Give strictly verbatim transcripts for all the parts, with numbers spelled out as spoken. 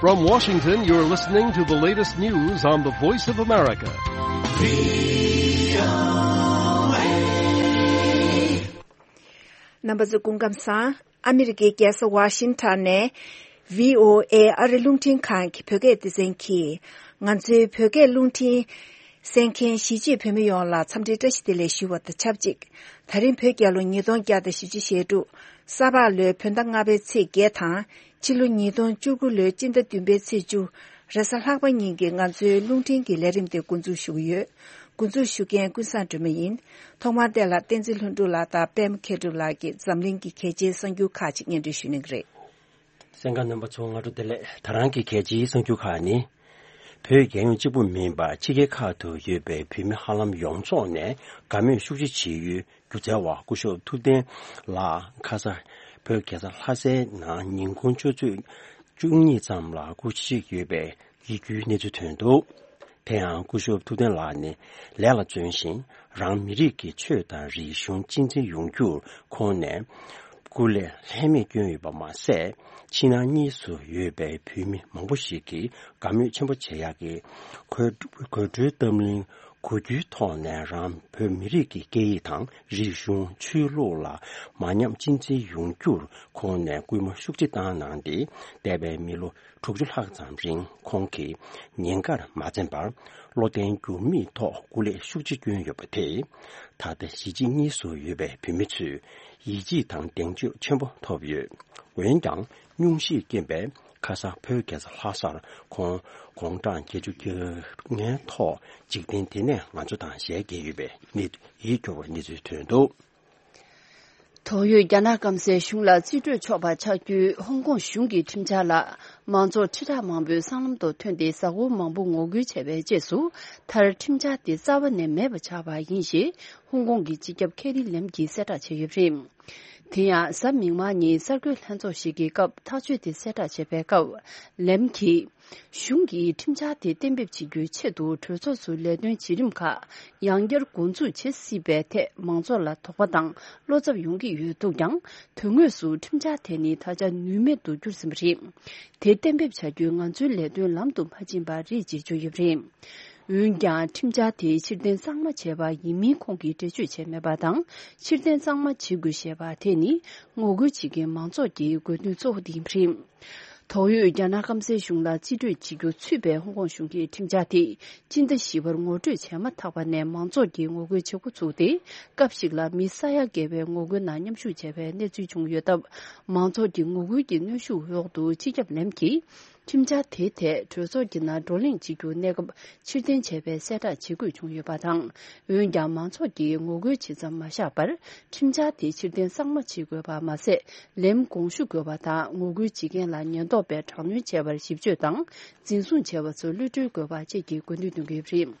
From Washington, you're listening to the latest news on the Voice of America. རྣམ་པ་ཚོ་སྐུ་ཁམས་བཟང་། ཨ་མི་རི་ཀའི་རྒྱལ་ས་ཝ་ཤིང་ཊོན་ནས་བྷི་ཨོ་ཨེ་ཨ་རི་རླུང་འཕྲིན་ཁང་གི་བོད་སྐད་སྡེ་ཚན་གྱིས། ང་ཚོའི་བོད་སྐད་རླུང་འཕྲིན་གསན་མཁན་གཞིས་བྱེས་བོད་མི་ཡོངས་ལ་འཚམས་འདྲིའི་བཀྲ་ཤིས་བདེ་ལེགས་ཞུ་བ་དང་ཆབས་ཅིག་ད་རིང་བོད་རྒྱལ་ལོ་ཉིས་སྟོང་བརྒྱ་དང་བཞི་བཅུ་ཞེ་དྲུག་ས་ཕག་ལོའི་བོད་ཟླ་ལྔ་པའི་ཚེས་བརྒྱད་དང་། ཕྱི་ལོ་ཉིས་སྟོང་བཅུ་དགུ་ལོའི་སྤྱི་ཟླ་བདུན་པའི་ཚེས་བཅུ། རེས་གཟའ་ལྷག་པ་ཉིན་གྱི་ང་ཚོའི་རླུང་འཕྲིན་གྱི་ལས་རིམ་དེ་འགོ་འཛུགས་ཞུ་གི་ཡོད། འགོ་འཛུགས་ཞུ་མཁན་ཀུན་བཟང་སྒྲོལ་མ་ཡིན། ཐོག་མར་དེ་ལ་བསྟན་འཛིན་ལྷུན་གྲུབ་ལགས་དང་པད་མ་མཁས་གྲུབ་ལགས་ཀྱིས་འཛམ་གླིང་གི་གལ་ཆེའི་གསར་འགྱུར་ཁག་ཅིག་སྙན་སྒྲོན་ཞུ་གནང་གི་རེད། གསན་མཁན་རྣམ་པ་ཚོ་སྔ་དྲོ་བདེ་ལེགས། ད་རང་གི་གལ་ཆེའི་གསར་འགྱུར་ཁག་ནི། བོད་རྒྱལ་ཡོངས་གཅིག་པུ་མིན་པར་ཕྱི་རྒྱལ་ཁག་ཏུ་ཡོད་པའི་བོད་མི་ཧ་ལམ་ཡོངས་རྫོགས་ནས་དགའ་མོས་ཤུགས་ཆེ་བྱེད་ཡུལ་སྒྱུ་རྩལ་བ་སྐུ་ཞབས་ཐུབ་བསྟན་ལགས་ཁ་ས་བོད་རྒྱལ་ས་ལྷ་སའི་ནང་ཉིན་གུང་ཆུ་ཚོད་བཅུ་གཉིས་ཙམ་ལ་སྐུ་གཤེགས་ཡོད་པའི་ཡིད་སྐྱོའི་གནས་ཚུལ་ཐོན་འདུག་དེ་ཡང་སྐུ་ཞབས་ཐུབ་བསྟན་ལགས་ནི་ལས་ལ་བརྩོན་ཞིང་རང་མི་རིགས་ཀྱི་ཆོས་དང་རིག་གཞུང་གཅེས་འཛིན་ཡོང་རྒྱུར་ཁོང་ནས་སྐུ་ལས་ལྷད་མེད་བསྐྱོན་ཡོད་པ་མ་ཟད། ཕྱི་ནང་གཉིས་སུ་ཡོད་པའི་བོད་མི་མང་པོ་ཞིག་གིས་དགའ་མོས་ཆེན་པོ་བྱེད་ཡག་གི་གོས་གོས་འགྲོའི་གཏམ་གླེང་གོ་རྒྱུའི་ཐོག་ནས་རང་བོད་མི་རིགས་ཀྱི་སྐད་ཡིག་དང་རིག་གཞུང་ཆོས་ལུགས་ལ་མ་ཉམས་གཅེས་འཛིན་ཡོང་རྒྱུར་ཁོང་ནས་སྐུལ་མ་ཤུགས་ཆེ་བཏང་གནང་སྟེ། འདས་པའི་མི་ལོ་དྲུག་ཅུ་ལྷག་ཙམ་རིང་ཁོང་གིས་ཉེན་ཁར་མ་འཛེམས་པར་བློ་བརྟན་འགྱུར་མེད་ཐོག་སྐུ་ལས་ཤུགས་ཆེ་བསྐྱོན་ཡོད་པ་དེས། ད་ལྟ་གཞིས་བྱེས་གཉིས་སུ་ཡོད་པའི་བོད་མི་ཚོས་ཡིད་ཆེས་དང་གདེང་ཚོད་ཆེན་པོ་ཐོབ་ཡོད། འོན་ཀྱང་སྙུང་གཞིའི་རྐྱེན་པས་ཁ་སང་བོད་རྒྱལ་ས་ལྷ་སར་ཁོང་དགུང་གྲངས་བརྒྱད་ཅུ་གྱ་ལྔའི་ཐོག་འཇིག་རྟེན་འདི་ནས་ང་ཚོ་དང་ཞལ་གྱེས་ཡོད་པའི་གནས་ཡིད་སྐྱོ་བའི་གནས་ཚུལ་ཐོན་འདུག་དོགས་ཡོད་རྒྱ་ནག་སྐམ་སའི་གཞུང་ལ་རྩིས་སྤྲོད་ཆོག་པ་ཆགས་རྒྱུའི་ཧོང་ཀོང་གཞུང་གི་ཁྲིམས་འཆར་ལ་མང་ཚོགས་ཁྲི་ཕྲག་མང་པོས་སྲང་ལམ་དུ་ཐོན་ཏེ་གཟའ་འཁོར་མང་པོ་ངོ་རྒོལ་བྱས་པའི་རྗེས་སུ། མཐར་ཁྲིམས་འཆར་དེ་རྩ་བ་ནས་མེད་པ་ཆགས་པ་ཡིན་ཞེས་ཧོང་ཀོང་གི་སྤྱི་ཁྱབ་ཁེ་རི་ལེམ་གྱིས་གསལ་བསྒྲགས་བྱས་ཡོད་པ་རེད། དེ་ཡང་གཟའ་མིག་དམར་ཉིན་གསར་འགོད་ལྷན་ཚོགས་ཤིག་གི་སྐབས་ཐག་གཅོད་དེ་གསལ་བསྒྲགས་བྱས་པའི་སྐབས། ལེམ་གྱིས། གཞུང་གིས་ཁྲིམས་འཆར་དེ་གཏན་འབེབས་བྱེད་རྒྱུའི་ཆེད་དུ་གྲོས་ཚོགས་སུ་ལས་དོན་བྱེད་རིམ་ཁག་ཡང་བསྐྱར་འགོ་འཛུགས་བྱེད་སྲིད་པའི་ཐད་མང་ཚོགས་ལ་དོགས་པ་དང་བློ་འཚབ་ཡོང་གི་ཡོད་འདུག་ཀྱང་། དོན་དངོས་སུ་ཁྲིམས་འཆར་དེ་ནི་ད་ཆ་ནུས་མེད་དུ་གྱུར་ཟིན་པ་རེད། དེ་གཏན་འབེབས་བྱ་རྒྱུའི་ང་ཚོའི་ལས་དོན་ལམ་དུ་མ་ཕྱིན་པ་རེད་ཅེས་བརྗོད་ཡོད་པ་རེད། འོན་ཀྱང་ཁྲིམས་འཆར་དེ་ཕྱིར་འཐེན་གཙང་མ་བྱས་པ་ཡིན་མིན་ཁོང་གིས་འགྲེལ་བརྗོད་བྱས་མེད་པ་དང་། ཕྱིར་འཐེན་གཙང་མ་བྱེད་དགོས་ཞེས་པ་དེ་ནི་ངོ་རྒོལ་བྱེད་མཁན་མང་ཚོགས་ཀྱི་དགོས་འདུན་གཙོ་བོ་དེ་ཡིན་པ་རེད། དོགས་ཡོད་རྒྱ་ནག་སྐམ་སའི་གཞུང་ལ་རྩིས་སྤྲོད་བྱེད་རྒྱུ་ཚུད་པའི་ཧོང་ཀོང་གཞུང་གི་ཁྲིམས་འཆར་དེ་སྤྱི་ཟླ་བཞི་པར་ངོ་སྤྲོད་བྱས་མ་ཐག་པ་ནས་མང་ཚོགས་ཀྱིས་ངོ་རྒོལ་བྱེད་འགོ་ཚུགས་ཏེ། སྐབས་ཤིག་ལ་མི་ས་ཡ་བརྒལ་བའི་ངོ་རྒོལ་ནང་མཉམ་ཞུགས་བྱས་པའི་གནས་ཚུལ་བྱུང་ཡོད་སྟབས། མང་ཚོགས་ཀྱི་ངོ་རྒོལ་གྱི་གནོན་ཤུགས་འོག་ཏུ་སྤྱི་ཁྱབ་ལེམ་གྱིས། ཁྲིམས་འཆར་དེའི་ཐད་གྲོས་ཚོགས་ཀྱི་ནང་བགྲོ་གླེང་བྱེད་རྒྱུ་གནས་སྐབས་ཕྱིར་འཐེན་བྱས་པའི་གསལ་བསྒྲགས་བྱེད་དགོས་བྱུང་ཡོད་པ་དང་། འོན་ཀྱང་མང་ཚོགས་ཀྱིས་ངོ་རྒོལ་བྱེད་མཚམས་མ་བཞག་པར། ཁྲིམས་འཆར་དེ་ཕྱིར་འཐེན་གཙང་མ་བྱེད་དགོས་པ་མ་ཟད། ལེམ་དགོངས་ཞུ་དགོས་པ་དང་། ངོ་རྒོལ་བྱེད་མཁན་ལ་ཉེན་རྟོག་པས་དྲག་གནོན་བྱས་པར་ཞིབ་དཔྱོད་དང་འཛིན་བཟུང་བྱས་པ་ཚོར་གློད་གྲོལ་དགོས་པ་བཅས་ཀྱི་དགོས་འདུན་འདོན་གྱི་ཡོད་པ་རེད།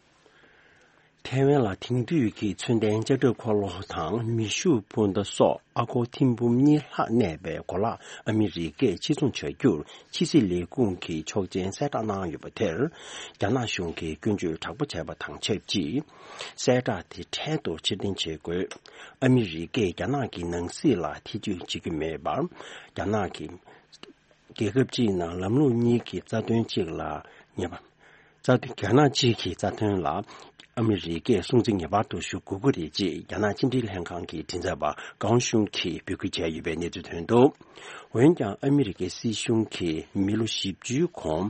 ཐའེ་ཝན་ལ་དེང་དུས་ཀྱི་མཚོན་ལྡན་ལྕགས་ཁྲབ་འཁོར་ལོ་དང་མེ་ཤུགས་འཕུར་མདའ་སོགས་ཨ་སྒོར་ཐེར་འབུམ་གཉིས་ལྷག་གནས་པའི་གོ་ལག་ཨ་མི་རི་ཀས་ཕྱིར་ཚོང་བྱ་རྒྱུར་ཕྱི་སྲིད་ལས་ཁུངས་ཀྱི་ཆོག་མཆན་གསལ་བསྒྲགས་གནང་ཡོད་པ་དེར། རྒྱ་ནག་གཞུང་གིས་སྐྱོན་བརྗོད་དྲག་པོ་བྱས་པ་དང་ཆབས་ཅིག་གསལ་བསྒྲགས་དེ་འཕྲལ་དུ་ཕྱིར་འཐེན་བྱེད་དགོས། ཨ་མི་རི་ཀས་རྒྱ་ནག་གི་ནང་སྲིད་ལ་ཐེ་བྱུས་བྱེད་ཀྱི་མེད་པར། རྒྱ་ནག་གི་རྒྱལ་ཁབ་གཅིག་ནང་ལམ་ལུགས་གཉིས་ཀྱི་རྩ་དོན་གཅིག་ལ་ཉེས་པ། རྩ་དོན་རྒྱ་ནག་གཅིག་གི་རྩ་དོན་ལ་ཨ་མི་རི་ཀས་སྲུང་བརྩི་ངེས་པར་དུ་ཞུ་དགོས་ཀྱི་རེད་ཅེས་རྒྱ་ནག་ཕྱི་འབྲེལ་ལྷན་ཁང་གི་མགྲིན་ཚབ་པ་ཀའོ་ཤུང་གིས་འབོད་སྐུལ་བྱས་ཡོད་པའི་གནས་ཚུལ་ཐོན་འདུག་འོན་ཀྱང་ཨ་མི་རི་ཀའི་སྲིད་གཞུང་གིས་མི་ལོ་བཞི་བཅུའི་གོང་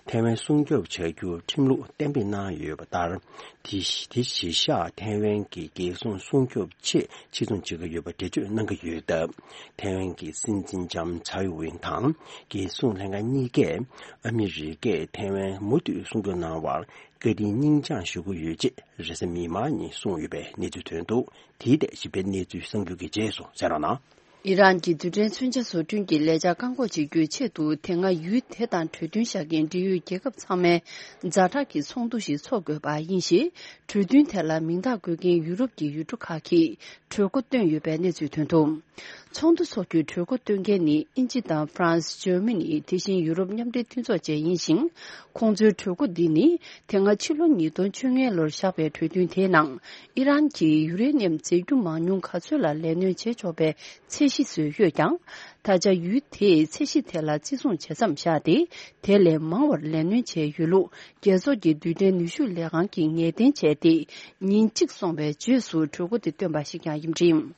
ཐའེ་ཝན་སྲུང་སྐྱོབ་བྱ་རྒྱུར་ཁྲིམས་ལུགས་གཏན་འབེབས་གནང་ཡོད་པ་ལྟར། དེ་གཞི་དེ་གཞི་བཞག་ཐའེ་ཝན་གྱི་རྒྱལ་སྲུང་སྲུང་སྐྱོབ་ཆེད་ཕྱིར་ཚོང་བྱེད་ཀྱི་ཡོད་པ་འགྲེལ་བརྗོད་གནང་གི་ཡོད་སྟབས། ཐའེ་ཝན་གྱི་སྲིད་འཛིན་ལྕམ་ཚའེ་ཝེན་དང་རྒྱལ་སྲུང་ལྷན་ཁང་གཉིས་ཀས་ཨ་མི་རི་ཀས་ཐའེ་ཝན་མུ་མཐུད་སྲུང་སྐྱོབ་གནང་བར་བཀའ་དྲིན་སྙིང་བཅངས་ཞུ་གི་ཡོད་ཅེས་རེས་གཟའ་མིག་དམར་ཉིན་གསུངས་ཡོད་པའི་གནས་ཚུལ་ཐོན་འདུག་དེའི་ཐད་ཞིབ་ཕྲའི་གནས་ཚུལ་གསར་འགྱུར་གྱི་རྗེས་སུ་གསན་རོགས་གནང་། ཨི་རན་གྱི་རྡུལ་ཕྲན་མཚོན་ཆ་བཟོ་སྐྲུན་གྱི་ལས་འཆར་བཀག་འགོག་བྱེད་རྒྱུའི་ཆེད་དུ་དེ་སྔ་ཡུལ་དེ་དང་གྲོས་མཐུན་བཞག་མཁན་འབྲེལ་ཡོད་རྒྱལ་ཁབ་ཚང་མས་ཛ་དྲག་གི་ཚོགས་འདུ་ཞིག་འཚོགས་དགོས་པ་ཡིན་ཞེས། གྲོས་མཐུན་དེ་ལ་མིང་རྟགས་འགོད་མཁན་ཡུ་རོབ་ཀྱི་ཡུལ་གྲུ་ཁག་གིས་གྲོས་འགོ་བཏོན་ཡོད་པའི་གནས་ཚུལ་ཐོན་འདུག་ཚོགས་འདུ་འཚོགས་རྒྱུའི་གྲོས་འགོ་བཏོན་མཁན་ནི་དབྱིན་ཇི་དང་ཧྥ་རན་སི། ཇར་མ་ནི། དེ་བཞིན་ཡུ་རོབ་མཉམ་འབྲེལ་མཐུན་ཚོགས་བཅས་ཡིན་ཞིང་། ཁོང་ཚོའི་གྲོས་འགོ་འདི་ནི་དེ་སྔ་ཕྱི་ལོ་ཉིས་སྟོང་བཅོ་ལྔ་ལོར་བཞག་པའི་གྲོས་མཐུན་དེའི་ནང་ཨི་རན་གྱིས་ཡུ་རེ་ནི་ཡམ་རྫས་འགྱུར་མང་ཉུང་ག་ཚོད་ལ་ལས་སྣོན་བྱེད་ཆོག་པའི་ཚད་གཞི་བཟོས་ཡོད་ཀྱང་། ད་ཆ་ཡུལ་དེས་ཚད་གཞི་དེ་ལ་བརྩི་སྲུང་བྱེད་མཚམས་བཞག་སྟེ། དེ་ལས་མང་བར་ལས་སྣོན་བྱས་ཡོད་ལུགས་རྒྱལ་ཚོགས་ཀྱི་རྡུལ་ཕྲན་ནུས་ཤུགས་ལས་ཁང་གིས་ངེས་གཏན་བྱས་ཏེ། ཉིན་གཅིག་སོང་བའི་རྗེས་སུ་གྲོས་འགོ་དེ་བཏོན་པ་ཞིག་ཀྱང་ཡིན་པ་རེད།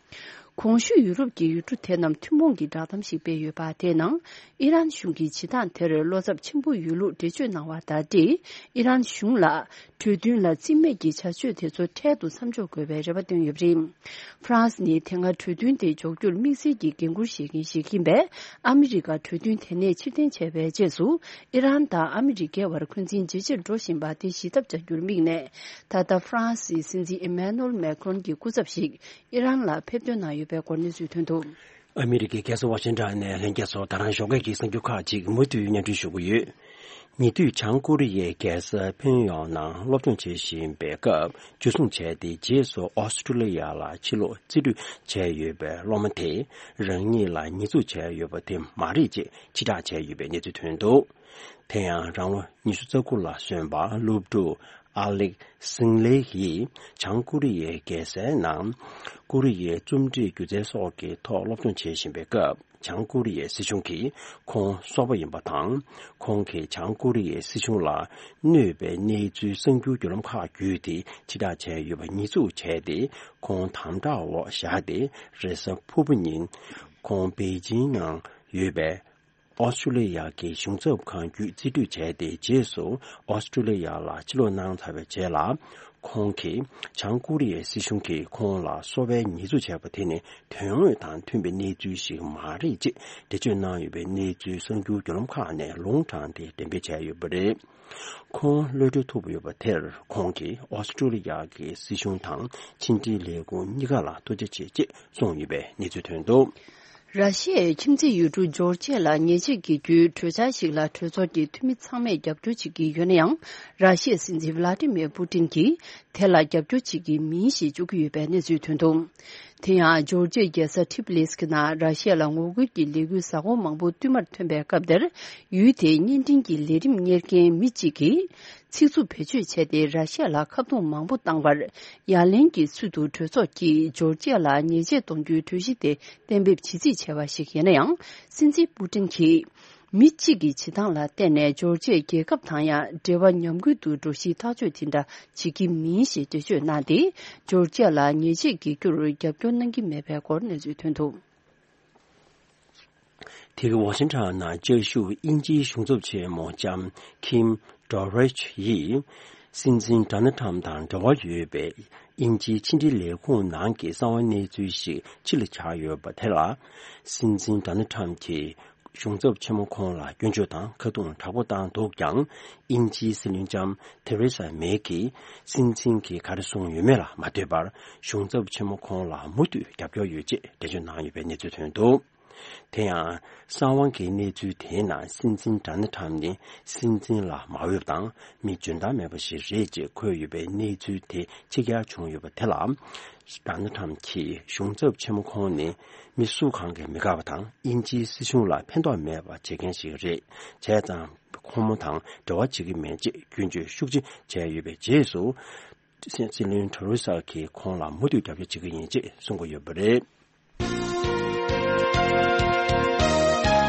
གོང་ཞུས་ཡུ་རོབ་ཀྱི་ཡུལ་གྲུ་དེ་རྣམས་ཐུན་མོང་གི་བསྒྲགས་གཏམ་ཞིག་སྤེལ་ཡོད་པ། དེའི་ནང་ཨི་རན་གཞུང་གིས་བྱེད་སྟངས་དེར་བློ་འཚབ་ཆེན་པོ་ཡོད་ལུགས་འགྲེལ་བརྗོད་གནང་བ་དང་འབྲེལ། ཨི་རན་གཞུང་ལ་གྲོས་མཐུན་ལ་རྩིས་མེད་ཀྱི་བྱ་སྤྱོད་དེ་ཚོ་འཕྲལ་དུ་མཚམས་འཇོག་དགོས་པའི་རེ་བ་བཏོན་ཡོད་པ་རེད། ཧྥ་རན་སི་ནི་དེ་སྔ་གྲོས་མཐུན་དེ་འཇོག་རྒྱུར་དམིགས་བསལ་གྱི་འགན་འཁུར་བཞེས་མཁན་ཞིག་ཡིན་པས། ཨ་མི་རི་ཀ་གྲོས་མཐུན་དེ་ནས་ཕྱིར་འཐེན་བྱས་པའི་རྗེས་སུ། ཨི་རན་དང་ཨ་མི་རི་ཀའི་བར་འཁོན་འཛིན་ཇེ་ཆེར་འགྲོ་བཞིན་པ་དེ་ཞི་ཐབས་བྱ་རྒྱུར་དམིགས་ནས། ད་ལྟ་ཧྥ་རན་སིའི་སྲིད་འཛིན་ཨི་མེ་ནུ་ཨེལ་མེ་ཁྲོན་གྱི་སྐུ་ཚབ་ཞིག་ཨི་རན་ལ་ཕེབས་ཐོན་གནང་ཡོད་པའི་སྐོར་གནས་ཚུལ་ཐོན་འདུག། ཨ་མི་རི་ཀའི་རྒྱལ་ས་ཝ་ཤིང་ཊོན་ནས་ལྷན་རྒྱས་ཚོ། ད་རང་ཞོགས་ཀས་ཀྱི་གསར་འགྱུར་ཁག་ཅིག་མུ་མཐུད་སྙན་སྒྲོན་ཞུ་གི་ཡོད། ཉེ་དུས་བྱང་ཀོ་རི་ཡའི་རྒྱལ་ས་ཕིན་ཡོང་ནང་སློབ་སྦྱོང་བྱེད་བཞིན་པའི་སྐབས། འཇུ་བཟུང་བྱས་ཏེ་རྗེས་སུ་ཨོ་སི་ཀྲུ་ལི་ཡ་ལ་ཕྱིར་ལོག་རྩིས་སྤྲོད་བྱས་ཡོད་པའི་སློབ་མ་དེས་རང་ཉིད་ལ་ཉེས་འཛུགས་བྱས་ཡོད་པ་དེ་མ་རེད་ཅེས་ཕྱིར་བསྒྲགས་བྱས་ཡོད་པའི་གནས་ཚུལ་ཐོན་འདུག། དེ་ཡང་རང་ལོ་ཉི་ཤུ་རྩ་དགུ་ལ་སོན་པ་སློབ་ཕྲུག་ཨ་ལེག་སིང་ལེ་ཡིས་བྱང་ཀོ་རི་ཡའི་རྒྱལ་སའི་ནང་ཀོ་རི་ཡའི་རྩོམ་སྒྲིག་སྒྱུ་རྩལ་སོགས་ཀྱི་ཐོག་སློབ་སྦྱོང་བྱེད་བཞིན་པའི་སྐབས། བྱང་ཀོ་རི་ཡའི་སྲིད་གཞུང་གིས་ཁོང་སོག་པོ་ཡིན་པ་དང་། ཁོང་གིས་བྱང་ཀོ་རི་ཡའི་སྲིད་གཞུང་ལ་གནོད་པའི་གནས་ཚུལ་གསར་འགྱུར་བརྒྱུད་ལམ་ཁག་བརྒྱུད་དེ་ཕྱིར་བསྒྲགས་བྱས་ཡོད་པ་ཉེས་འཛུགས་བྱས་ཏེ། ཁོང་དམ་དྲག་འོག་བཞག་སྟེ། རེས་གཟའ་ཕུར་བུ་ཉིན་ཁོང་པེ་ཅིང་ནང་ཡོད་པའི་ཨོ་སི་ཀྲུ་ལི་ཡ་གི་གཞུང་ཚབ་ཁང་བརྒྱུད་རྩིས་སྤྲོད་བྱས་ཏེ། རྗེས་སུ་ཨོ་སི་ཀྲུ་ལི་ཡ་ལ་ཕྱིར་ལོག་གནང་ཚར་བའི་རྗེས་ལ། ཁོང་གིས་བྱང་ཀོ་རི་ཡའི་སྲིད་གཞུང་གིས་ཁོང་ལ་སོག་པོའི་ཉེས་འཛུགས་བྱས་པ་དེ་ནི་དོན་དངོས་དང་མཐུན་པའི་གནས་ཚུལ་ཞིག་མ་རེད་ཅེས་འགྲེལ་བརྗོད་གནང་ཡོད་པའི་གནས་ཚུལ་གསར་འགྱུར་བརྒྱུད་ལམ་ཁག་ནས་ལུང་དྲངས་ཏེ་འགྲེམས་སྤེལ་བྱས་ཡོད་པ་རེད། ཁོང་གློད་གྲོལ་ཐུབ་ཡོད་པ་དེར། ཁོང་གིས་ཨོ་སི་ཀྲུ་ལི་ཡ་གི་སྲིད་གཞུང་དང་ཕྱི་འབྲེལ་ལས་ཁུངས་གཉིས་ཀ་ལ་ཐུགས་རྗེ་ཆེ་ཅེས་གསུངས་ཡོད་པའི་གནས་ཚུལ་ཐོན་འདུག། ར་ཤི་ཡའི་ཁྱིམ་མཚེས་ཡུལ་གྲུ་ཇོར་ཇི་ཡ་ལ་ཉེས་ཆད་འགེལ་རྒྱུའི་གྲོས་འཆར་ཞིག་ལ་གྲོས་ཚོགས་ཀྱི་འཐུས་མི་ཚང་མས་རྒྱབ་སྐྱོར་བྱེད་ཀྱི་ཡོད་ན་ཡང་། ར་ཤི་ཡའི་སྲིད་འཛིན་ཝ་ལ་ཏི་མེར་པུ་ཏིན་གྱིས་དེ་ལ་རྒྱབ་སྐྱོར་བྱེད་ཀྱི་མིན་ཞེས་བརྗོད་ཀྱི་ཡོད་པའི་གནས་ཚུལ་ཐོན་འདུག། དེ་ཡང་ཇོར་ཇི་ཡའི་རྒྱལ་ས་ཐི་བྷི་ལི་སི་ནང་ར་ཤི་ཡ་ལ་ངོ་རྒོལ་གྱི་ལས་འགུལ་གཟའ་འཁོར་མང་པོ་བསྟུད་མར་ཐོན་པའི་སྐབས་དེར། ཡུལ་དེའི་བརྙན་འཕྲིན་གྱི་ལས་རིམ་གཉེར་མཁན་མི་གཅིག་གིས། ཚིག་རྩུབ་བེད་སྤྱོད་བྱས་ཏེ་ར་ཤི་ཡ་ལ་ཁ་རྡུང་མང་པོ་བཏང་བར། ཡ་ལན་གྱི་ཚུལ་དུ་གྲོས་ཚོགས་ཀྱིས་ཇོར་ཇི་ཡ་ལ་ཉེས་ཆད་གཏོང་རྒྱུའི་གྲོས་གཞི་དེ་གཏན་འབེབས་བྱེད་རྩིས་བྱས་པ་ཞིག་ཡིན་ན་ཡང་། སྲིད་འཛིན་པུ་ཏིན་གྱིས་མི་གཅིག་གི་བྱེད་སྟངས་ལ་བརྟེན་ནས་ཇོར་ཇི་ཡའི་རྒྱལ་ཁབ་དང་ཡང་འབྲེལ་བ་ཉམས་རྒུད་དུ་འགྲོ་གཞིའི་ཐག་གཅོད་དེ་འདྲ་བྱེད་ཀྱི་མིན་ཞེས་འགྲེལ་བརྗོད་གནང་སྟེ། ཇོར་ཇི་ཡ་ལ་ཉེས་ཆད་འགེལ་རྒྱུར་རྒྱབ་སྐྱོར་གནང་གི་མེད་པའི་སྐོར་གནས་ཚུལ་ཐོན་འདུག། དེ་ག་ཝ་ཤིང་ཊོན་ནང་བཅའ་བཞུགས་དབྱིན་ཇིའི་གཞུང་ཚབ་ཆེན་མོ་ལྕམ་ཁིམ་ཌོ་རེཆ་ཡིས། སྲིད་འཛིན་ཌོ་ནལ་ཁྲམ་དང་འབྲེལ་བ་ཡོད་པའི་དབྱིན་ཇིའི་ཕྱི་འབྲེལ་ལས་ཁུངས་ནང་གི་གསང་བ་གནས་ཚུལ་ཞིག་ཕྱི་ལ་བྱུང་ཡོད་པ་དེ་ལ། སྲིད་འཛིན་ཌོ་ནལ་ཁྲམ་གྱིས་གཞུང་ཚབ་ཆེན་མོ་ཁོང་ལ་སྐྱོན་བརྗོད་དང་ཁ་རྡུང་དྲག་པོ་བཏང་འདུག་ཀྱང་། དབྱིན་ཇིའི་སྲིད་བློན་ལྕམ་ཐེ་རེ་ས་མེ་གིས་སྲིད་འཛིན་གྱིས་ག་རེ་གསུངས་ཡོད་མེད་ལ་མ་ལྟོས་པར། གཞུང་ཚབ་ཆེན་མོ་ཁོང་ལ་མུ་མཐུད་རྒྱབ་སྐྱོར་ཡོད་ཅེས་འགྲེལ་བརྗོད་གནང་ཡོད་པའི་གནས་ཚུལ་ཐོན་འདུག། དེ་ཡང་གསང་བ་གི་གནས་ཚུལ་དེའི་ནང་སྲིད་འཛིན་ཌོ་ནལ་ཁྲམ་ནི་སྲིད་འཛིན་ལ་མ་འོས་པ་དང་མི་འཇོན་ཐང་མེད་པ་ཞིག་རེད་ཅེས་འཁོད་ཡོད་པའི་གནས་ཚུལ་དེ་ཕྱི་གྱར་བྱུང་ཡོད་པ་དེ་ལ། ཌོ་ནལ་ཁྲམ་གྱིས་གཞུང་ཚབ་ཆེན་མོ་ཁོང་ནི་མི་སུ་གང་གིས་མི་དགའ་བ་དང་། དབྱིན་ཇིའི་སྲིད་གཞུང་ལ་ཕན་ཐོགས་མེད་པ་བྱེད་མཁན་ཞིག་རེད། བྱས་ཙང་ཁོང་མོ་དང་འབྲེལ་བ་བྱེད་ཀྱི་མེད་ཅེས་སྐྱོན་བརྗོད་ཤུགས་ཆེ་བྱས་ཡོད་པའི་རྗེས་སུ། སྲིད་བློན་ཐེ་རེ་ས་གིས་ཁོང་ལ་མུ་མཐུད་རྒྱབ་སྐྱོར་བྱེད་ཀྱི་ཡིན་ཅེས་གསུང་གི་ཡོད་པ་རེད།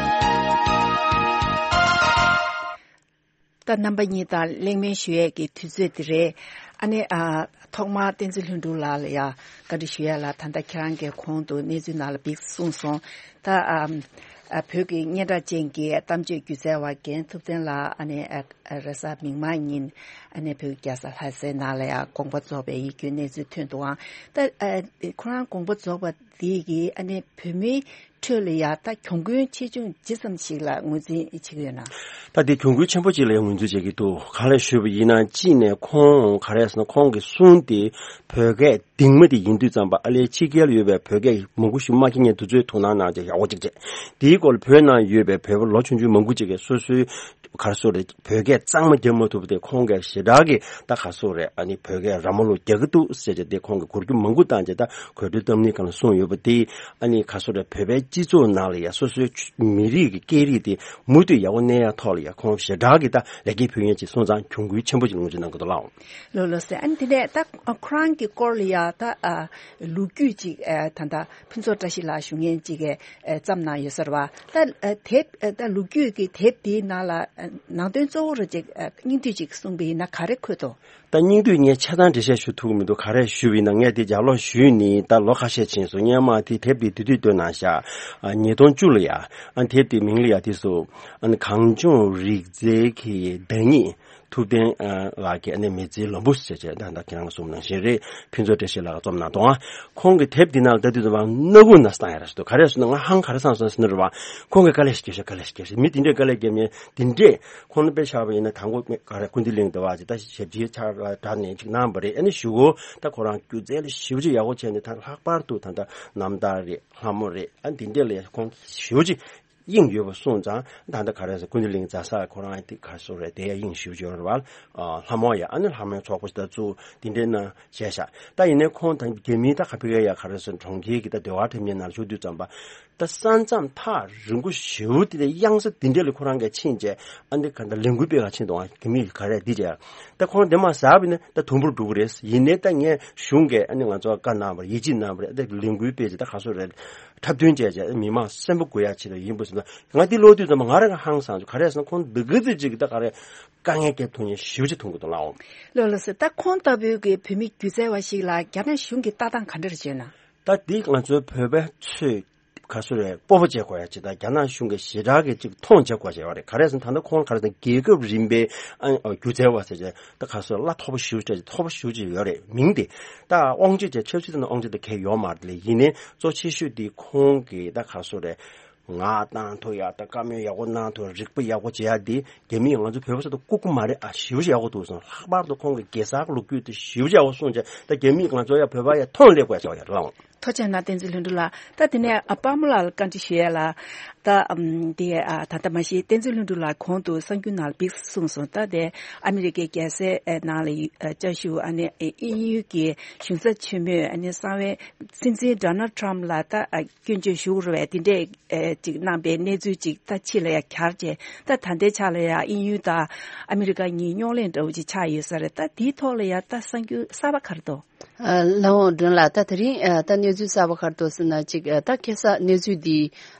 ད་རྣམ་པ་གཉིས་དང་གླེང་མོལ་ཞུ་ཡས་ཀྱི་དུས་ཚོད་འདི་རེད། ཨ་ནི་ཨ། ཐོག་མར་བསྟན་འཛིན་ལྷུན་གྲུབ་ལགས་ལ་ཡང་བཀའ་འདྲི་ཞུ་ཡས་ལ། ད་ལྟ་ཁྱེད་རང་གིས་གོང་དུ་གནས་ཚུལ་ནང་ལ་འདི་གསུངས་སོང་། ད་ཨ། ཨ། བོད་ཀྱི་སྙན་གྲགས་ཅན་གྱི་གཏམ་བརྗོད་སྒྱུ་རྩལ་བ་རྒན་ཐུབ་བསྟན་ལགས་ཨ་ནི་ཨ། རེས་གཟའ་མིག་དམར་ཉིན་ཨ་ནི་བོད་ཀྱི་རྒྱལ་ས་ལྷ་སའི་ནང་ལ་ཡང་དགོངས་པ་རྫོགས་པའི་ཡིད་སྐྱོའི་གནས་ཚུལ་ཐོན་འདུག་ཨང་། ད་ཨ། ཁོ་རང་དགོངས་པ་རྫོགས་པ་འདི་གིས་ཨ་ནི་བོད་མིའི་ཁྲོད་ལ་ཡང་ད་གྱོང་གུན་ཆེ་ཆུང་ཇི་ཙམ་ཞིག་ལ་ངོས་འཛིན་བྱེད་ཀྱི་ཡོད་ན། ད་དེ་གྱོང་གུན་ཆེན་པོ་ཅིག་ལ་ཡང་ངོས་འཛིན་བྱེད་ཀྱི་འདུག། ག་རེ་ཞུས་པ་ཡིན་ན། གཅིག་ནས་ཁོང་ག་རེ་ཟེར་ན། ཁོང་གི་གསུང་དེ་བོད་སྐད་གདིང་མ་དེ་ཡིན་དུས་ཙམ་པ། ཨ་ལས་ཕྱི་རྒྱལ་ཡོད་པའི་བོད་སྐད་མང་པོ་ཞིག་མ་མཁྱེན་མཁན་དེ་ཚོའི་དོ་སྣང་གནང་བྱས་ཡག་པོ་ཅིག་བྱས། དེའི་སྐོར་ལ་བོད་ནང་ཡོད་པའི་བོད་པ་ལོ་ཆུང་ཆུང་མང་པོ་ཅིག་གིས་སོ་སོའི་ ག་རེ་ཟེར་རེད། བོད་སྐད་གཙང་མ་རྒྱབ་མ་ཐུབ་པ་དེ་ཁོང་གིས་ཞེ་དྲག་གི་ད་ག་རེ་ཟེར་རེད། ཨ་ནི་བོད་སྐད་ར་མ་ལུག་རྒྱག་གི་འདུག་ཟེར་བྱས་དེ་ཁོང་གིས་གོ་རྒྱུ་མང་པོ་བཏང་བྱས་ད་གོ་སྒྲིག་བཏང་ནི་གང་ལ་གསུངས་ཡོད་པ་དེ། ཨ་ནི་ག་རེ་ཟེར་རེད། བོད་པའི་སྤྱི་ཚོགས་ནང་ལ་ཡ་སོ་སོའི་མི་རིགས་ཀྱི་སྐད་རིགས་དེ་མུ་མཐུད་ཡག་པོ་གནས་ཡག་ཐོག་ལ་ཡ་ཁོང་ཞེ་དྲག་གི་ད་ལེགས་སྐྱེས་ཕུལ་མཁན་ཅིག་སོང་ཙང་གྱོང་གུན་ཆེན་པོ་ཅིག་ལོངས་སྤྱོད་གནང་གི་འདུག་ལགས། ལགས་ལགས་སེ། ཨ་ནི་དེ་ནས་ད་ཁོ་རང་གི་སྐོར་ལ་ཡ་ད་ལོ་རྒྱུས་ཅིག་ད་ལྟ་ཕུན་ཚོགས་བཀྲ་ཤིས་ལགས་ཞུ་མཁན་ཅིག་གིས་བརྩམས་གནང་ཡོད་ས་རེད་བ། ད་དེབ་ད་ལོ་རྒྱུས་ཀྱི་དེབ་དེའི་ནང་ལ་ནང་དོན་གཙོ་བོ་རུ་ཅིག་སྙིང་བསྡུས་ཅིག་གསུངས་པ་ཡིན་ན་ག་རེ་འཁོད་འདུག་ད་སྙིང་བསྡུས་ངས་ཆ་ཚང་འགྲེལ་བཤད་ཞུ་ཐུབ་ཀྱི་མི་འདུག་ག་རེ་ཞུས་པ་ཡིན་ན་ངས་དེ་ལྗགས་ཀློག་ཞུས་ནས་ད་ལོ་ཁ་ཤས་ཕྱིན་སོང་། སྔོན་མ་དེ་དེབ་དེ་དུས་དུས་སྟོན་གནང་ཤག་ཉིས་སྟོང་བཅུ་ལ་ཡ། ཨ་དེབ་དེ་མིང་ལ་ཡ་དེ་སུ་ཨ་ནི་གངས་ལྗོངས་རིག་རྩལ་གྱི་བདག་ཉིད། ཐུབ་བསྟན་ཨ་ལགས་ཀྱི་ཨ་ནི་མི་ཚེའི་ལམ་བུ་ཟེར་བྱས་ད་ལྟ་ཁྱེད་རང་གསུངས་ནང་བཞིན་རེད། ཕུན་ཚོགས་བཀྲ་ཤིས་ལགས་ཀྱིས་རྩོམ་གནང་འདུག་ཨ་ཁོང་གི་དེབ་འདི་ནང་ལ་ལྟ་དུས་ཙམ་པ་སྣ་ཁུག་ནང་བཏང་ཡ་ར་ཞིག་འདུག་ག་རེ་ཟེར་ན་ང་ཧང་ག་རེ་སང་སོང་ཟེར་ན་རེད་བ། ཁོང་གིས་དཀའ་ལས་ཤིག་སྐྱེལ་ཤག་དཀའ་ལས་ཤིག་སྐྱེལ་ཤག་མི་དེ་འདྲས་དཀའ་ལས་བརྒྱབ་མཁན་དེ་འདྲས་ཁོང་ལ་དཔེ་བཞག་པ་ཡིན་ན་དང་པོ་ག་རེ་ཀུན་བདེ་གླིང་དུ་བ་ཅིག་ད་ཞབས་ཕྱི་ཆགས་ལ་དྲག་ནས་ཅིག་གནང་བ་རེད། ཨ་ནི་གཞུག་གུ་ད་ཁོ་རང་སྒྱུ་རྩལ་ལ་ཞེ་པོ་ཅིག་ཡག་པོ་བྱས་ནས་ད་ལྷག་པར་དུ་ད་ལྟ་རྣམ་ཐར་རེད། ལྷ་མོ་རེད། ཨ་འདི་འདྲས་ལ་ཁོང་ཞེ་པོ་ཅིག་དབྱིངས་ཡོད་པ་སོང་ཙང་ད་ལྟ་ག་རེ་ཟེར་ཀུན་བདེ་གླིང་རྫ་ས་ཁོ་རང་དེ་ག་རེ་ཟེར་རེད། དེ་ཡ་དབྱིངས་ཞེ་པོ་ཅིག་ཡོད་རེད་བ། ལྷ་མོ་ཡ་ཨ་ནི་ལྷ་མོའི་ཚོགས་པ་ཞིག་ད་བཙུགས་དེ་འདྲས་ན་བྱས་ཤག་ད་ཡིན་ནའི་ཁོང་ད་རྒྱ་མིའི་ད་ག་ཕི་ག་ཡ་ག་རེ་ཟེར་གྲོང་ཁྱེར་གྱི་ད་ཟློས་གར་འཁྲབ་མཁན་ནང་ལ་ཞུགས་དུས་ཙམ་པ། ད་ས་མཚམས་ཐག་རིང་པོ་ཞེ་པོ་དེ་དེ་གཡང་ས་དེ་འདྲས་ལ་ཁོ་རང་གིས་ཕྱིན་བྱས་ཨ་འདི་ག་ད་ལས་འགུལ་སྤེལ་ག་ཕྱིན་འདུག་ཨ་རྒྱ་མི་ག་རེ་འདི་བྱས་ད་ཁོ་རང་དེ་མ་ཟ་བ་ཡིན་ན་ད་དུམ་བུར་འགྲོ་གི་རེད། ཡིན་ནའི་ད་ངས་གཞུང་གིས་ཨ་ནི་ང་ཚོ་བཀའ་གནང་བ་རེད། ཡིད་ཆེས་གནང་བ་རེད། ད་ལས་འགུལ་སྤེལ་བྱས་ད་ག་སོ་རེད། འཁྲབ་སྟོན་བྱས་བྱས་མི་མང་སེམས་པ་སྒུག་ཡ་ཆེད་དུ་ཡིན་པ་ཟེར་ན་ང་འདི་ཀློག་དུས་ཙམ་པ་ང་རང་གི་ཧང་སངས་བྱུང་། ག་རེ་ཟེར་ན་ཁོང་འདི་ག་ཚོད་ཅིག་གི་ད་ག་རེ་དཀའ་ངལ་སྐྱེལ་ཐུབ་མཁན་ཞེ་པོ་ཅིག་མཐོང་གི་འདུག་ལགས། ལགས་ལགས་སེ། ད་ཁོང་ལྟ་བུའི་གི་བོད་མི་སྒྱུ་རྩལ་བ་ཞིག་ལ་རྒྱ་ནག་གཞུང་གི་ལྟ་སྟངས་ག་འདྲ་རེད་བྱས་ན། ད་འདི་ང་ཚོའི་བོད་པ་ཚོས་ག་སོ་རེད། སྤོབས་པ་བྱེད་དགོས་ཡ་ཅིག་དང་རྒྱ་ནག་གཞུང་གིས་ཞེ་དྲག་གི་ཅིག་མཐོང་བྱེད་དགོས་བྱས་པ་རེད། ག་རེ་ཟེར་ན་ད་ལྟ་ཁོང་ག་རེ་ཟེར་ན་རྒྱལ་ཁབ་རིམ་པའི་ཨ་སྒྱུ་རྩལ་བ་ཟེར་བྱས་ད་ག་སོ་གླ་མཐོ་པོ་ཞེ་པོ་ཅིག་མཐོ་པོ་ཞེ་པོ་ཅིག་ཡོད་རེད། མིང་དེ་ད་དབང་ཆ་ཅིག་ཆབ་སྲིད་དང་དབང་ཆ་དང་གལ་ཡོད་མ་རེད་ལས། ཡིན་ནའི་གཙོ་ཆེ་ཤོས་དེ་ཁོང་གི་ད་ག་སོ་རེད། ངག་བཏང་ཐུབ་ཡག་དང་བཀའ་མོལ་ཡག་པོ་གནང་ཐུབ་རིག་པ་ཡག་པོ་བྱེད་ཡག་འདི་རྒྱ་མིས་ང་ཚོ་བོད་པ་ཚོ་དང་ལྐུགས་ཀྱི་མ་རེད། ཨ་ཞེ་པོ་ཅིག་ཡག་པོ་འདུག་གསུངས། ལྷག་པར་དུ་ཁོང་གི་གེ་སར་གྱི་ལོ་རྒྱུས་དེ་ཞེ་པོ་ཅིག་ཡག་པོ་གསུངས་བྱས་ད་རྒྱ་མིས་ང་ཚོ་ཡ་བོད་པ་ཡ་མཐོང་སླེབས་དགོས་ཡ་ཆགས་ཡ་རེད་ལགས། ཐུགས་རྗེ་གནང་བསྟན་འཛིན་ལྷུན་གྲུབ་ལགས། ད་དེ་ནས་ཨ་དཔལ་མོ་ལགས་ལ་བཀའ་འདྲི་ཞུ་ཡ་ལ། ད་ཨམ་དེ་ཨ་ད་ལྟ་མ་གཞི་བསྟན་འཛིན་ལྷུན་གྲུབ་ལགས་གོང་དུ་གསར་འགྱུར་ནང་ལ་ཕར་གསུངས་སོང་། ད་དེ་ཨ་མི་རི་ཀའི་རྒྱལ་སའི་ཨ་ནང་ལ་ཡོད་ཨ་བཅའ་བཞུགས་ཨ་ནི་ཨ་དབྱིན་ཡུལ་གྱི་གཞུང་ཚབ་ཆེན་མོས་ཨ་ནི་གསང་བའི་སྲིད་འཛིན་ཌོ་ནལ་ཊམ་ལ་ད་ཨ་སྐྱོན་བརྗོད་ཞུ་རུ་བས་དེ་འདྲས་ཨེ་ཅིག་གནང་པའི་གནས་ཚུལ་ཅིག་ད་ཕྱི་ལ་ཡ་གྱར་བྱས་ད་ད་ལྟའི་ཆ་ལ་ཡ་དབྱིན་ཡུལ་དང་ཨ་མི་རི་ཀ་གཉིས་རྙོག་གླེང་འདྲ་བོ་ཅིག་ཆགས་ཡོད་ས་རེད། ད་དེའི་ཐོག་ལ་ཡ་ད་གསར་འགྱུར་གསར་པ་ག་རེ་འདུག་ཨ་ལགས་འོང་སྒྲོན་ལགས། ད་དེ་རིང་ཨ་ད་གནས་ཚུལ་གསར་པ་ག་རེ་འདུག་ཟེར་ན་ཅིག་ཨ་ད་ཁ་སང་གནས་ཚུལ་འདི་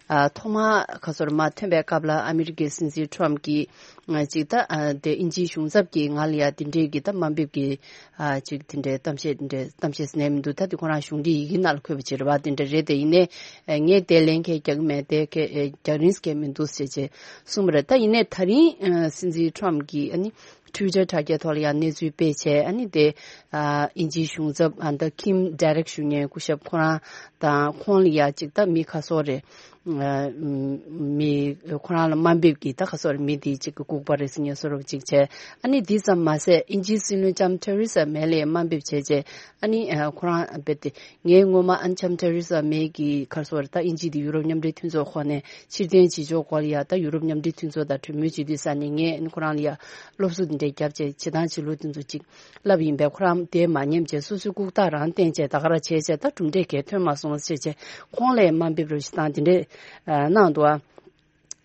ཨ་ཐོག་མར་ག་སོར་མ་ཐོན་པའི་སྐབས་ལ་ཨ་མི་རི་ཀའི་སྲིད་འཛིན་ཊམ་གྱིས་ང་ཅིག་ད་ཨ་དེ་དབྱིན་ཇིའི་གཞུང་ཚབ་ཀྱིས་ང་ལ་ཡ་དེ་འདྲའི་གི་ད་དམའ་འབེབས་ཀྱི་ཨ་ཅིག་དེ་འདྲའི་གཏམ་བཤད་དེ་འདྲའི་གཏམ་བཤད་ཟེར་ནས་མི་འདུག་ད་དེ་ཁོ་རང་གཞུང་འབྲེལ་ཡི་གེ་ནང་ལ་འཁོད་པ་ཅིག་རེད་བ། དེ་འདྲ་རེད། དེ་ཡིན་ནའི་ཨ་ངས་དེ་ལན་གང་རྒྱག་གི་མེད། དེ་ག་ཨ་རྒྱག་རིན་གང་མི་འདུག་ཟེར་བྱས་གསུངས་པ་རེད། ད་ཡིན་ནའི་ད་རིང་ཨ་སྲིད་འཛིན་ཊམ་གྱིས་ཨ་ནི་ཊུའི་ཊར་དྲ་རྒྱའི་ཐོག་ལ་ཡང་གནས་ཚུལ་སྤེལ་བྱས་ཨ་ནི་དེ་ཨ་དབྱིན་ཇིའི་གཞུང་ཚབ་ཨ་ད་ཁིམ་ཌེ་རེག་ཞུ་མཁན་སྐུ་ཞབས་ཁོ་རང་དང་ཁོང་ལ་ཡ་ཅིག་ད་མི་ཁ་སོ་རེད། ཨ་མི་ཁོ་རང་ལ་དམའ་འབེབས་ཀྱིས་ད་ཁ་སོ་རེད། མི་དེ་ཅིག་གི་ལྐུགས་པ་རེད་ཟེར་མཁན་བཟོ་འདྲ་ཅིག་བྱས། ཨ་ནི་དེ་ཙམ་མ་ཟད་དབྱིན་ཇིའི་སྲིད་བློན་ལྕམ་ཐེ་རེ་ས་མེ་ལ་ཡ་དམའ་འབེབས་བྱས་བྱས་ཨ་ནི་ཨ་ཁོ་རང་རྦད་དེ། ངས་སྔོན་མ་ཨ་ནི་ལྕམ་ཐེ་རེ་ས་མེ་གི་ཁར་སོ་ར་ད་དབྱིན་ཇི་དེ་ཡུ་རོབ་མཉམ་འབྲེལ་མཐུན་ཚོགས་ཁོངས་ནས་ཕྱིར་འཐེན་བྱེད་ཕྱོགས་སྐོར་ལ་ཡ་ད་ཡུ་རོབ་མཉམ་འབྲེལ་མཐུན་ཚོགས་དང་གྲོས་མོལ་བྱེད་དུས་ས་ནས་ངས་ཨ་ནི་ཁོ་རང་ལ་ཡ་སློབ་གསོ་དེ་འདྲའི་བརྒྱབ་བྱས་བྱེད་སྟངས་བྱེད་ལུགས་དེ་ཚོ་ཅིག་བསླབ་ཡིན་པས། ཁོ་རང་དེ་མ་ཉན་བྱས་སོ་སོའི་ལྐུགས་རྟགས་རང་བསྟན་བྱས་ད་ག་ར་བྱས་བྱས་ད་གྲུབ་འབྲས་གང་ཐོན་མ་སོང་ཟེར་བྱས་ཁོང་ལ་ཡ་དམའ་འབེབས་རོགས་ཞེ་དྲག་དེ་འདྲས་གནང་འདུག་ཨ།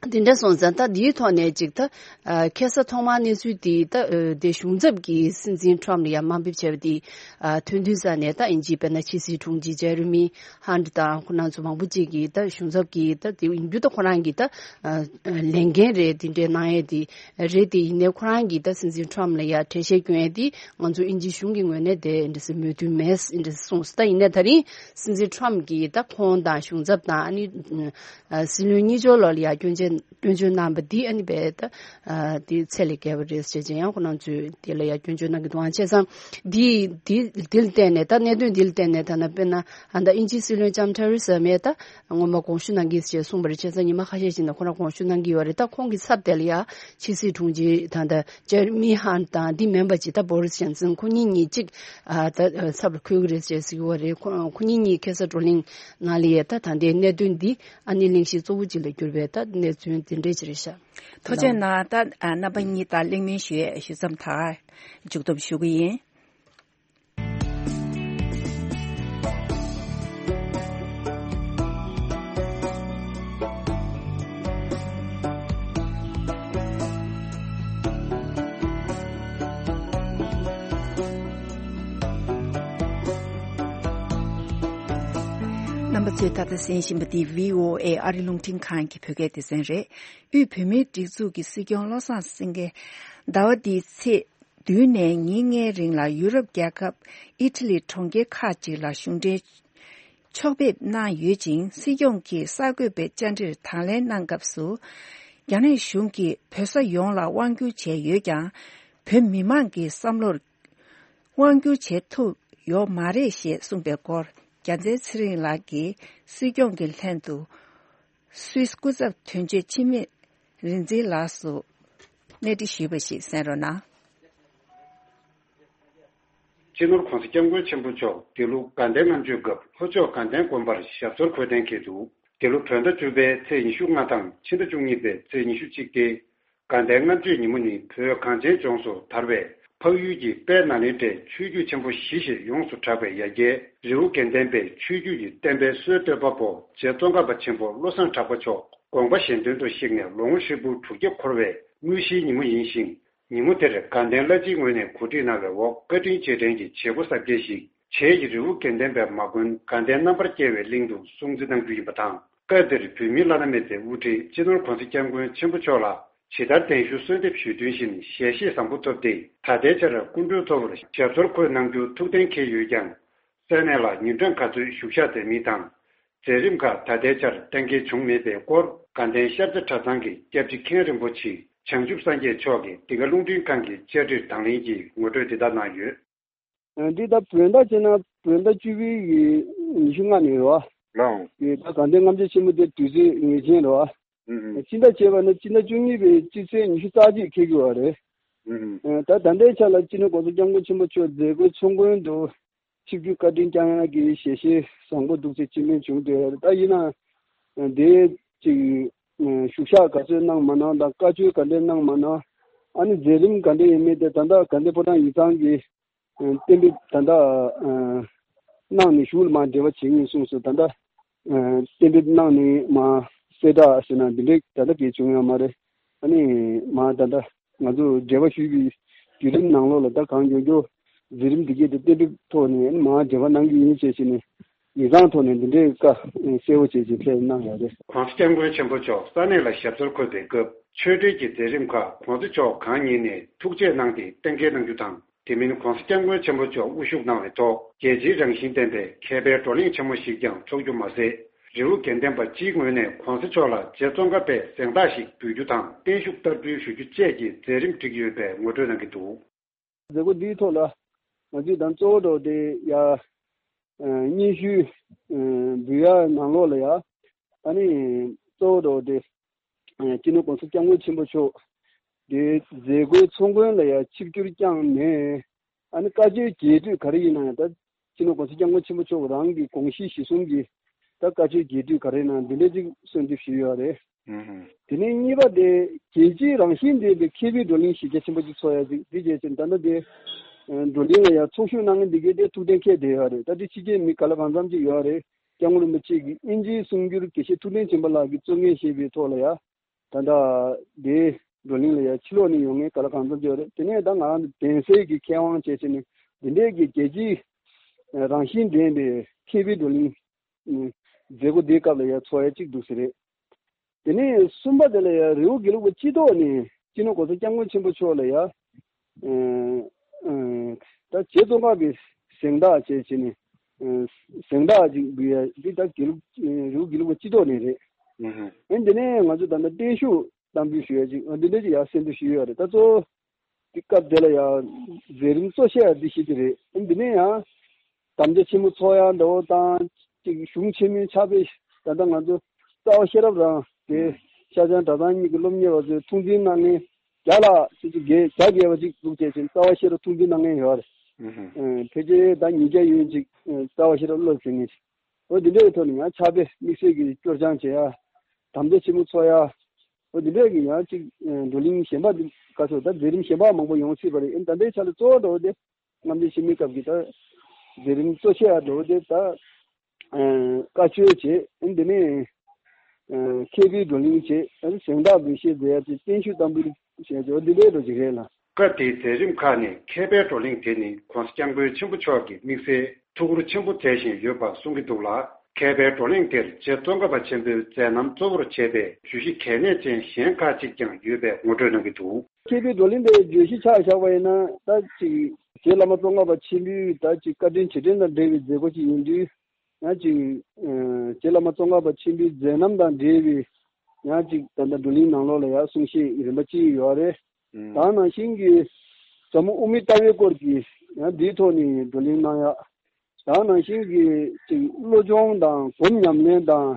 དེ་འདྲ་སོང་ཙང་ད་འདིའི་ཐོག་ནས་ཅིག་ད་ཨ་ཁ་སང་ཐོག་མར་གནས་ཚུལ་འདི་ད་ཨ་དེ་གཞུང་ཚབ་ཀྱིས་སྲིད་འཛིན་ཊམ་ལ་ཡང་དམའ་འབེབས་བྱས་པ་འདི་ཨ་ཐོན་དུས་ཙ་ནས་ད་དབྱིན་ཇིའི་དཔེར་ན་ཕྱི་སྲིད་དྲུང་ཆེ་ཇེ་རི་མི་ཧན་ཊི་དང་ཁོ་རང་ཚོ་མང་པོ་ཅིག་གིས་ད་གཞུང་ཚབ་ཀྱིས་ད་དེ་ཡིན་རྒྱུ་ད་ཁོ་རང་གིས་ད་ཨ་ལས་འགན་རེད་དེ་འདྲའི་གནང་ཡས་དེ་རེད། དེ་ཡིན་ནའི་ཁོ་རང་གིས་ད་སྲིད་འཛིན་ཊམ་ལ་ཡང་གྲལ་བཤེར་སྐྱོན་ཡས་དེ་ང་ཚོ་དབྱིན་ཇིའི་གཞུང་གི་ངོས་ནས་དེ་འདྲ་སེ་མོས་མཐུན་མེད་འདྲ་སེ་གསུངས། ད་ཡིན་ནའི་ད་རིང་སྲིད་འཛིན་ཊམ་གིས་ད་ཁོང་དང་གཞུང་ཚབ་དང་ཨ་ནི། ཨ་སྲིད་བློན་གཉིས་ཆར་ལོགས་ལ་ཡ་སྐྱོན་བརྗོད་སྐྱོན་བརྗོད་གནང་བ་འདི་ཨ་ནི་རྦད་དེ་ཨ་འདི་ཚད་ལས་བརྒལ་བ་རེད་ཟེར་བྱས་ཡང་ཁོ་རང་ཚོས་དེ་ལ་ཡ་སྐྱོན་བརྗོད་གནང་གི་འདུག་ཨང་བྱས་ཙང་འདི་འདི་འདི་ལ་བརྟེན་ནས་ད་གནད་དོན་འདི་ལ་བརྟེན་ནས་ད་ན་དཔེར་ན་ཨ་ད་དབྱིན་ཇིའི་སྲིད་བློན་ལྕམ་ཐེ་རེ་ས་མེ་ད་སྔོན་མ་དགོངས་ཞུ་གནང་གི་ཟེར་གསུངས་པ་རེད། བྱས་ཙང་ཉི་མ་ཁ་ཤས་ཤིག་ནས་ཁོ་རང་དགོངས་ཞུ་གནང་གི་ཡོད་རེད། ད་ཁོང་གི་ཚབ་དེ་ལ་ཡ་ཕྱི་སྲིད་དྲུང་ཆེ་ད་ད་ཇེ་རི་མི་ཧན་དང་འདི་མིན་པ་ཅིག་ད་བོ་རི་སི་ཇོན་སན་ཁོ་གཉིས་གཉིས་གཅིག་ཨ་ད་ཚབ་ལ་འཁོད་གི་རེད་ཅེས་ཟེར་གི་ཡོད་རེད། ཁོ་ཁོ་གཉིས་གཉིས་ཁ་སང་བགྲོ་གླེང་ནང་ལ་ཡ་ད་ད་ལྟའི་གནད་དོན་འདི་ཨ་ནི་གླེང་གཞི་གཙོ་བོ་གཅིག་ལ་གྱུར་པའི་ད་གནས་ དོན་དེ་འདྲས་ཅིག་རེད་ཤག་ཐུགས་རྗེ་གནང་། ད་ཨ་རྣམ་པ་གཉིས་དང་གླེང་མོལ་ཞུ་ཡས་ཞུ་མཚམས་ད་མཇུག་སྡོམ་ཞུ་གི་ཡིན། རྣམ་པ་ཚོས་ད་ལྟ་གསན་བཞིན་པ་འདི་བྷི་ཨོ་ཨེ་ཨ་རི་རླུང་འཕྲིན་ཁང་གི་བོད་སྐད་སྡེ་ཚན་རེད། དབུས་བོད་མིའི་སྒྲིག་འཛུགས་ཀྱི་སྲིད་སྐྱོང་བློ་བཟང་སེང་གེ་ཟླ་བ་འདིའི་ཚེས་བདུན་ནས་ཉིན་ལྔའི་རིང་ལ་ཡུ་རོབ་རྒྱལ་ཁབ་ཨི་ཊ་ལི་གྲོང་ཁྱེར་ཁག་ཅིག་ལ་གཞུང་འབྲེལ་ཕྱོགས་ཕེབས་གནང་ཡོད་ཅིང་། སྲིད་སྐྱོང་གིས་གསར་འགོད་པའི་བཅར་འདྲིར་དང་ལེན་གནང་སྐབས་སུ། རྒྱ་ནག་གཞུང་གིས་བོད་ས་ཡོངས་ལ་དབང་བསྒྱུར་བྱས་ཡོད་ཀྱང་། བོད་མི་མང་གི་བསམ་བློར་དབང་བསྒྱུར་བྱེད་ཐུབ་ཡོད་མ་རེད་ཞེས་གསུངས་པའི་སྐོར། རྒྱལ་མཚན་ཚེ་རིང་ལགས་ཀྱིས་སྲིད་སྐྱོང་གི་ལྷན་དུ་སུད་སི་སྐུ་ཚབ་དོན་གཅོད་འཆི་མེད་རིག་འཛིན་ལགས་སུ་གནས་འདྲི་ཞུས་པ་ཞིག་གསན་རོགས་གནང་། སྤྱི་ནོར་༧གོང་ས་༧སྐྱབས་མགོན་ཆེན་པོ་མཆོག་དེ་ལུ་དགའ་ལྡན་ལྔ་མཆོད་སྐབས་ལྷོ་ཕྱོགས་དགའ་ལྡན་དགོན་པར་ཞབས་སོར་འཁོད་གཏན་འཁེལ་འདུག་དེ་ལུ་བོད་ཟླ་བཅུ་པའི་ཚེས་ཉི་ཤུ་ལྔ་དང་ཕྱི་ཟླ་བཅུ་གཉིས་པའི་ཚེས་ཉི་ཤུ་གཅིག་སྟེ། དགའ་ལྡན་ལྔ་མཆོད་ཉིན་མོ་ནི་བོད་གངས་ཅན་ལྗོངས་སུ་དར་བའི་འཕགས་ཡུལ་གྱི་དཔལ་ནཱ་ལེནྡྲའི་ཆོས་བརྒྱུད་ཆེན་པོ་བཞི་ཞེས་ཡོངས་སུ་གྲགས་པའི་ཡ་གྱལ་རི་བོ་དགེ་ལྡན་པའི་ཆོས་བརྒྱུད་ཀྱི་བསྟན་པའི་སྲོལ་གཏོད་པ་པོ་རྗེ་ཙོང་ཁ་པ་ཆེན་པོ་བློ་བཟང་གྲགས་པ་མཆོག་དགོངས་པ་གཞན་དོན་དུ་གཤེགས་ནས་ལོ་ངོ་ཧྲིལ་པོ་དྲུག་བརྒྱ་འཁོར་བའི་དངོས་གཞིའི་ཉིན་མོ་ཡིན་ཞིང་། ཉིན་མོ་དེར་དགའ་ལྡན་བླ་སྤྱིའི་ངོས་ནས་གོ་སྒྲིག་གནང་བའི་འོག་བཀའ་དྲིན་རྗེས་དྲན་གྱི་བྱེད་སྒོ་གསར་བསྐྱེད་ཞིག་བྱེས་ཀྱི་རི་བོ་དགེ་ལྡན་པའི་མ་དགོན་དགའ་ལྡན་རྣམ་པར་རྒྱལ་བའི་གླིང་དུ་སྲུང་བརྩི་གནང་རྒྱུ་ཡིན་པ་དང་། སྐབས་དེར་བོད་མིའི་བླ་ན་མེད་པའི་དབུ་ཁྲིད་སྤྱི་ནོར་༧གོང་ས་༧སྐྱབས་མགོན་ཆེན་པོ་མཆོག་ལ་ཇི་ལྟར་གདན་ཞུ་གསོལ་འདེབས་ཞུས་དོན་བཞིན་ཞལ་བཞེས་བཟང་པོ་ཐོབ་སྟེ། ད་ལྟའི་ཆར་སྐུ་མགྲོན་ཐོག་ལ་ཞབས་སོར་འཁོད་གནང་རྒྱུ་ཐུགས་གཏན་འཁེལ་ཡོད་ཀྱང་། ས་གནས་ལ་ཉིན་གྲངས་ག་ཚོད་བཞུགས་ཞག་མཛད་མིན་དང་། མཛད་རིམ་ཁག་ད་ལྟའི་ཆར་གཏན་འཁེལ་བྱུང་མེད་པའི་སྐོར། དགའ་ལྡན་ཤར་རྩེ་གྲྭ་ཚང་གི་སྐྱབས་རྗེ་མཁན་རིན་པོ་ཆེ་བྱང་ཆུབ་སངས་རྒྱས་མཆོག་གིས་འདི་ག་རླུང་འཕྲིན་ཁང་གི་བཅར་འདྲིར་དང་ལེན་གྱིས་ངོ་སྤྲོད་འདི་ལྟར་གནང་ཡོད། འདི་ད་བོད་ཟླ་བྱས་ན་བོད་ཟླ་བཅུ་པའི་གི་ཉི་ཤུ་ལྔ་ནས་རེད་བ། ལགས། དེ་ད་དགའ་ལྡན་ལྔ་མཆོད་ཆེན་མོ་དེ་དུས་ཚོད་ངེས་ཅན་རེད་བ། ཨུ་ཨུ། སྤྱི་ཟླ་བྱས་པ་ན་སྤྱི་ཟླ་བཅུ་གཉིས་པའི་སྤྱི་ཚེས་ཉི་ཤུ་རྩ་གཅིག་འཁེལ་གྱི་ཡོད་རེད། ཨུ་ཨུ། ད་ད་ལྟའི་ཆ་ལ་སྤྱི་ནོར་༧གོང་ས་༧སྐྱབས་མགོན་ཆེན་པོ་མཆོག་མཛད་སྒོའི་ཚོགས་མགོན་དུ་ཆིབས་བསྒྱུར་བཀའ་དྲིན་བསྐྱང་ཡག་གི་ཞལ་བཞེས་བཟང་པོ་འདུག་ཅེས་སྤྱི་སྨན་བྱུང་འདུག་ད་ཡིན་ན་དེ་ཅིག་བཞུགས་ཞག་ག་ཚོད་གནང་མ་གནང་དང་བཀའ་ཆོས་ག་འདྲས་གནང་མ་གནང་། ཨ་ནི་མཛད་རིམ་ག་འདྲས་ཡིན་མིན་དེ་ད་ལྟ་དགའ་ལྡན་ཕོ་བྲང་ཡིག་ཚང་གིས་གཏན་འབེབས་ད་ལྟ་གནང་ནས་གཞུག་ལ་མར་འབྲེལ་བ་བྱེད་ངེས་གསུངས་སོང་། ད་ལྟ་གཏན་འབེབས་གནང་ནས་མར་གསལ་བསྒྲགས་ཟེར་ན་འདི་འདྲས་ད་ལྟ་གས་བྱུང་ཡོད་མ་རེད། ཨ་ནི་མར་ད་ལྟ་ང་ཚོ་འབྲེལ་བ་ཞུས་པའི་བརྒྱུད་རིམ་ནང་ལོགས་ལ་ད་གང་མགྱོགས་མགྱོགས་མཛད་རིམ་འདི་གས་དེ་གཏན་འབེབས་ཐོག་ནས་ཨ་ནི་མར་འབྲེལ་བ་གནང་གི་ཡིན་ཞེས་བྱས་ནས་ཡིག་ཚང་ཐོག་ནས་འདི་འདྲའི་བཀའ་གསལ་བོ་བྱས་ཅིག་ཕེབས་གནང་ཡོད་རེད། ༸གོང་ས་༸སྐྱབས་མགོན་ཆེན་པོ་མཆོག་ས་གནས་ལ་ཞབས་སོར་འཁོད་པའི་སྐབས་ཆོས་འབྲེལ་གྱི་མཛད་རིམ་ཁག་གོང་ས་མཆོག་གང་ཉིད་ནས་ཐུགས་རྗེ་གནང་སྟེ་གཏན་འཁེལ་གནང་རྒྱུ་དང་། དེ་མིན་༸གོང་ས་༸སྐྱབས་མགོན་ཆེན་པོ་མཆོག་དབུ་བཞུགས་གནང་བའི་ཐོག་རྒྱལ་སྤྱིའི་རང་བཞིན་ལྡན་པའི་མཁས་པའི་བགྲོ་གླེང་ཆེན་མོ་ཞིག་ཀྱང་འཚོགས་རྒྱུ་མ་ཟད། རི་བོ་དགེ་ལྡན་པ་སྤྱིའི་ངོས་ནས་༸གོང་ས་མཆོག་ལ་རྗེ་ཙོང་ཁ་པའི་གཟེངས་རྟགས་ཤིག་འབུལ་རྒྱུ་དང་བརྟན་བཞུགས་བསྟར་འབུལ་ཞུ་རྒྱུ་བཅས་ཀྱི་མཛད་རིམ་བསྒྲིགས་ཡོད་པའི་ངོ་སྤྲོད་གནང་གི་འདུག་མཛད་སྒོ་འདིའི་ཐོག་ལ་ང་ཚོས་དང་གཙོ་བོ་འགྲོ་དེ་ཡ་སྙན་ཞུ་འབུལ་ཡ་ནང་ལོགས་ལ་ཡ་ཨ་ནི་གཙོ་བོ་འགྲོ་དེ། སྤྱི་ནོར་༸གོང་ས་༸སྐྱབས་མགོན་ཆེན་པོ་མཆོག་གི་མཛད་སྒོའི་ཚོགས་མགོན་ལ་ཡང་ཆིབས་བསྒྱུར་བསྐྱངས་ནས། ཨ་ནི་བཀའ་ཆོས་རྒྱས་སྤྲོས་ག་རེ་ཡིན་ན་ཡང་ད་སྤྱི་ནོར་༸གོང་ས་༸སྐྱབས་མགོན་ཆེན་པོ་མཆོག་རང་གི་དགོངས་གཞི་གཞི་བཟུང་གིས་ད་བཀའ་ཆོས་རྒྱས་སྤྲོས་ག་རེ་ཡིན་ན་འདི་འདྲ་ཅིག་གསོལ་འདེབས་ཞུས་ཡོད་རེད། ཨུ་ཧུ། དེ་ནས་གཉིས་པ་དེ་རྒྱལ་སྤྱིའི་རང་བཞིན་ལྡན་པའི་མཁས་པའི་བགྲོ་གླེང་གཞི་རྒྱ་ཆེན་པོ་ཅིག་ཚོགས་ཡ་ཅིག་འདི་བྱས་ཙང་ད་ལྟ་དེ་བགྲོ་གླེང་ལ་ཡང་ཚོགས་ཞུགས་གནང་མཁན་འདི་གས་དེ་ཐུགས་གཏན་འཁེལ་བསྡད་ཡོད་རེད། ད་དེ་ཕྱི་རྒྱལ་མི་ག་ལ་གང་འཚམ་ཅིག་ཡོད་རེད། སྐྱབས་མགོན་རིན་པོ་ཆེ་གིས་དབྱིན་ཇིའི་གསུང་སྒྱུར་དགེ་བཤེས་ཐུབ་བསྟན་སྦྱིན་པ་ལགས་ཀྱིས་གཙོ་འགན་བཞེས་པའི་ཐོག་ལ་ཡ། ད་ལྟ་དེའི་བགྲོ་གླེང་ལ་ཡ་ཕྱི་ལོགས་ནས་ཡོང་མཁན་ག་ལ་གང་འཚམ་ཅིག་ཡོད་རེད། དེ་ནས་ད་ང་རང་གདན་སའི་གི་མཁས་དབང་བཅས་བྱས་ནས་འདི་འདྲའི་གི་རྒྱལ་སྤྱིའི་རང་བཞིན་ལྡན་པའི་མཁས་པའི་བགྲོ་གླེང་མཛད་སྒོ་འདིའི་སྐབས་ལ་ཡ་ཚོགས་ཡ་གཅིག་འདུག་ཟེར་རེད། དེ་ནས་གསུམ་པ་དེ་ལ་ཡང་རི་བོ་དགེ་ལུགས་པ་སྤྱི་ཚོགས་ནས་སྤྱི་ནོར་༸གོང་ས་༸སྐྱབས་མགོན་ཆེན་པོ་མཆོག་ལ་ཡང་ཨ་ཨ་ད་རྗེ་ཙོང་ཁ་པའི་གཟེངས་རྟགས་བཅས་བྱས་ནས་ཨ་གཟེངས་རྟགས་ཅིག་འབུལ་ཡ་འདི་ད་དགེ་ལུགས་རི་བོ་དགེ་ལུགས་པ་སྤྱི་ཚོགས་ནས་རེད། ཨ་འདི་ནས་ང་ཚོ་ད་ལྟ་བརྟན་བཞུགས་གཏམ་རྒྱུད་ཞུ་ཡ་ཅིག་ཨ་འདི་འདྲ་ཅིག་ཡང་གསན་དུ་ཞུས་ཡོད་རེད། ད་གཙོ་བོ་དེ་སྐབས་དེ་ལ་ཡང་མཛད་རིམ་གཙོ་ཆེ་བ་འདི་ཞིག་དེ་རེད། ཨ་འདི་ནས་ཡང་དམ་བཅའ་ཆེན་མོ་ཚོགས་ཡ་འདྲ་བོ་དང་ཅིག་གཞུང་ཆེན་མོའི་ཕྱག་དཔེ་ད་ལྟ་ང་ཚོ་རྩ་བ་ཤེས་རབ་རང་དེ་ཤར་བྱང་གྲྭ་ཚང་གཉིས་ཀྱི་སློབ་གཉེར་བ་ཚོས་ཐུགས་འཛིན་གནང་མཁན་བརྒྱ་ལ་ཅིག་ཅིག་བརྒལ་བརྒྱ་བརྒལ་བ་ཅིག་འདུག་བྱས་ཙང་རྩ་བ་ཤེས་རབ་ཐུགས་འཛིན་གནང་མཁན་ཡོད་རེད། ཨ་ཕལ་ཆེར་ད་ཉིས་བརྒྱ་ཡོད་ཅིག་རྩ་བ་ཤེས་རབ་སློབ་ཟིན་མཁན་ཅིག་འོ་འདི་འདྲའི་ཐོག་ནས་ཡང་ཕྱག་དཔེ་དམིགས་བསལ་གྱི་སྐྱོར་སྦྱང་བྱེད་ཡ། དམ་བཅའ་ཆེན་མོ་ཚོགས་ཡ། འོ་འདི་འདྲས་ཀྱི་ཡང་ཅིག་བགྲོ་གླེང་གཞན་པ་འདི་ག་ཚོད་ད་མཛད་རིམ་གཞན་པ་མང་པོ་ཡོང་སྲིད་པ་རེད། ཨེ་ད་ལྟའི་ཆ་ལ་གཙོ་བོ་འགྲོ་དེ་རྔམ་བརྗིད་ཆེན་མོའི་སྐབས་ཀྱི་ད་མཛད་རིམ་གཙོ་ཆེ་བ་འགྲོ་དེ་ད་བཀའ་ཆོས་བྱེད། ཨེ་འདི་ནས་མཁས་པའི་བགྲོ་གླེང་བྱེད། ཨེ་གཟེངས་རྟགས་འབུལ་བཞེས་མཛད་ཡ་ཅིག་བརྟན་བཞུགས་བསྟར་འབུལ་བྱས་ཅིག་འོ་འདི་འདྲས་འགྲོ་ཅིག་རེད་ལ། སྐབས་དེའི་མཛད་རིམ་ཁག་ནས་མཁས་པའི་བགྲོ་གླེང་དེ་ནི་༸གོང་ས་༸སྐྱབས་མགོན་ཆེན་པོ་མཆོག་གི་དམིགས་བསལ་ཐུགས་ཁུར་ཆེན་པོ་མཛད་བཞིན་ཡོད་པ་གསུང་གི་འདུག་ལ། མཁས་པའི་བགྲོ་གླེང་དེར་རྗེ་ཙོང་ཁ་པ་ཆེན་པོའི་མཛད་རྣམ་གཙོ་བོར་བྱས་པའི་བརྗོད་གཞི་གལ་གནད་ཅན་གཞན་ཁག་ཅིག་ཀྱང་ཡོད་པའི་ངོ་སྤྲོད་གནང་གི་འདུག། མཁས་པའི་བགྲོ་གླེང་དེ་བརྗོད་གཞི་ཆ་བཞག་པ་ཡིན་ན་ད་ཅིག་རྗེ་བླ་མ་ཙོང་ཁ་པ་ཆེན་པོའི་ད་ཅིག་བཀའ་དྲིན་རྗེས་དྲན་དང་འབྲེལ་བའི་མཛད་སྒོ་ཅིག་ཡིན་དུས། ཡང་ཅིག་ཨ་རྗེ་བླ་མ་ཙོང་ཁ་པ་ཆེན་པོའི་མཛད་རྣམ་དང་འབྲེལ་བའི་ཡང་ཅིག་ད་ལྟ་བགྲོ་གླེང་ནང་ལོགས་ལ་ཡང་གསུང་བཤད་རིམ་པ་ཅིག་ཡོད་རེད། ཨུམ། ད་ནང་བཞིན་གྱི་ཟབ་མོ་དབུ་མའི་ལྟ་བའི་སྐོར་གྱི་ཡང་འདིའི་ཐོག་ནས་བགྲོ་གླེང་གནང་ཡག་ད་ནང་བཞིན་གྱི་ཅིག་བློ་སྦྱོང་དང་སྒོམ་ཉམས་ལེན་དང་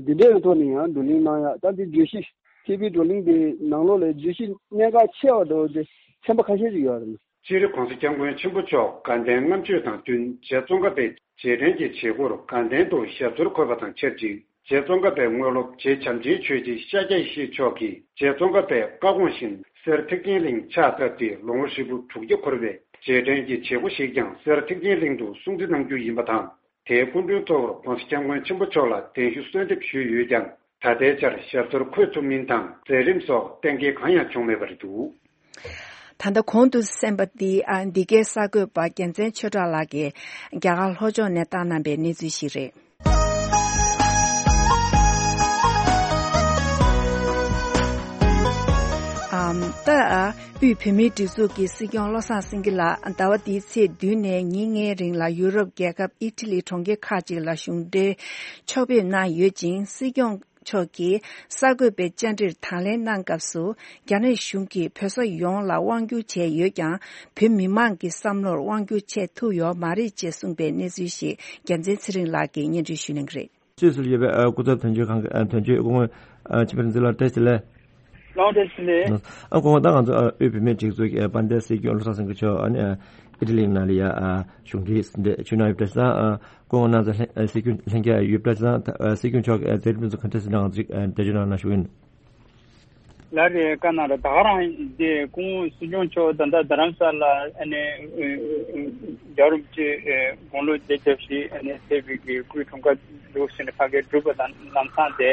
འདི་འདྲའི་ཐོག་ནས་ཡང་བགྲོ་གླེང་གནང་ཡག་ད་འདི་བརྗོད་གཞི་མཁས་པའི་བགྲོ་གླེང་དེ་ནང་ལོགས་ལ་བརྗོད་གཞི་གནད་འགག་ཆེ་བ་འདྲ་བོ་དེ་ཚན་པ་ཁ་ཤས་ཅིག་ཡོད་རེད། སྤྱིར་༸གོང་ས་༸སྐྱབས་མགོན་ཆེན་པོ་མཆོག་དགའ་ལྡན་ལྔ་མཆོད་དང་བསྟུན་རྗེ་ཙོང་ཁ་པའི་རྗེས་དྲན་གྱི་བྱེད་སྒོར་དགའ་ལྡན་དུ་ཞབས་སོར་འཁོད་པ་དང་ཆབས་ཅིག་རྗེ་ཙོང་ཁ་པའི་དངོས་སློབ་རྗེ་བྱམས་ཆེན་ཆོས་རྗེ་ཤཱཀྱ་ཡེ་ཤེས་མཆོག་གིས་རྗེ་ཙོང་ཁ་པའི་བཀའ་དགོངས་བཞིན་གསེར་ཐེག་ཆེན་གླིང་ཕྱག་བཏབ་སྟེ་ལོ་ངོ་ཧྲིལ་པོ་དྲུག་བརྒྱ་འཁོར་བའི་རྗེས་དྲན་གྱི་བྱེད་སྒོ་ཞིག་ཀྱང་གསེར་ཐེག་ཆེན་གླིང་དུ་སྲུང་བརྩི་གནང་རྒྱུ་ཡིན་པ་དང་། དེའི་སྐུ་མགྲོན་གཙོ་བོར་༸གོང་ས་༸སྐྱབས་མགོན་ཆེན་པོ་མཆོག་ལ་གདན་ཞུ་གསོལ་འདེབས་ཞུས་ཡོད་ཀྱང་། ད་ལྟའི་ཆར་ཞབས་སོར་འཁོད་ཐུབ་མིན་དང་མཛད་རིམ་སོགས་གཏན་འཁེལ་གང་ཡང་བྱུང་མེད་པ་རེད་འདུག། ད་ལྟ་གོང་དུ་གསན་པ་འདི་ཨ་འདི་གའི་གསར་འགོད་པ་རྒྱལ་མཚན་ཆོས་གྲགས་ལགས་ཀྱིས་རྒྱ་གར་ལྷོ་ཕྱོགས་ནས་བཏང་གནང་པའི་གནས་ཚུལ་ཞིག་རེད། ཨམ། ད་ཨ་དབུས་བོད་མིའི་སྒྲིག་འཛུགས་ཀྱི་སྲིད་སྐྱོང་བློ་བཟང་སེང་གེ་ལགས་ཟླ་བ་འདིའི་ཚེས་བདུན་ནས་ཉིན་ལྔའི་རིང་ལ་ཡུ་རོབ་རྒྱལ་ཁབ་ཨི་ཊ་ལི་གྲོང་ཁྱེར་ཁག་ཅིག་ལ་གཞུང་འབྲེལ་ཕྱོགས་ཕེབས་གནང་ཡོད་ཅིང་། སྲིད་སྐྱོང་མཆོག་གིས་གསར་འགོད་པའི་བཅར་འདྲིར་དང་ལེན་གནང་སྐབས་སུ། རྒྱ་ནག་གཞུང་གིས་བོད་ས་ཡོངས་ལ་དབང་བསྒྱུར་བྱས་ཡོད་ཀྱང་། བོད་མི་མང་གི་བསམ་བློར་དབང་བསྒྱུར་བྱས་ཐུབ་ཡོད་མ་རེད་ཅེས་གསུངས་པའི་གནས་ཚུལ་ཞིག་རྒྱལ་མཚན་ཚེ་རིང་ལགས་ཀྱིས་སྙན་སྒྲོན་ཞུ་གནང་གི་རེད། སུད་སིར་ཡོད་པའི་ཨ་སྐུ་ཚབ་དོན་གཅོད་ཁང་གི་ཨ་དོན་གཅོད་སྐུ་ངོ་ཨ་ཆིབས་བསྒྱུར་འཛིན་ལགས་བཀྲ་ཤིས་བདེ་ལེགས། ལགས་བཀྲ་ཤིས་བདེ་ལེགས། ཨ་སྐུ་ངོ་ད་ང་ཚོ་ཨ་དབུས་བོད་མིའི་སྒྲིག་འཛུགས་ཀྱི་ཨ་དཔལ་ལྡན་སྲིད་སྐྱོང་བློ་བཟང་སེང་གེ་མཆོག་ཨ་ནི་ཨ་ཨི་ཊ་ལི་ནང་ལ་ཡ་ཨ་གཞུང་འབྲེལ་ཟིན་བྲིས་ཞུས་གནང་ཡོད། བཀྲ་ཤིས་བདེ་ལེགས། ཨ་སྐུ་ངོ་ནང་ཚོ་ལྷན་ཨ་སྲིད་སྐྱོང་ལྷན་རྒྱས་ཡོད། བཀྲ་ཤིས་བདེ་ལེགས། ཨ་སྲིད་སྐྱོང་མཆོག་གི་ཨ་མཛད་རིམ་ཚོ་ག་འདྲ་ཞིག་ང་ཚོ་ཨ་འགྲེལ་བརྗོད་གནང་ན་ཞུ་གི་ཡིན། ལགས་རེད། བཀའ་གནང་རོགས། ད་ག་རང་དེ་སྐུ་ངོ་སྲིད་སྐྱོང་མཆོག་ད་ལྟ་རྡ་རམ་ས་ལ་ཨ་ནི་རྒྱལ་བ་རིན་པོ་ཆེ་དགུང་ལོ་བརྒྱད་བརྒྱ་བཞི་ཨ་ནི་ཕེབས་པའི་གི་སྐུའི་འཁྲུངས་སྐར་འདུག་ཟེར་ནས་ཕ་གིར་བསྒྲུབས་པ་དང་ལམ་སང་དེ་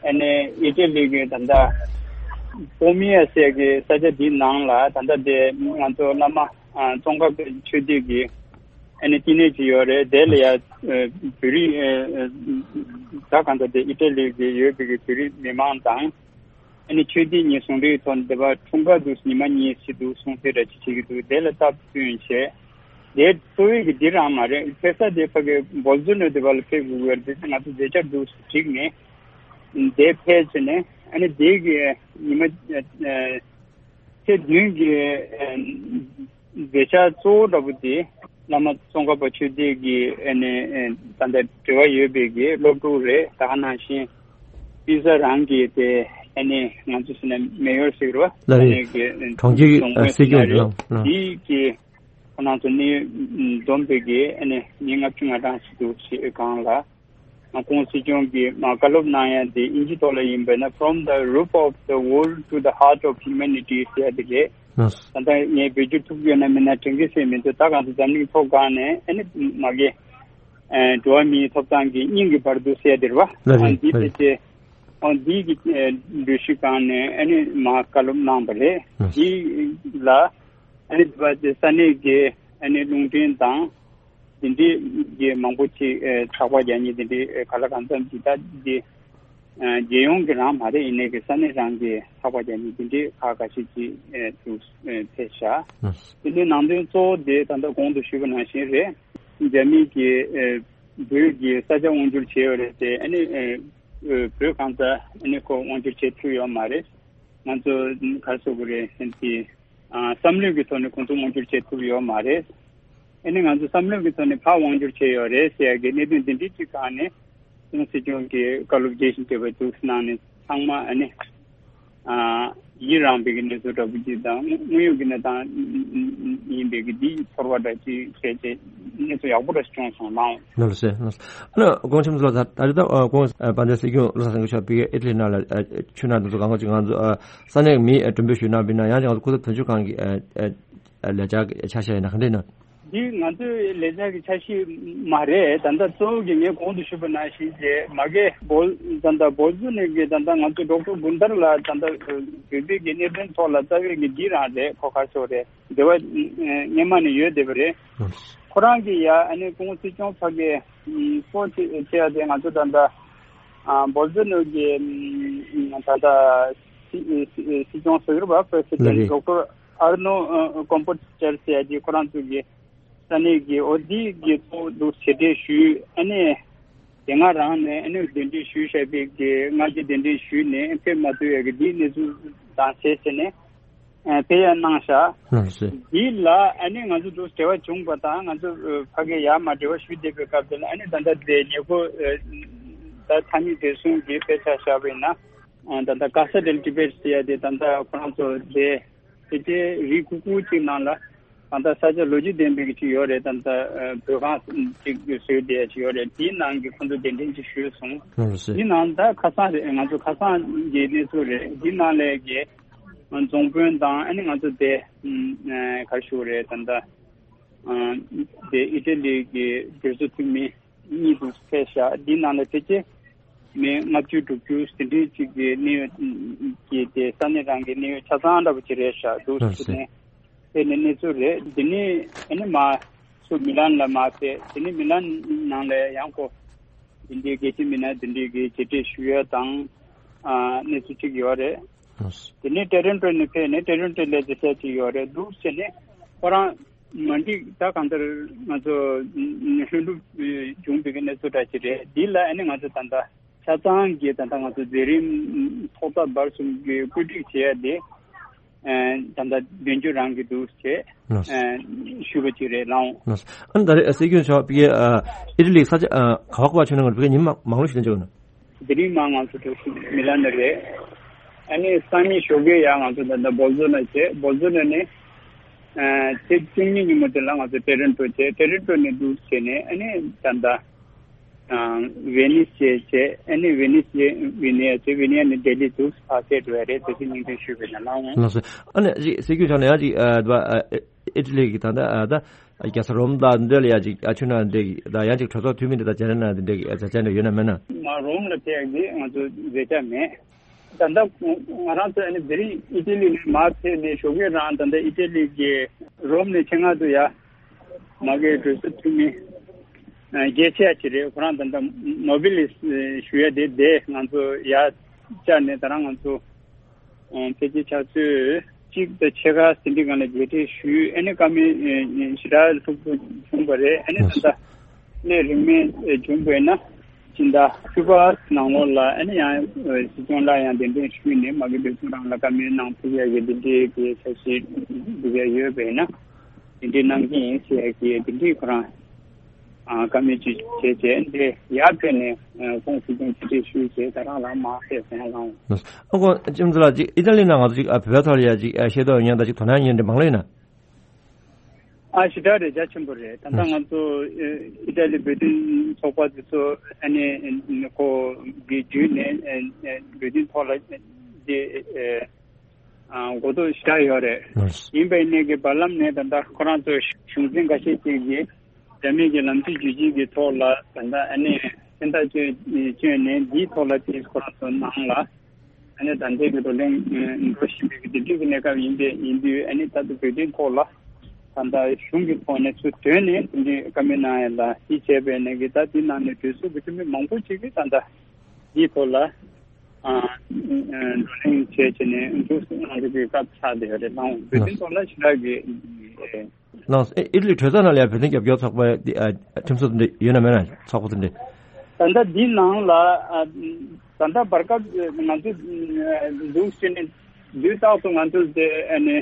ཨ་ནི་ཨི་ཊ་ལི་གི་ད་ལྟ་པོ་མི་ཡ་ཟེར་གི་ས་ཆ་འདིའི་ནང་ལ་ད་ལྟ་དེ་ང་ཚོ་བླ་མ་ཙོང་ཁ་པའི་ཆོས་སྡེ་གི་ཨ་ནི་བསྟི་གནས་ཅིག་ཡོད་རེད། དེ་ལ་ཡ་ཨ་བོད་རིགས་ཨ་ཨ་ད་གང་ལྟར་དེ་ཨི་ཊ་ལི་གི་ཡོད་པའི་གི་བོད་རིགས་མི་མང་དང་ཨ་ནི་ཆོས་སྡེ་གཉིས་ཟུང་འབྲེལ་གྱི་ཐོག་ནས་དེ་བར་འཁྲུངས་སྐར་དུ་ཉི་མ་གཉིས་བྱེད་འདུག་གསུང་གསལ་འདྲ་ཅིག་བྱེད་ཀྱི་འདུག། དེ་ལ་སྟབས་བསྟུན་བྱས། དེ་གཙོ་བོའི་གི་འདི་རང་མ་རེད། ཕེབས་ས་དེ་ཕ་གི་སྦོལ་ཛུ་ནོ་དེ་བར་ལ་ཕེབས་དགོས་ཀྱི་རེད། དེ་ང་ཚོ་མཛད་འཆར་འདུག་ཟེར་བསྒྲིགས་ནས་དེ་ཕེབས་བྱས་ནས་ཨ་ནི་དེ་གི་ཉི་མ་ཨ་ཨ་ཚེས་བདུན་གྱི་ཨ་མཛད་འཆར་གཙོ་བོ་འདྲ་པོ་དེ་བླ་མ་ཙོང་ཁ་པ་ཆོས་སྡེ་གི་ཨ་ནི་ཨ་ད་ལྟ་འབྲེལ་བ་ཡོད་པའི་གི་སློབ་ཕྲུག་རེད། ད་ག་ནང་བཞིན་དབུས་ས་རང་གི་དེ་ཨ་ནི་ང་ཚོ་ཟེར་ན་མེ་ཡོར་ཟེར་གི་རེད་བ། ལགས་རེད། ཨ་ནི་གི་གྲོང་ཁྱེར་གྱི་རྫོང་ཨ་དཔོན་སྲིད་སྐྱོང་ཟེར་ན་རེད། ལགས། དེའི་གི་ཁོ་རང་ཚོ་ནི་འཛོམས་པའི་གི་ཨ་ནི་མི་ལྔ་བཅུ་ང་གྲངས་ཤིག་འདུག་ཞེས་སྒང་ལ། ཁོང་སྲིད་སྐྱོང་གིས་མ་བཀའ་སློབ་གནང་ཡ་དེ་དབྱིན་ཇི་ཐོག་ལ་ཡིན་པ་ན་From the Roof of the World to the Heart of Humanity ཟེར་ཡ་དེ་རེད། ལགས། ད་ལྟ་ངས་བེད་སྤྱོད་ཐུབ་ཡོད་ན་མེད་ན་དྲན་གྱི་སེ་མི་འདུག། ད་གང་དུ་འཛམ་གླིང་ཐོག་སྒང་ནས་ཨ་ནི་མ་གི་ཨ་འགྲོ་བ་མིའི་ཐོབ་ཐང་གི་སྙིང་གི་བར་དུ་ཟེར་ཡ་དེ་རེད་བ། ལགས་རེད། ཨ་འདི་ལགས་རེད། དེ་ཨ་འདི་གི་ཨ་འགྲུལ་བཞུད་སྒང་ནས་ཨ་ནི་མ་བཀའ་སློབ་གནང་བ་རེད། ལགས། འདི་ལ་ཨ་ནི་དེ་བ་དེ་ས་གནས་ཀྱི་ཨ་ནི་རླུང་འཕྲིན་དང་། དེ་འདྲའི་གི་མང་པོ་ཅིག་ཨེ་ཚགས་པར་རྒྱག་མཁན་དེ་འདྲའི་ཨེ་ག་ལ་གང་འཚམ་ཅིག་ད་འདི་ཨེ་རྒྱལ་ཡོངས་ཀྱི་རང་མ་རེད། ཡིན་ནའི་གི་ས་གནས་རང་གི་ཚགས་པར་རྒྱག་མཁན་དེ་འདྲའི་ཁག་ཁ་ཤས་ཅིག་ཨེ་འདུག་ཨེ་ཕེབས་ཤག། ཨ་དེ་འདྲའི་ནང་དོན་གཙོ་བོ་དེ་ད་ལྟ་གོང་དུ་ཞུས་པ་ནང་བཞིན་རེད། རྒྱ་མི་གིས་ཨེ་བོད་ཀྱི་ས་ཆ་དབང་བསྒྱུར་བྱས་ཡོད་རེད་དེ། ཨ་ནི་ཨེ་བོད་གང་ས་ཨ་ནི་ཁོ་དབང་བསྒྱུར་བྱེད་ཐུབ་ཡོད་མ་རེད། ང་ཚོ་ག་རེ་ཟེར་དགོས་རེད། དེ་ཨ་བསམ་བློའི་གི་ཐོག་ནས་ཁོང་ཚོ་དབང་བསྒྱུར་བྱེད་ཐུབ་ཡོད་མ་རེད། ཨ་ནི་ང་ཚོ་བསམ་བློའི་གི་ཐོག་ནས་ཕར་དབང་བསྒྱུར་བྱས་ཡོད་རེད་ཟེར་ཡ་གི་གནད་དོན་འདི་འདྲའི་ཅིག་སྒང་ནས་ཁོང་སྲིད་སྐྱོང་གིས་བཀའ་སློབ་རྒྱས་ཤིང་རྒྱས་པ་འདུག་གནང་ནས་ཚང་མ་ཨ་ནི་ཨ་ ཡི་རངས་པའི་གི་གནས་ཚུལ་འདྲ་པོ་ཅིག་དང་། དངོས་ཡོད་ཀྱི་གནས་སྟངས་ཡིན་པའི་གི་འདི་ཚོར་བ་འདྲ་ཅིག་བྱས་བྱས་གནས་ཚུལ་ཡག་པོ་འདྲ་ཞིག་བྱུང་སོང་ལགས། ལགས་སོ། ལགས་སོ། ཨ་ནི་དགོངས་ཆེན་ཚོ་ལགས། ད་རེས་ད་དགོངས་དཔལ་ལྡན་སྲིད་སྐྱོང་བློ་བཟང་སེང་གེ་མཆོག་ཕ་གིར་ཨི་ཊ་ལི་ནང་ལ་ཆུ་ནང་དུ་གང་ག་ཅིག་ང་ཚོ་ས་གནས་མི་མགྲོན་འབོད་ཞུས་གནང་བ་ཡིན་ན། ཡང་ཅིག་ང་ཚོ་སྐུ་ཚབ་དོན་གཅོད་ཁང་གི་ལས་འཆར་གྱི་ཆ་ཤས་ཡིན་ན་ག་འདྲ་ཡིན་ན། འདི་ང་ཚོའི་ལས་འཆར་གྱི་ཆ་ཤས་མ་རེད། ད་ལྟ་གཙོ་བོ་གི་ངས་གོང་དུ་ཞུས་པ་ནང་བཞིན་བྱས་མ་གི་བོལ་ད་ལྟ་བོལ་ཙོ་ནེ་གི་ད་ལྟ་ང་ཚོ་ཌོག་ཊར་གུན་དར་ལ་ད་ལྟ་བོད་པའི་གི་གནད་དོན་ཐོག་ལ་རྩ་བའི་གི་འདི་རང་རེད། ཁོ་ག་ཚོད་རེད། འབྲེལ་བ་སྔོན་མ་ནས་ཡོད་བསྡད་པ་རེད། ཁོ་རང་གི་ཡ་ཨ་ནི་སྐུ་ངོ་སྲིད་སྐྱོང་ཕ་གི་སྤོ་ཆེ་ཆེ་ཡ་དེ་ང་ཚོ་ད་ལྟ་བོལ་ཙོ་ནེ་གི་ད་ལྟ་སྲིད་སྐྱོང་ཟུར་པ་པྲེ་སི་ཌེན་ཌོག་ཊར་ཨར་ནོ་ཀོམ་པོ་ཅར་ཟེར་ཡ་དེ་ཁོ་རང་ཚོ་གི་ས་གནས་ཀྱི་འོ་དེ་གི་ཐོག་ཏུ་ཞལ་འདེབས་ཞུས། ཨ་ནི་དེ་སྔ་རང་ནས་ཨ་ནི་གདན་འདྲེན་ཞུས་བཞག་པའི་གི་སྔ་རྗེས་གདན་འདྲེན་ཞུས་ནས་ཕེབས་མ་ཐུབ་ཡ་གི་འདིའི་གནས་ཚུལ་དང་བྱས་བྱས་ནས་ཕེབས་ཡ་གནང་བཞག། ལགས་སོ། འདི་ལ་ཨ་ནི་ང་ཚོ་འདུག་འབྲེལ་བ་བྱུང་བ་དང་ང་ཚོ་ཕ་གི་ཡར་མར་འབྲེལ་བ་ཞུས་བསྡད་པའི་སྐབས་དེ་ལ་ཨ་ནི་ད་ལྟ་དེ་ཉེ་པོ་ད་ཐ་སྙད་དེ་གསུམ་གྱི་དཔེ་ཆ་བཞག་པ་ཡིན་ན། ད་ལྟ་ག་ས་ཌེལ་ཊི་བེཊ་ཟེར་ཡ་དེ་ད་ལྟ་ཁོ་རང་ཚོ་དེ་དེ་རིགས་ཁུག་ཁུག་ཅིག་ནང་ལ་གང་ལྟར་ས་ཆ་ལོ་རྒྱུས་ལྡན་པའི་ཅིག་ཡོད་རེད། ད་ལྟ་བོད་ཁང་ཅིག་བཟོས་བསྡད་ཡ་ཅིག་ཡོད་རེད། དེའི་ནང་གི་ཁོང་ཚོ་གདན་འདྲེན་ཅིག་ཞུས་སོང་། ལགས་སོ། དེའི་ནང་ད་ཁ་སང་རེད། ང་ཚོ་ཁ་སང་གི་གནས་ཚུལ་རེད། དེའི་ནང་ལས་ཀྱི་རྫོང་དཔོན་དང་ཨ་ནི་ང་ཚོ་དེ་ག་རེ་ཞུ་དགོས་རེད། ད་ལྟ་དེ་ཨི་ཊ་ལི་གི་གྲོས་ཚོགས་འཐུས་མི་གཉིས་འདུག་ཕེབས་ཤག། འདི་ནང་ལ་ཕལ་ཆེར་མི་ལྔ་བཅུ་དྲུག་ཅུ་དེ་འདྲའི་ཅིག་གི་གནད་ཡོད་ཀྱི་དེ་ས་གནས་རང་གི་གནད་ཡོད་ཆ་ཚང་འདྲ་པོ་ཅིག་རེད་ཤག། འདུག་ལགས་སོ། ཟེར་ནས་ཕེབས་ནས་གནས་ཚུལ་རེད། འདི་ནས་ཨ་ནི་མར་ཚུར་མི་ལན་ལ་མར་ཕེབས། དེ་ནས་མི་ལན་ནང་ལ་ཡང་ཁོ་འདི་འདྲའི་རྒྱལ་སྤྱིའི་མི་སྣ་འདི་འདྲའི་གི་མཇལ་འཕྲད་ཞུ་ཡ་དང་ཨ་གནས་ཚུལ་ཅིག་ཡོད་རེད། ལགས་སོ། དེ་ནས་ཊོ་རོན་ཊོ་ནས་ཕེབས་ནས་ཊོ་རོན་ཊོ་ལ་མཇལ་འཕྲད་ཅིག་ཡོད་རེད། འདུག་ཟེར་ནས་ཁོ་རང་མ་འགྲིག་ད་གང་ལྟར་ང་ཚོ་ལྷུན་གྲུབ་བྱུང་བའི་གནས་ཚུལ་འདྲ་ཅིག་རེད། འདི་ལ་ཨ་ནི་ང་ཚོ་ད་ལྟ་ཆ་ཚང་གི་ད་ལྟ་ང་ཚོ་མཛད་རིམ་ཐོག་མཐའ་བར་གསུམ་གྱི་བཀོད་སྒྲིག་བྱས་ཏེ་ད་ལྟ་མདུན་སྐྱོད་རང་གི་འདུག་ཅེས་ལགས་སོ། ཞུས་པ་ཅིག་རེད་ལགས། ལགས་སོ། ཨ་ནི་ད་རེས་སྲིད་སྐྱོང་མཆོག་ཕ་གི་ཨི་ཊ་ལི་ས་ཆ་ག་བ་ག་བ་ཕྱིན་ན་ང་ཚོ་ཕ་གི་ཉིན་མ་མང་ལོ་ཞིག་ལ་འཇོག་ན། དེ་རིང་མ་ང་ཚོ་གྲོས་ཚོགས་མི་ལ་ནི་རེད། ཨ་ནི་སང་ཉིན་ཞོགས་ཀས་ཡང་ང་ཚོ་ད་ལྟ་བོལ་ཙོ་ནེ་བྱས། བོལ་ཙོ་ནེ་ནས་ཨ་ཚེས་བཅུ་གཉིས་ཉིན་མོ་དེ་ལ་ང་ཚོ་ཊོ་རོན་ཊོ་བྱས། ཊོ་རོན་ཊོ་ནས་འདུག་བྱས་ནས་ཨ་ནི་ད་ལྟ་ཨ་ཝེ་ནིས་བྱས་བྱས། ཨ་ནི་ཝེ་ནིས་བྱས་ཝི་ནི་ཡ་བྱས། ཝི་ནི་ཡ་ནས་ལྡི་ལི་འདུག་ཕར་ཕེབས་འགྲོ་ཡ་རེད། དེ་ཚོ་སྙིང་དོན་ཞུས་པ་ཡིན་ན་ལགས། ལགས་སོ། ཨ་ནི་ཅིག་སྲིད་སྐྱོང་མཆོག་ནས་ཡང་ཅིག་ཨ་ཨི་ཊ་ལི་གི་ད་ལྟ་ཨ་ད་རྒྱལ་ས་རོམ་དང་འདི་ལ་ཡ་ཅིག་ཨ་ཆུ་ནང་འདི་གི་ད་ཡང་ཅིག་གྲོས་ཚོགས་འཐུས་མི་འདི་དང་མཇལ་ན་འདི་འདྲ་གི་མཛད་འཆར་འདི་ཡོད་ན་མེད་ན། མ་རོམ་ལ་ཕེབས་ཀྱི་ང་ཚོ་མཛད་འཆར་མེད། ད་ལྟ་ང་རང་ཚོ་ཨ་ནི་དེ་རིང་ཨི་ཊ་ལི་ནས་མར་ཕེབས་ནས་ཞོགས་ཀས་རང་ད་ལྟ་ཨི་ཊ་ལི་གི་རོམ་ནས་ཆེད་མངགས་དུ་ཡ་མ་གི་གྲོས་ཚོགས་འཐུས་མི་རྒྱལ་ཆེ་ཅིག་རེད། ཁོ་རང་ད་ལྟ་ནོ་བེ་ལི་ཞུ་ཡ་དེ་དེ་ང་ཚོ་ཡ་བཅར་ནས་ད་རང་ང་ཚོ་ཕལ་ཆེར་ཆུ་ཚོད་གཅིག་དང་ཕྱེད་ཀ་ཟིན་བྲིས་སྒང་ལ་མཇལ་འཕྲད་ཞུས། ཨ་ནི་བཀའ་མོལ་ཞེ་དྲག་ལྷུག་པོ་བྱུང་བ་རེད། ཨ་ནི་ད་ལྟ་གནད་རིང་མོ་བྱུང་བས་ན་སྤྱི་ཟླ་བཅུ་པ་ནང་ལོགས་ལ་ཨ་ནི་ཡང་སྲིད་སྐྱོང་ལ་ཡང་གདན་འདྲེན་ཞུས་ནས་མ་གི་བོད་གཞུང་རང་ལ་བཀའ་མོལ་གནང་ཐུབ་ཡ་གི་འདི་འདྲའི་གི་འཆར་གཞི་འདུག་ཡ་ཡོད་པས་ན་འདི་འདྲའི་གནང་གི་ཡིན་ཟེར་ཡ་གི་འདི་འདྲའི་ཁོ་རང་ཨ་བཀའ་མོལ་ཅིག་བྱས་བྱས་འདི་ཡར་ཕེབས་ནས་ཨ་ཁོང་སྲིད་སྐྱོང་ཕྱི་དྲིལ་ཞུས་བྱས་ད་རང་རང་མར་ཕེབས་སོང་ལགས། ཨ་ཁོང་ལྕམ་ཚེ་ལགས་ཅིག་ཨི་ཊ་ལི་ནང་ང་ཚོ་ཅིག་ཨ་བོད་པའི་ཐོག་ལ་ཡ་ཅིག་ཨ་ཤེས་རྟོགས་ཡོད་མཁན་དང་ཅིག་དོ་སྣང་ཡོད་མཁན་དེ་མང་ལོས་ཡིན་ན། ཨ་ཞེ་དྲག་རེད། རྒྱ་ཆེན་པོ་རེད། ད་ལྟ་ང་ཚོ་ཨི་ཊ་ལི་བོད་དོན་ཚོགས་པ་དེ་ཚོ་ཨ་ནི་ཁོ་གི་བརྒྱུད་ནས་བོད་དོན་ཐོག་ལ་དེ་ཨ་གོ་རྟོགས་ཞེ་དྲག་ཡོད་རེད། ལགས། ཡིན་པའི་གནས་ཀྱི་བར་ལམ་ནས་ད་ལྟ་ཁོ་རང་ཚོ་གཞུང་འཛིན་འགའ་ཤས་ཅིག་གིས་རྒྱ་མི་གི་ལམ་སྲོལ་བརྒྱུད་བྱེད་ཀྱི་ཐོག་ལ་ད་ལྟ་ཨ་ནི་མཚན་རྟགས་བཅོས་བཅོས་ནས་འདིའི་ཐོག་ལ་དེ་ཁོ་རང་ཚོ་ནང་ལ་ཨ་ནི་ད་ལྟའི་གི་བགྲོ་གླེང་འགྲོ་བཞིན་པའི་གི་དེ་འདྲའི་གི་གནས་སྐབས་ཡིན་པས་ཡིན་དུས་ཨ་ནི་ད་ལྟ་བོད་དོན་ཐོག་ལ་ད་ལྟ་གཞུང་གི་ཐོག་ནས་ཚུར་ཐོན་ནས་དེ་འདྲའི་བཀའ་མོལ་གནང་ཡ་ལ་དེ་བྱས་པའི་ནས་གི་ད་དེ་ནང་ནས་གྲོས་ཚོགས་ཀྱི་འཐུས་མི་མང་པོ་ཅིག་གིས་ད་ལྟ་འདིའི་ཐོག་ལ་ཨ་བགྲོ་གླེང་བྱས་བྱས་ནས་འདུག་ང་ཚོ་གི་སྐབས་ཆགས་བསྡད་ཡོད་རེད། ལགས། བོད་དོན་ཐོག་ལ་ཞེ་དྲག་གི་ལགས། ཨི་ཊ་ལི་གྲོས་ཚོགས་ནང་ལ་ཡང་བོད་དོན་རྒྱབ་སྐྱོར་ཚོགས་པ་འདི་ཨ་ཁྲིམས་སྲོལ་འདི་ཡོད་ན་མེད་ན་ཚོགས་པ་དེ་འདྲ། ད་ལྟ་འདི་ནང་ལ་ཨ་ད་ལྟ་བར་སྐབས་ང་ཚོ་འདུག་ཟེར་ནས་དུས་རྟག་ཏུ་ང་ཚོ་དེ་ཨ་ནི་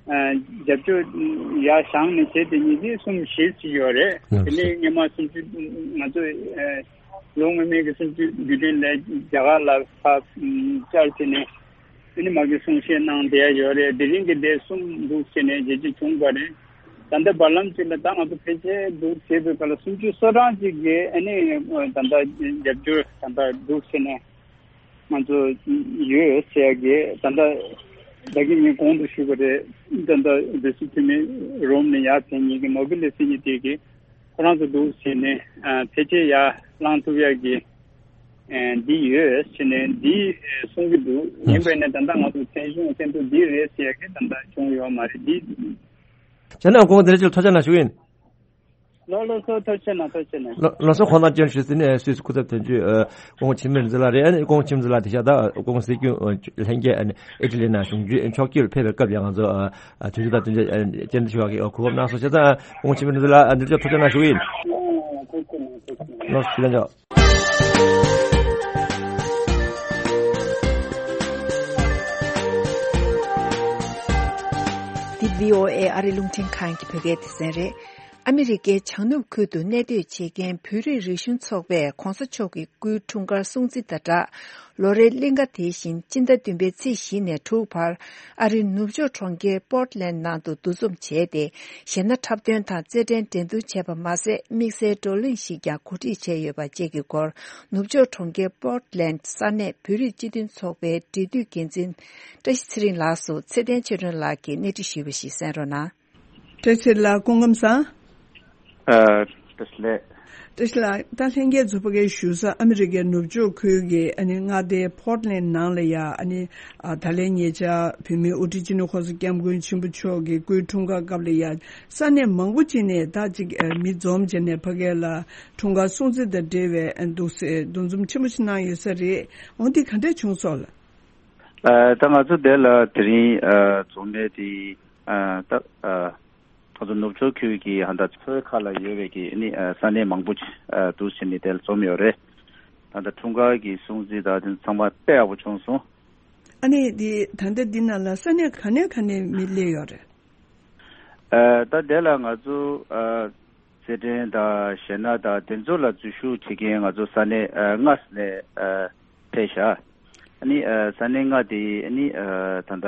ཨ་རྒྱབ་སྐྱོར་ཡར་བཞེངས་ནས་བྱས་དེ་ཉིད་དེ་གསུམ་བཞི་ཅིག་ཡོད་རེད། ལགས་སོ། དེ་ནས་སྔོན་མ་གསུམ་བཅུ་ང་ཚོ་ཨ་ལོ་སྔོན་མའི་གི་གསུམ་བཅུ་དགུ་ཐེངས་ལ་རྒྱ་གར་ལ་ཕར་བཅར་བྱས་ནས། ཨ་ནི་མ་གི་གསུང་བཤད་གནང་བསྡད་ཡ་ཡོད་རེད། དེ་རིང་གི་དེ་གསུམ་འདུག་བྱས་ནས་རྒྱལ་སྤྱི་བྱུང་བ་རེད། ད་ལྟ་བར་ལམ་གཅིག་ལ་ད་ང་ཚོ་ཕལ་ཆེར་འདུག་བྱས་པའི་སྐབས་ལ་སུམ་ཅུ་སོ་གྲངས་གཅིག་གིས་ཨ་ནི་ད་ལྟ་རྒྱབ་སྐྱོར་ད་ལྟ་འདུག་བྱས་ནས་ང་ཚོ་ཡོད་ཟེར་ཡ་གི་ད་ལྟ་ད་གིན་ངས་གོང་དུ་ཞུས་པ་རེད། ད་ལྟ་སྡེ་སྲིད་འཐུས་མི་རོམ་ནས་ཡར་ཕེབས་མཁན་གྱི་མོ་བི་ལི་སི་གཉིས་དེ་གིས་ཁོ་རང་ཚོ་འདུག་བྱས་ནས་ཕལ་ཆེར་ཡར་ལངས་ཐུབ་ཡ་གི་ཨ་འདི་ཡོད་ཟེར་ནས་འདི་གསུང་གི་འདུག་ཡིན་པས་ན་ད་ལྟ་ང་ཚོ་མཚན་གཞུང་མཚན་ཐོ་འདི་རེད་ཟེར་ཡ་གི་ད་ལྟ་བྱུང་ཡོད་མ་རེད། འདི་བྱས་ན་ཁོང་དེ་འདྲ་ཅིག་ཐོས་རྒྱ་གནང་ཞུ་ཡིན། ལོ་ལོ་སོ་ཐོས་རྒྱ་གནང་། ཐོས་རྒྱ་གནང་། ལོ་ལོ་སོ་ཁོང་རྣམས་ཀྱང་ཞུས་ཟིན་ནས་སུད་སི་སྐུ་ཚབ་དོན་གཅོད་ཨ་ཀོང་ཆིན་མིར་ཛི་ལ་རེད། ཨ་ནི་ཀོང་ཆིན་མིར་ཛི་ལ་དེ་ཤ་ད་ཀོང་སྲིད་སྐྱོང་ལྷན་རྒྱས་ཨ་ནི་ཨི་ཊ་ལི་ནང་གཞུང་འཛུལ་ཕྱོགས་བསྐྱོད་ཕེབས་པའི་སྐབས་ཡང་ང་ཚོ་ཨ་དུས་ཚོད་དང་བསྟུན་ཏེ་ཨ་ནི་བཅར་འདྲི་ཞུ་བ་གི་གོ་སྐབས་གནང་སོང་། བྱས་ཙང་ཀོང་ཆིན་མིར་ཛི་ལ་ཨ་འདིར་ཅོག་ཐུགས་རྗེ་གནང་ཞུ་གི་ཡིན། ལོ་སོ་ཞུ་ལན་ཆོག་འདི་བྷི་ཨོ་ཨེ་ཨ་རི་རླུང་འཕྲིན་ཁང་གི་བོད་སྐད་སྡེ་ཚན་རེད། ཨ་མི་རི་ཀའི་བྱང་ནུབ་ཁུལ་དུ་གནས་སྡོད་བྱེད་མཁན་བོད་རིགས་རིག་གཞུང་ཚོགས་པས་༧གོང་ས་མཆོག་གི་སྐུའི་འཁྲུངས་སྐར་སྲུང་བརྩི་དང་སྦྲགས། ལོ་རེའི་གླིང་ག་དེ་བཞིན་སྤྱི་ཟླ་བདུན་པའི་ཚེས་བཞི་ནས་དྲུག་བར་ཨ་རིའི་ནུབ་ཕྱོགས་གྲོང་ཁྱེར་པོར་ཊི་ལན་ནང་དུ་འདུ་འཛོམས་བྱས་ཏེ། གཞས་སྣ་འཁྲབ་སྟོན་དང་རྩེད་འགྲན་འགྲན་བསྡུར་བྱས་པ་མ་ཟད། དམིགས་བསལ་བགྲོ་གླེང་ཞིག་ཀྱང་གོ་སྒྲིག་བྱས་ཡོད་པ་བཅས་ཀྱི་སྐོར། ནུབ་ཕྱོགས་གྲོང་ཁྱེར་པོར་ཊི་ལན་ས་གནས་བོད་རིགས་སྤྱི་མཐུན་ཚོགས་པའི་འབྲེལ་མཐུད་འགན་འཛིན་བཀྲ་ཤིས་ཚེ་རིང་ལགས་སུ་ཚེ་བརྟན་ཆོས་སྒྲོན་ལགས་ཀྱིས་གནས་འདྲི་ཞུས་པ་ཞིག་གསན་རོགས་གནང་། བཀྲ་ཤིས་ལགས་སྐུ་ཁམས་བཟང་། ཨ། བཀྲ་ཤིས་ལགས། བཀྲ་ཤིས་ལགས། ད་ལྷན་རྒྱས་ཚོ་ཕ་གིར་བཞུགས་ས་ཨ་མི་རི་ཀའི་ནུབ་ཕྱོགས་ཁུལ་གྱི་ཨ་ནི་མངའ་སྡེ་པོར་ཊི་ལན་ནང་ལ་ཡ་ཨ་ནི་ཨ་ད་ལན་ཉེ་ཆར་བོད་མིའི་དབུ་ཁྲིད་སྤྱི་ནོར་༧གོང་ས་༧སྐྱབས་མགོན་ཆེན་པོ་མཆོག་གི་སྐུའི་འཁྲུངས་སྐར་སྐབས་ལ་ཡ་ས་གནས་མང་པོ་ཅིག་ནས་ད་ཅིག་ཨ་མི་འཛོམས་བྱས་ནས་ཕ་གི་ལ་འཁྲུངས་སྐར་སྲུང་བརྩི་དང་འབྲེལ་བའི་ཨ་འདུག་སེ་འདུ་འཛོམས་ཆེན་པོ་ཞིག་གནང་ཡོད་ས་རེད། འོ་འདི་ག་འདྲས་བྱུང་སོང་ལགས། ཨ་ད་ང་ཚོ་དེ་ལ་དེ་རིང་ཨ་འཛོམས་མེད་དེ་ཨ་ད་ཨ་ང་ཚོ་ནུབ་ཕྱོགས་ཁུལ་གྱི་ཧ་ད་ཚོའི་ཁ་ལ་ཡོད་པའི་གི་ནི་ཨ་ས་གནས་མང་པོ་ཅིག་ཨ་འདུག་སེ་ནི་དེ་ལ་འཛོམས་ཡོད་རེད། ད་ལྟ་འཁྲུངས་སྐར་གྱི་སྲུང་བརྩི་དང་དེ་ཚང་མ་དཔེ་ཡག་པོ་བྱུང་སོང་། ཨ་ནི་འདི་ད་ལྟ་འདི་ནང་ལ་ས་གནས་ག་ནས་ག་ནས་མི་སླེབས་ཡོད་རེད། ཨ་ད་དེ་ལ་ང་ཚོ་ཨ་རྩེད་འགྲན་དང་གཞས་སྣ་དང་དེ་ཚོ་ལ་འཛུལ་ཞུགས་བྱེད་མཁན་ང་ཚོ་ས་གནས་ཨ་ལྔ་ནས་ཨ་ཕེབས་ཤག་ཨ་ནི་ཨ་ས་གནས་ལྔ་དེ་ཨ་ནི་ཨ་ད་ལྟ་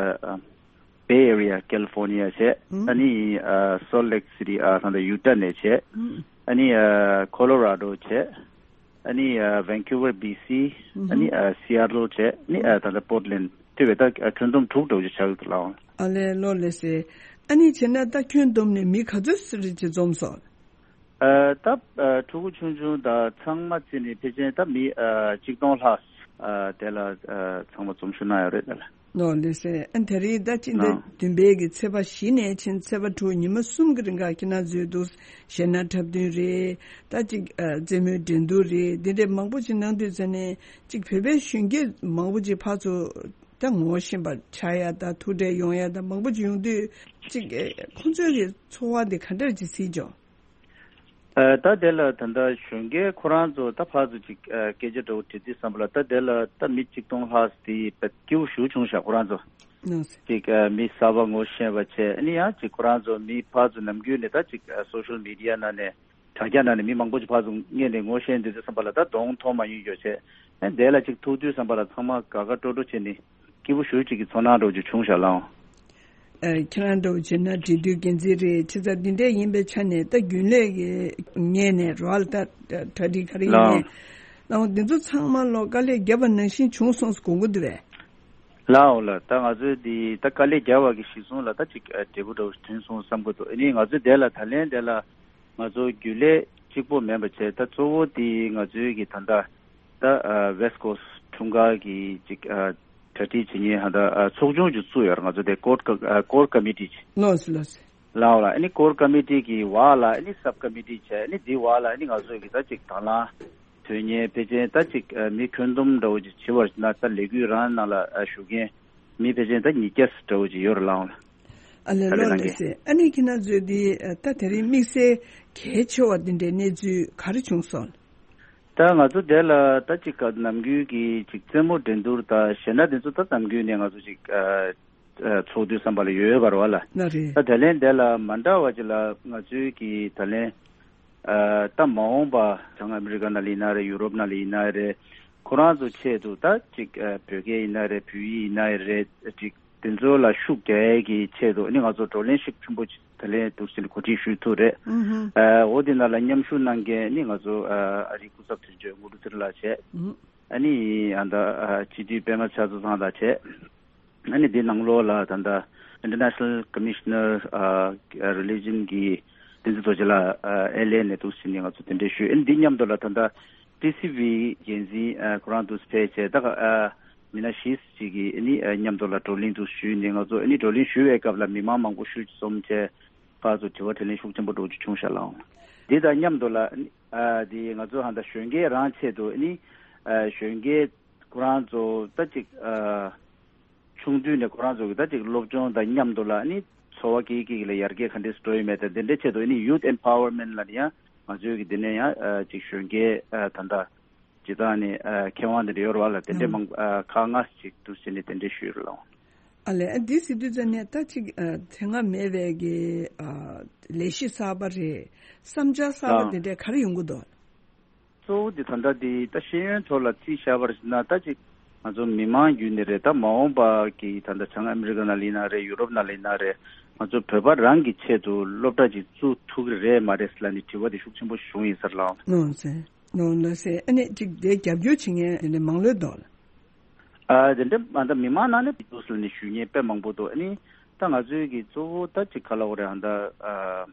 ཨ་Bay Area California་བྱས། ཨ་ནི་ཨ་Salt Lake City་ཨ་ད་ལྟ་Utah་ནས་བྱས། ཨ་ནི་ཨ་Colorado་བྱས། ཨ་ནི་ཨ་Vancouver་B C། ཨ་ནི་ཨ་Seattle་བྱས། ཨ་ནི་ཨ་ད་ལྟ་Portland་དེ་བས་ད་ཨ་ཁྱོན་བསྡོམས་དྲུག་འདྲ་བོ་ཅིག་ཆགས་ཀྱི་འདུག་ལགས། ཨ་ལས་ལོ་ལེ་སེ། ཨ་ནི་བྱས་ན་ད་ཁྱོན་བསྡོམས་ནས་མི་ག་ཚོད་ཙམ་ཅིག་འཛོམས་སོང་། ཨ་ད་ཨ་ཕྲུ་གུ་ཆུང་ཆུང་དང་ཚང་མ་བརྩིས་ནས་ཕལ་ཆེར་ད་མི་ཨ་གཅིག་སྟོང་ལྷག་ཨ་དེ་ལ་ཨ་ཚང་མ་འཛོམས་ཞུགས་གནང་ཡོད་རེད་ད་ལ། ལོ་ལེ་སེ། ཨ་དེ་རིང་ད་སྤྱི་ཟླ་ཨ་བདུན་པའི་གི་ཚེས་པ་བཞི་ནས་ཕྱིན་ཚེས་པ་དྲུག་ཉི་མ་གསུམ་གི་རིང་ག་ཁྱེད་རང་ཚོའི་འདུག་གཞས་སྣ་འཁྲབ་སྟོན་རེད། ད་ཅིག་ཨ་རྩེད་མོའི་འགྲན་བསྡུར་རེད། འདི་འདྲའི་མང་པོ་ཅིག་གནང་དུས་ཙ་ནས་ཅིག་བོད་པའི་གཞོན་སྐྱེས་མང་པོ་ཅིག་ཕར་ཚུར་ད་ངོ་ཤེས་པ་ཆགས་ཡ་ད་ཐུག་འཕྲད་ཡོང་ཡ་ད་མང་པོ་ཅིག་ཡོང་དུས་ཅིག་ཨ་ཁོང་ཚོའི་གི་ཚོར་བ་འདི་ག་འདྲ་ཅིག་གཟིགས་བྱུང་། ཨ་ད་དེ་ལ་ད་ལྟ་གཞོན་སྐྱེས་ཁོ་རང་ཚོ་ད་ཕར་ཚུར་ཅིག་ཨ་སྐད་ཆ་འདྲ་བོ་དྲི་དུས་ཙམ་པ་ལ་ད་དེ་ལ་ད་མི་གཅིག་སྟོང་ལྷག་དེ་དཔེ་སྐྱིད་པོ་ཞེ་པོ་བྱུང་ཤག་ཁོ་རང་ཚོ། ཅིག་ཨ་མི་གསར་པ་ངོ་ཤེས་པ་བྱས། ཨ་ནི་ཡང་ཅིག་ཁོ་རང་ཚོ་མི་ཕར་ཚུར་ནམ་རྒྱུན་ནས་ད་ཅིག་ཨ་social media་ནང་ནས་དྲ་རྒྱ་ནང་ནས་མི་མང་པོ་ཅིག་ཕར་ཚུར་སྔོན་ནས་ངོ་ཤེས་དུས་ཙམ་པ་ལ་ད་གདོང་མཐོང་མ་མྱོང་ཡོད་བྱས། ཨ་དེ་ལ་ཅིག་ཐུག་དུས་ཙམ་པ་ལ་ཚང་མ་དགའ་དགའ་སྤྲོ་སྤྲོ་བྱས་ནས། སྐྱིད་པོ་ཞེ་པོ་ཅིག་གི་ཚོར་སྣང་འདྲ་བོ་ཅིག་བྱུང་ཤག་ལགས། ཨ་ཁྱེད་རང་འདྲ་བོ་བྱས་ན་འབྲེལ་མཐུད་འགན་འཛིན་རེད། བྱས་ཙང་འདི་འདྲས་ཡིན་པའི་ཆ་ནས་ད་རྒྱུན་ལས་ཀྱི་ངོས་ནས་རོགས་ལ་ད་གྲ་སྒྲིག་ག་རེ་ཡིན་ནའི་ལགས། ལགས་འདི་ཚོ་ཚང་མ་ལོ་དཀའ་ལས་བརྒྱབ་པ་ནང་བཞིན་བྱུང་སོང་ཟེར་དགོངས་ཀྱི་འདུག་པས། ལགས་འོ་ལགས། ད་ང་ཚོའི་འདི་ད་དཀའ་ལས་བརྒྱབ་པ་གི་གཞི་བཟུང་ལ་ད་ཅིག་ཨ་འབྲས་བུ་འདྲ་བོ་ཐོན་སོང་བསམ་གྱི་འདུག་ཨ་ནི་ང་ཚོའི་དེ་ལ་ད་ལན་དེ་ལ་ང་ཚོ་རྒྱུན་ལས་གཅིག་པོ་མིན་པ་བྱས། ད་གཙོ་བོ་དེ་ང་ཚོའི་གི་ད་ལྟ་ད་ཨ་West Coast་འཁྲུངས་སྐར་གྱི་ཅིག་ཨ་གྲ་སྒྲིག་བྱེད་མཁན་ཧ་ད་ཨ་ཚོགས་ཆུང་ཅིག་བཙུགས་ཡོད་རེད། ང་ཚོ་དེ་core ཨ་core committee་ཅིག་ལགས་སོ་ལགས་སོ། ལའོ་ལ་ཨ་ནི་core committee་གི་བར་ལ་ཨ་ནི་sub committee་བྱས། ཨ་ནི་དེའི་བར་ལ་ཨ་ནི་ང་ཚོ་གི་ད་ཅིག་དང་བླངས་དོན་གཉེར་ཕལ་ཆེར་ད་ཅིག་ཨ་མི་ཁྱོན་བསྡོམས་འདྲ་བོ་ཅིག་བྱེད་པར་ན་ད་ལས་འགུལ་རང་ནང་ལ་ཨ་ཞུགས་མཁན་མི་ཕལ་ཆེར་ད་ཉིས་བརྒྱ་འདྲ་བོ་ཅིག་ཡོད་རེད་ལའོ་ལ། ཨ་ལས་ལོ་ལགས་སེ། ཨ་ནི་ཁྱེད་རང་ཚོས་འདི་ད་དེ་རིང་དམིགས་བསལ་གལ་ཆེ་བ་འདི་འདྲའི་གནས་ཚུལ་ག་རེ་བྱུང་སོང་། ད་ང་ཚོ་དེ་ལ་ད་ཅིག་ག་ནམ་རྒྱུན་གྱི་ཅིག་རྩེད་མོ་འགྲན་བསྡུར་དང་གཞས་སྣ་དེ་ཚོ་ད་ནམ་རྒྱུན་ནས་ང་ཚོ་ཅིག་ཨ་ཨ་ཚོགས་དུས་ཙམ་པ་ལ་ཡོད་ཡོད་པ་རེད་བ་ལ། ན་རེད། ད་དེ་ལན་དེ་ལ་མ་འདྲ་བ་ཅིག་ལ་ང་ཚོའི་གི་ད་ལན་ཨ་ད་མ་འོངས་པ་བྱང་ཨ་མི་རི་ཀ་ནང་ལ་ཡིན་ན་རེད། ཡུ་རོབ་ནང་ལ་ཡིན་ན་རེད། ཁོ་རང་ཚོ་ཆེད་དུ་ད་ཅིག་ཨ་བོད་སྐད་ཡིན་ན་རེད། བོད་ཡིག་ཡིན་ན་རེད། ཅིག་དེ་ཚོ་ལ་ཤུགས་རྒྱག་ཡས་ཀྱི་ཆེད་དུ་ཨ་ནི་ང་ཚོ་བགྲོ་གླེང་ཤུགས་ཆེན་པོ་ཅིག་ད་ལན་འདུག་སེ་གོ་སྒྲིག་ཞུས་ཐུབ་རེད། ཨུ་ཧུ། ཨ་འོ་དེ་ནང་ལ་མཉམ་ཞུགས་གནང་མཁན་ཨ་ནི་ང་ཚོ་ཨ་ཨ་རིའི་སྐུ་ཚབ་དོན་གཅོད་དངོས་གྲུབ་ཚེ་རིང་ལགས་བྱས། ཨུ། ཨ་ནི་ཨ་ད་ཨ་སྤྱི་འཐུས་པད་མ་ལྕགས་ཚང་ལགས་བྱས། ཨ་ནི་འདི་ནང་ལོགས་ལ་ད་ལྟ་International Commissioner ཨ་Religion གི་བསྟན་འཛིན་རྡོ་རྗེ་ལགས་ཨ་ཨེལ་ཨེ་ནས་འདུག་སེ་ནས་ང་ཚོ་གདན་འདྲེན་ཞུས། ཨ་ནི་འདི་མཉམ་དུ་ལ་ད་ལྟ་ཊི་སི་ཝི་འགན་འཛིན་ཨ་ཁོ་རང་འདུག་སེ་ཕེབས་བྱས། ད་ཨ་མི་སྣ་བཞི་ཅིག་གིས་ཨ་ནི་ཨ་མཉམ་དུ་ལ་བགྲོ་གླེང་འདུག་སེ་ཞུས་ནས། ང་ཚོ་ཨ་ནི་བགྲོ་གླེང་ཞུ་བའི་སྐབས་ལ་མི་མང་མང་པོ་ཤུགས་ཀྱིས་འཛོམས་བྱས། ཕར་ཚུར་དྲི་བ་དྲིས་ལན་ཤུགས་ཆེན་པོ་འགྲོ་རྒྱུ་བྱུང་ཤག་ལགས། འདི་དང་མཉམ་དུ་ལ་ཨ་ནི་ཨ་འདི་ང་ཚོ་ཧ་ད་གཞོན་སྐྱེས་རང་ཆེད་དུ་ཨ་ནི་ཨ་གཞོན་སྐྱེས་ཁོ་རང་ཚོ་ད་ཅིག་ཨ་ཆུང་དུས་ནས་ཁོ་རང་ཚོ་གི་ད་ཅིག་སློབ་སྦྱོང་དང་མཉམ་དུ་ལ་ཨ་ནི་འཚོ་བ་སྐྱེལ་སྐྱེལ་གྱི་ལ་ཡར་རྒྱས་ག་འདྲས་སུ་འགྲོ་ཡོད་མེད་དང་། དེ་འདྲའི་ཆེད་དུ་ཨ་ནི་Youth Empowerment ལ་ནི་ཡང་ང་ཚོའི་གི་འདི་ནས་ཡང་ཨ་ཅིག་གཞོན་སྐྱེས་ཨ་ད་ལྟ་སྤྱིར་བཏང་ནས་ཨ་མཁས་དབང་དེ་འདྲ་ཡོད་རེད་བ་ལ། དེ་འདྲའི་ཨང་མང་ཨ་ཁག་ལྔ་ཅིག་འདུག་སེ་ནས་དེ་འདྲས་ཞུས་རེད་ལགས། ཨ་ལས། ཨ་འདི་ཟེར་དུས་ཙམ་ནས་ད་ཅིག་ཨ་དེ་སྔ་མེད་པའི་གི་ཨ་ལས་གཞི་གསར་པ་རེད། བསམ་འཆར་གསར་པ་ཨང་དེ་འདྲས་ག་རེ་ཡོང་གི་འདུག། གཙོ་བོ་དེ་ད་ལྟ་དེ་ད་ཤེས་ཡོན་ཐོག་ལ་རྩིས་བཞག་པར་བྱས་ན། ད་ཅིག་ང་ཚོ་མི་མང་བརྒྱུད་ནས་རེད། ད་མ་འོངས་པ་གི་ད་ལྟ་བྱང་ཨ་མི་རི་ཀ་ནང་ལ་ཡིན་ན་རེད། ཡུ་རོབ་ནང་ལ་ཡིན་ན་རེད། ང་ཚོ་བོད་པ་རང་གི་ཆེད་དུ་སློབ་གྲྭ་ཅིག་བཙུགས་ཐུབ་ཀྱི་རེད་མ་རེད་ཟེར་ལབ་ནས་དྲི་བ་དེ་ཤུགས་ཆེན་པོ་བྱུང་ཡིན་ས་རེད་ལགས། ནོ་ཟེར། ནོ་ལགས་ཟེར། ཨ་ནི་ཅིག་དེ་རྒྱབ་སྐྱོར་བྱེད་མཁན་དེ་འདྲ་མང་ལོས་འདུག་ལགས། ཨ་དེ་འདྲ་ཨ་ད་མི་མང་ནང་ནས་འདུག་ཟེར་ནས་ཞུ་མཁན་དཔེ་མང་པོ་འདུག། ཨ་ནི་ད་ང་ཚོའི་གི་གཙོ་བོ་ད་ཅིག་ག་ལབ་དགོས་རེད། ཨ་ད་ཨ་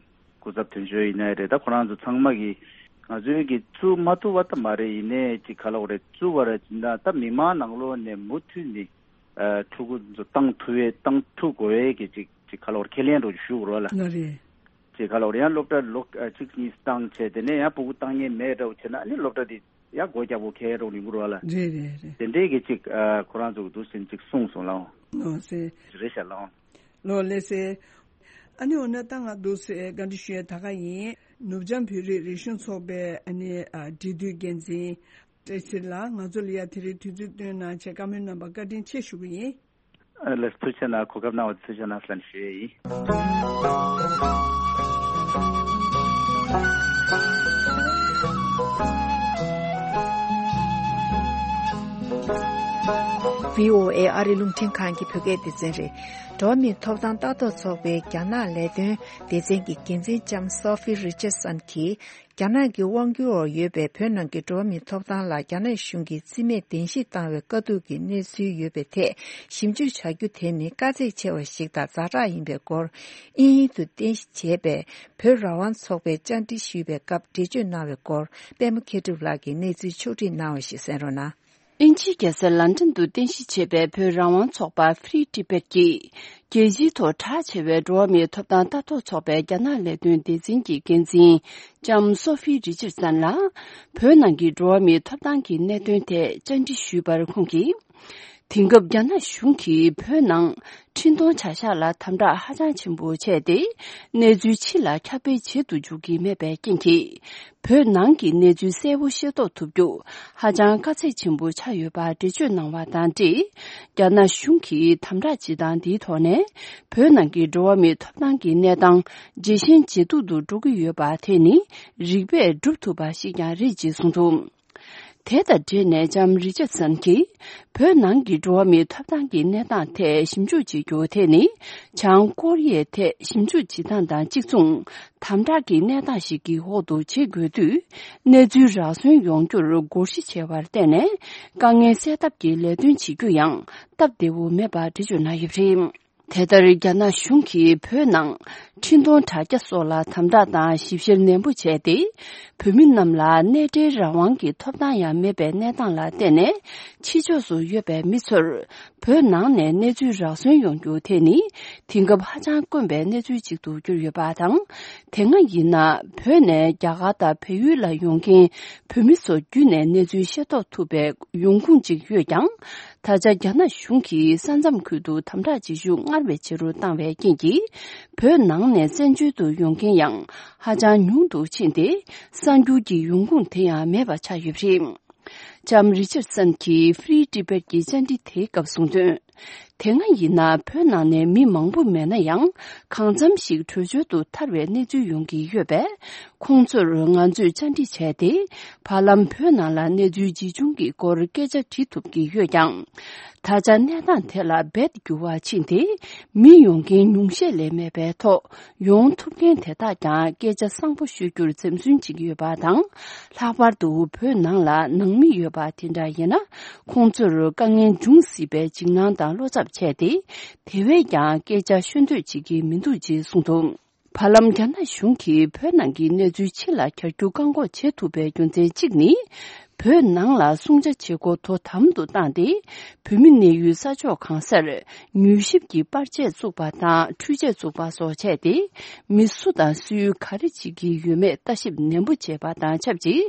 སྐུ་ཚབ་དོན་གཅོད་ཡིན་ནའི་རེད། ད་ཁོ་རང་ཚོ་ཚང་མ་གི་ང་ཚོའི་གི་བཙུགས་མ་ཐུབ་པ་ད་མ་རེད། ཡིན་ནའི་ཅིག་ག་ལབ་དགོས་རེད། བཙུགས་པ་རེད་ན་ད་མི་མང་ནང་ལོགས་ནས་མུ་མཐུད་ནས་ཨ་ཕྲུ་གུ་ཚོ་བཏང་ཐུབ་པའི་བཏང་ཐུབ་དགོས་པའི་གི་ཅིག་ཅིག་ག་ལབ་དགོས་རེད། ཁས་ལེན་འདྲ་ཞུ་དགོས་རེད་ལགས། ལགས་རེད། ཅིག་ག་ལབ་དགོས་རེད། ཡང་སློབ་གྲྭ་ལོ་ཨ་གཅིག་གཉིས་བཏང་བྱས། དེ་ནས་ཡང་ཕྲུ་གུ་བཏང་མཁན་མེད་འདྲ་བོ་བྱས་ན་ཨ་ནི་སློབ་གྲྭ་དེ་ཡང་སྒོ་རྒྱག་དགོས་ཁེལ་རོགས་ཡིན་དགོས་རེད་བ་ལགས། རེད་རེད་རེད། དེ་འདྲའི་གི་ཅིག་ཨ་ཁོ་རང་ཚོ་གི་འདུག་སེ་ཅིག་གསུངས་སོང་ལགས། ལགས་སེ། རེད་ཤག་ལགས། ལགས་ལགས་སེ། ཨ་ནི་འོ་ན་ད་ང་འདུག་སེ་བཀའ་འདྲི་ཞུ་ཡས་ད་ག་ཡིན། ནུབ་བྱང་བོད་རིགས་རིག་གཞུང་ཚོགས་པའི་ཨ་ནི་ཨ་འབྲེལ་མཐུད་འགན་འཛིན་བཀྲ་ཤིས་ལགས། ང་ཚོ་ལ་ཡ་དེ་རིང་དུས་ཚོད་བཏོན་གནང་བྱས་བཀའ་མོལ་གནང་བར་བཀའ་དྲིན་ཆེ་ཞུ་གི་ཡིན། ཨ་ལགས། ཐུགས་རྗེ་གནང་། གོ་སྐབས་གནང་བ་ཐུགས་རྗེ་གནང་ཟེར་ནས་ཞུ་ཡས་ཡིན། བྷི་ཨོ་ཨེ་ཨ་རི་རླུང་འཕྲིན་ཁང་གི་བོད་སྐད་སྡེ་ཚན་རེད། འགྲོ་བ་མིའི་ཐོབ་ཐང་ལྟ་རྟོག་ཚོགས་པའི་རྒྱ་ནག་ལས་དོན་སྡེ་ཚན་གྱི་འགན་འཛིན་ལྕམ་སོ་ཧྥི་རི་ཅར་སན་གྱིས། རྒྱ་ནག་གི་དབང་སྒྱུར་འོག་ཡོད་པའི་བོད་ནང་གི་འགྲོ་བ་མིའི་ཐོབ་ཐང་ལ་རྒྱ་ནག་གཞུང་གིས་རྩིས་མེད་གདན་ཞུ་བཏང་བའི་དཀའ་སྡུག་གི་གནས་ཚུལ་ཡོད་པའི་ཐད་ཞིབ་འཇུག་བྱ་རྒྱུ་དེ་ནི་དཀའ་ཚེགས་ཆེ་བ་ཞིག་དང་ཛ་དྲག་ཡིན་པའི་སྐོར། དབྱིན་ཡིག་ཏུ་རྟེན་གཞི་བྱས་པའི་བོད་རང་དབང་ཚོགས་པས་བཅར་འདྲི་ཞུས་པའི་སྐབས་འགྲེལ་བརྗོད་གནང་བའི་སྐོར། པད་མ་མཁས་གྲུབ་ལགས་ཀྱིས་གནས་ཚུལ་ཕྱོགས་སྒྲིག་གནང་བ་ཞིག་གསན་རོགས་གནང་། དབྱིན་ཇིའི་རྒྱལ་ས་ལན་ཀྲན་དུ་རྟེན་གཞི་བྱས་པའི་བོད་རང་དབང་ཚོགས་པ་Free Tibet ཀྱིས། རྒྱལ་སྤྱིའི་ཐོག་གྲགས་ཆེ་བའི་འགྲོ་བ་མིའི་ཐོབ་ཐང་ལྟ་རྟོག་ཚོགས་པའི་རྒྱ་ནག་ལས་དོན་སྡེ་ཚན་གྱི་འགན་འཛིན་ལྕམ་སོ་ཧྥི་རི་ཅར་སན་ལ། བོད་ནང་གི་འགྲོ་བ་མིའི་ཐོབ་ཐང་གི་གནད་དོན་ཐད་བཅར་འདྲི་ཞུས་པར། ཁོང་གིས། དེང་སྐབས་རྒྱ་ནག་གཞུང་གིས་བོད་ནང་འཕྲིན་གཏོང་བྱ་གཞག་ལ་དམ་དྲག་ཧ་ཅང་ཆེན་པོ་བྱས་ཏེ། གནས་ཚུལ་ཕྱི་ལ་ཁྱབ་སྤེལ་བྱེད་དུ་འཇུག་གི་མེད་པའི་རྐྱེན་གྱིས། བོད་ནང་གི་གནས་ཚུལ་གསལ་པོ་ཤེས་རྟོགས་ཐུབ་རྒྱུ་ཧ་ཅང་དཀའ་ཚེགས་ཆེན་པོ་ཆགས་ཡོད་པ་འགྲེལ་བརྗོད་གནང་བ་དང་འབྲེལ། རྒྱ་ནག་གཞུང་གིས་དམ་དྲག་བྱེད་སྟངས་འདིའི་ཐོག་ནས། བོད་ནང་གི་འགྲོ་བ་མིའི་ཐོབ་ཐང་གི་གནས་སྟངས་ཇེ་ཞན་ཇེ་སྡུག་ཏུ་འགྲོ་གི་ཡོད་པ་དེ་ནི་རིགས་པས་སྒྲུབ་ཐུབ་པ་ཞིག་ཀྱང་རེད་ཅེས་གསུངས་འདུག། དེ་དང་འབྲེལ་ནས་ལྕམ་རི་ཅར་སན་གྱིས། བོད་ནང་གི་འགྲོ་བ་མིའི་ཐོབ་ཐང་གི་གནས་སྟངས་ཐད་ཞིབ་འཇུག་བྱེད་རྒྱུ་དེ་ནི། བྱང་ཀོ་རི་ཡའི་ཐད་ཞིབ་འཇུག་བྱེད་སྟངས་དང་གཅིག་མཚུངས། དམ་དྲག་གི་གནས་སྟངས་ཤིག་གི་འོག་ཏུ་བྱེད་དགོས་དུས། གནས་ཚུལ་རག་སོན་ཡོང་རྒྱུར་སྒོར་གཞི་ཆེ་བར་བརྟེན་ནས། དཀའ་ངལ་སེལ་ཐབས་ཀྱི་ལས་དོན་བྱེད་རྒྱུ་ཡང་སྟབས་བདེ་བོ་མེད་པ་འགྲེལ་བརྗོད་གནང་ཡོད་པ་རེད། དེ་ལྟར། རྒྱ་ནག་གཞུང་གིས་བོད་ནང་འཕྲིན་གཏོང་དྲ་རྒྱ་སོགས་ལ་དམ་དྲག་དང་ཞིབ་བཤེར་ནན་པོ་བྱས་ཏེ། བོད་མི་རྣམས་ལ་གནས་འབྲེལ་རང་དབང་གི་ཐོབ་ཐང་ཡང་མེད་པའི་གནས་སྟངས་ལ་བརྟེན་ནས། ཕྱི་ཕྱོགས་སུ་ཡོད་པའི་མི་ཚོར། བོད་ནང་ནས་གནས་ཚུལ་རག་སོན་ཡོང་རྒྱུ་དེ་ནི། དེང་སྐབས་ཧ་ཅང་དཀོན་པའི་གནས་ཚུལ་ཅིག་ཏུ་གྱུར་ཡོད་པ་དང་། དེ་སྔ་ཡིན་ན། བོད་ནས་རྒྱ་གར་དང་བལ་ཡུལ་ལ་ཡོང་མཁན་བོད་མི་ཚོ་བརྒྱུད་ནས་གནས་ཚུལ་ཤེས་རྟོགས་ཐུབ་པའི་ཡོང་ཁུངས་ཅིག་ཡོད་ཀྱང་། ད་ཆ་རྒྱ་ནག་གཞུང་གིས་ས་མཚམས་ཁུལ་དུ་དམ་དྲག་བྱེད་ཤུགས་སྔར་བས་ཆེ་རུ་བཏང་བའི་རྐྱེན་གྱིས། བོད་ནང་ནས་བཙན་བྱོལ་དུ་ཡོང་མཁན་ཡང་ཧ་ཅང་ཉུང་དུ་ཕྱིན་ཏེ། གསར་འགྱུར་གྱི་ཡོང་ཁུངས་དེ་ཡང་མེད་པ་ཆགས་ཡོད་པ་རེད། ལྕམ་རི་ཅར་སན་གྱིས་Free Tibet ཀྱི་བཅར་འདྲི་དེའི་སྐབས་གསུངས་དོན། དེ་སྔ་ཡིན་ན་བོད་ནང་ནས་མི་མང་པོ་མེད་ན་ཡང་། གང་འཚམ་ཞིག་བྲོས་བྱོལ་དུ་ཐར་བའི་གནས་ཚུལ་ཡོང་གི་ཡོད་པས། ཁོང་ཚོར་ང་ཚོས་བཅར་འདྲི་བྱས་ཏེ། བར་ལམ་བོད་ནང་ལ་གནས་ཚུལ་ཇི་བྱུང་གི་སྐོར་སྐད་ཆ་དྲི་ཐུབ་ཀྱི་ཡོད་ཀྱང་། ད་ཆ་གནས་སྟངས་དེ་ལ་རྦད་འགྱུར་བ་ཕྱིན་ཏེ། མི་ཡོང་མཁན་ཉུང་ཤས་ལས་མེད་པའི་ཐོག་ཡོང་ཐུབ་མཁན་དེ་དག་ཀྱང་སྐད་ཆ་བཟང་པོ་ཤོད་རྒྱུར་འཛེམ་ཟོན་བྱེད་ཀྱི་ཡོད་པ་དང་། ལྷག་པར་དུ་བོད་ནང་ལ་ནང་མི་ཡོད་པ་དེ་འདྲ་ཡིན་ན། ཁོང་ཚོར་དཀའ་ངལ་འབྱུང་སྲིད་པའི་འཇིགས་སྣང་དང་བློ་འཚབ་བྱས་ཏེ། དེ་བས་ཀྱང་སྐད་ཆ་ཤོད་འདོད་བྱེད་ཀྱི་མི་འདུག་ཅེས་གསུངས་འདུག་བར་ལམ་རྒྱ་ནག་གཞུང་གིས་བོད་ནང་གི་གནས་ཚུལ་ཕྱི་ལ་གྱར་རྒྱུ་བཀག་འགོག་བྱེད་ཐུབ་པའི་རྒྱུ་མཚན་གཅིག་ནི། བོད་ནང་ལ་སྲུང་བྱ་བྱེད་སྒོ་དོ་དམ་དུ་བཏང་སྟེ། བོད་མི་གནས་ཡུལ་ས་ཕྱོགས་གང་སར་མྱུལ་ཞིབ་ཀྱི་པར་ཆས་བཙུགས་པ་དང་འཕྲུལ་ཆས་བཙུགས་པ་སོགས་བྱས་ཏེ། མི་སུ་དང་སུས་ག་རེ་བྱེད་ཀྱི་ཡོད་མེད་ལྟ་ཞིབ་ནན་པོ་བྱས་པ་དང་ཆབས་ཅིག་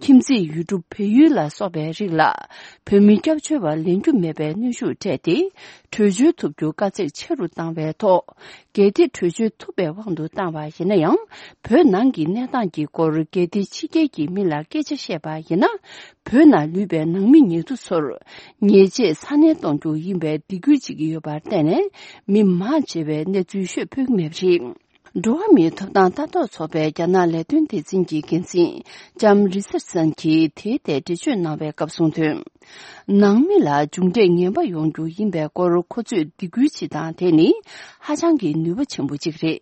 ཁྱིམ་མཚེས་ཡུལ་གྲུ་བལ་ཡུལ་ལ་སོགས་པའི་རིགས་ལ། བོད་མི་སྐྱབས་བཅོལ་བ་ལེན་རྒྱུ་མེད་པའི་གནོན་ཤུགས་སྤྲད་དེ། བྲོས་བྱོལ་ཐུབ་རྒྱུ་དཀའ་ཚེགས་ཆེ་རུ་བཏང་བའི་ཐོག་གལ་ཏེ་བྲོས་བྱོལ་ཐུབ་པའི་དབང་དུ་བཏང་བ་ཡིན་ན་ཡང་། བོད་ནང་གི་གནས་སྟངས་ཀྱི་སྐོར་གལ་ཏེ་ཕྱི་རྒྱལ་གྱི་མི་ལ་སྐད་ཆ་བཤད་པ་ཡིན་ན། བོད་ནང་ལུས་པའི་ནང་མི་ཉེ་དུ་ཚོར་ཉེས་ཆད་ཚ་ནན་གཏོང་རྒྱུ་ཡིན་པའི་སྡིགས་སྐུལ་བྱེད་ཀྱི་ཡོད་པར་བརྟེན་ནས། མི་མང་ཆེ་བས་གནས་ཚུལ་ཤོད་ཕོད་ཀྱི་མེད་པ་རེད། འགྲོ་བ་མིའི་ཐོབ་ཐང་ལྟ་རྟོག་ཚོགས་པའི་རྒྱ་ནག་ལས་དོན་སྡེ་ཚན་གྱི་འགན་འཛིན་ལྕམ་རི་ཙར་སན་གྱིས་དེའི་ཐད་འགྲེལ་བརྗོད་གནང་བའི་སྐབས་གསུངས་དོན། ནང་མི་ལ་མཇུག་འབྲས་ངན་པ་ཡོང་རྒྱུ་ཡིན་པའི་སྐོར་ཁོ་ཚོས་སྡིགས་སྐུལ་བྱེད་སྟངས་དེ་ནི་ཧ་ཅང་གི་ནུས་པ་ཆེན་པོ་གཅིག་རེད།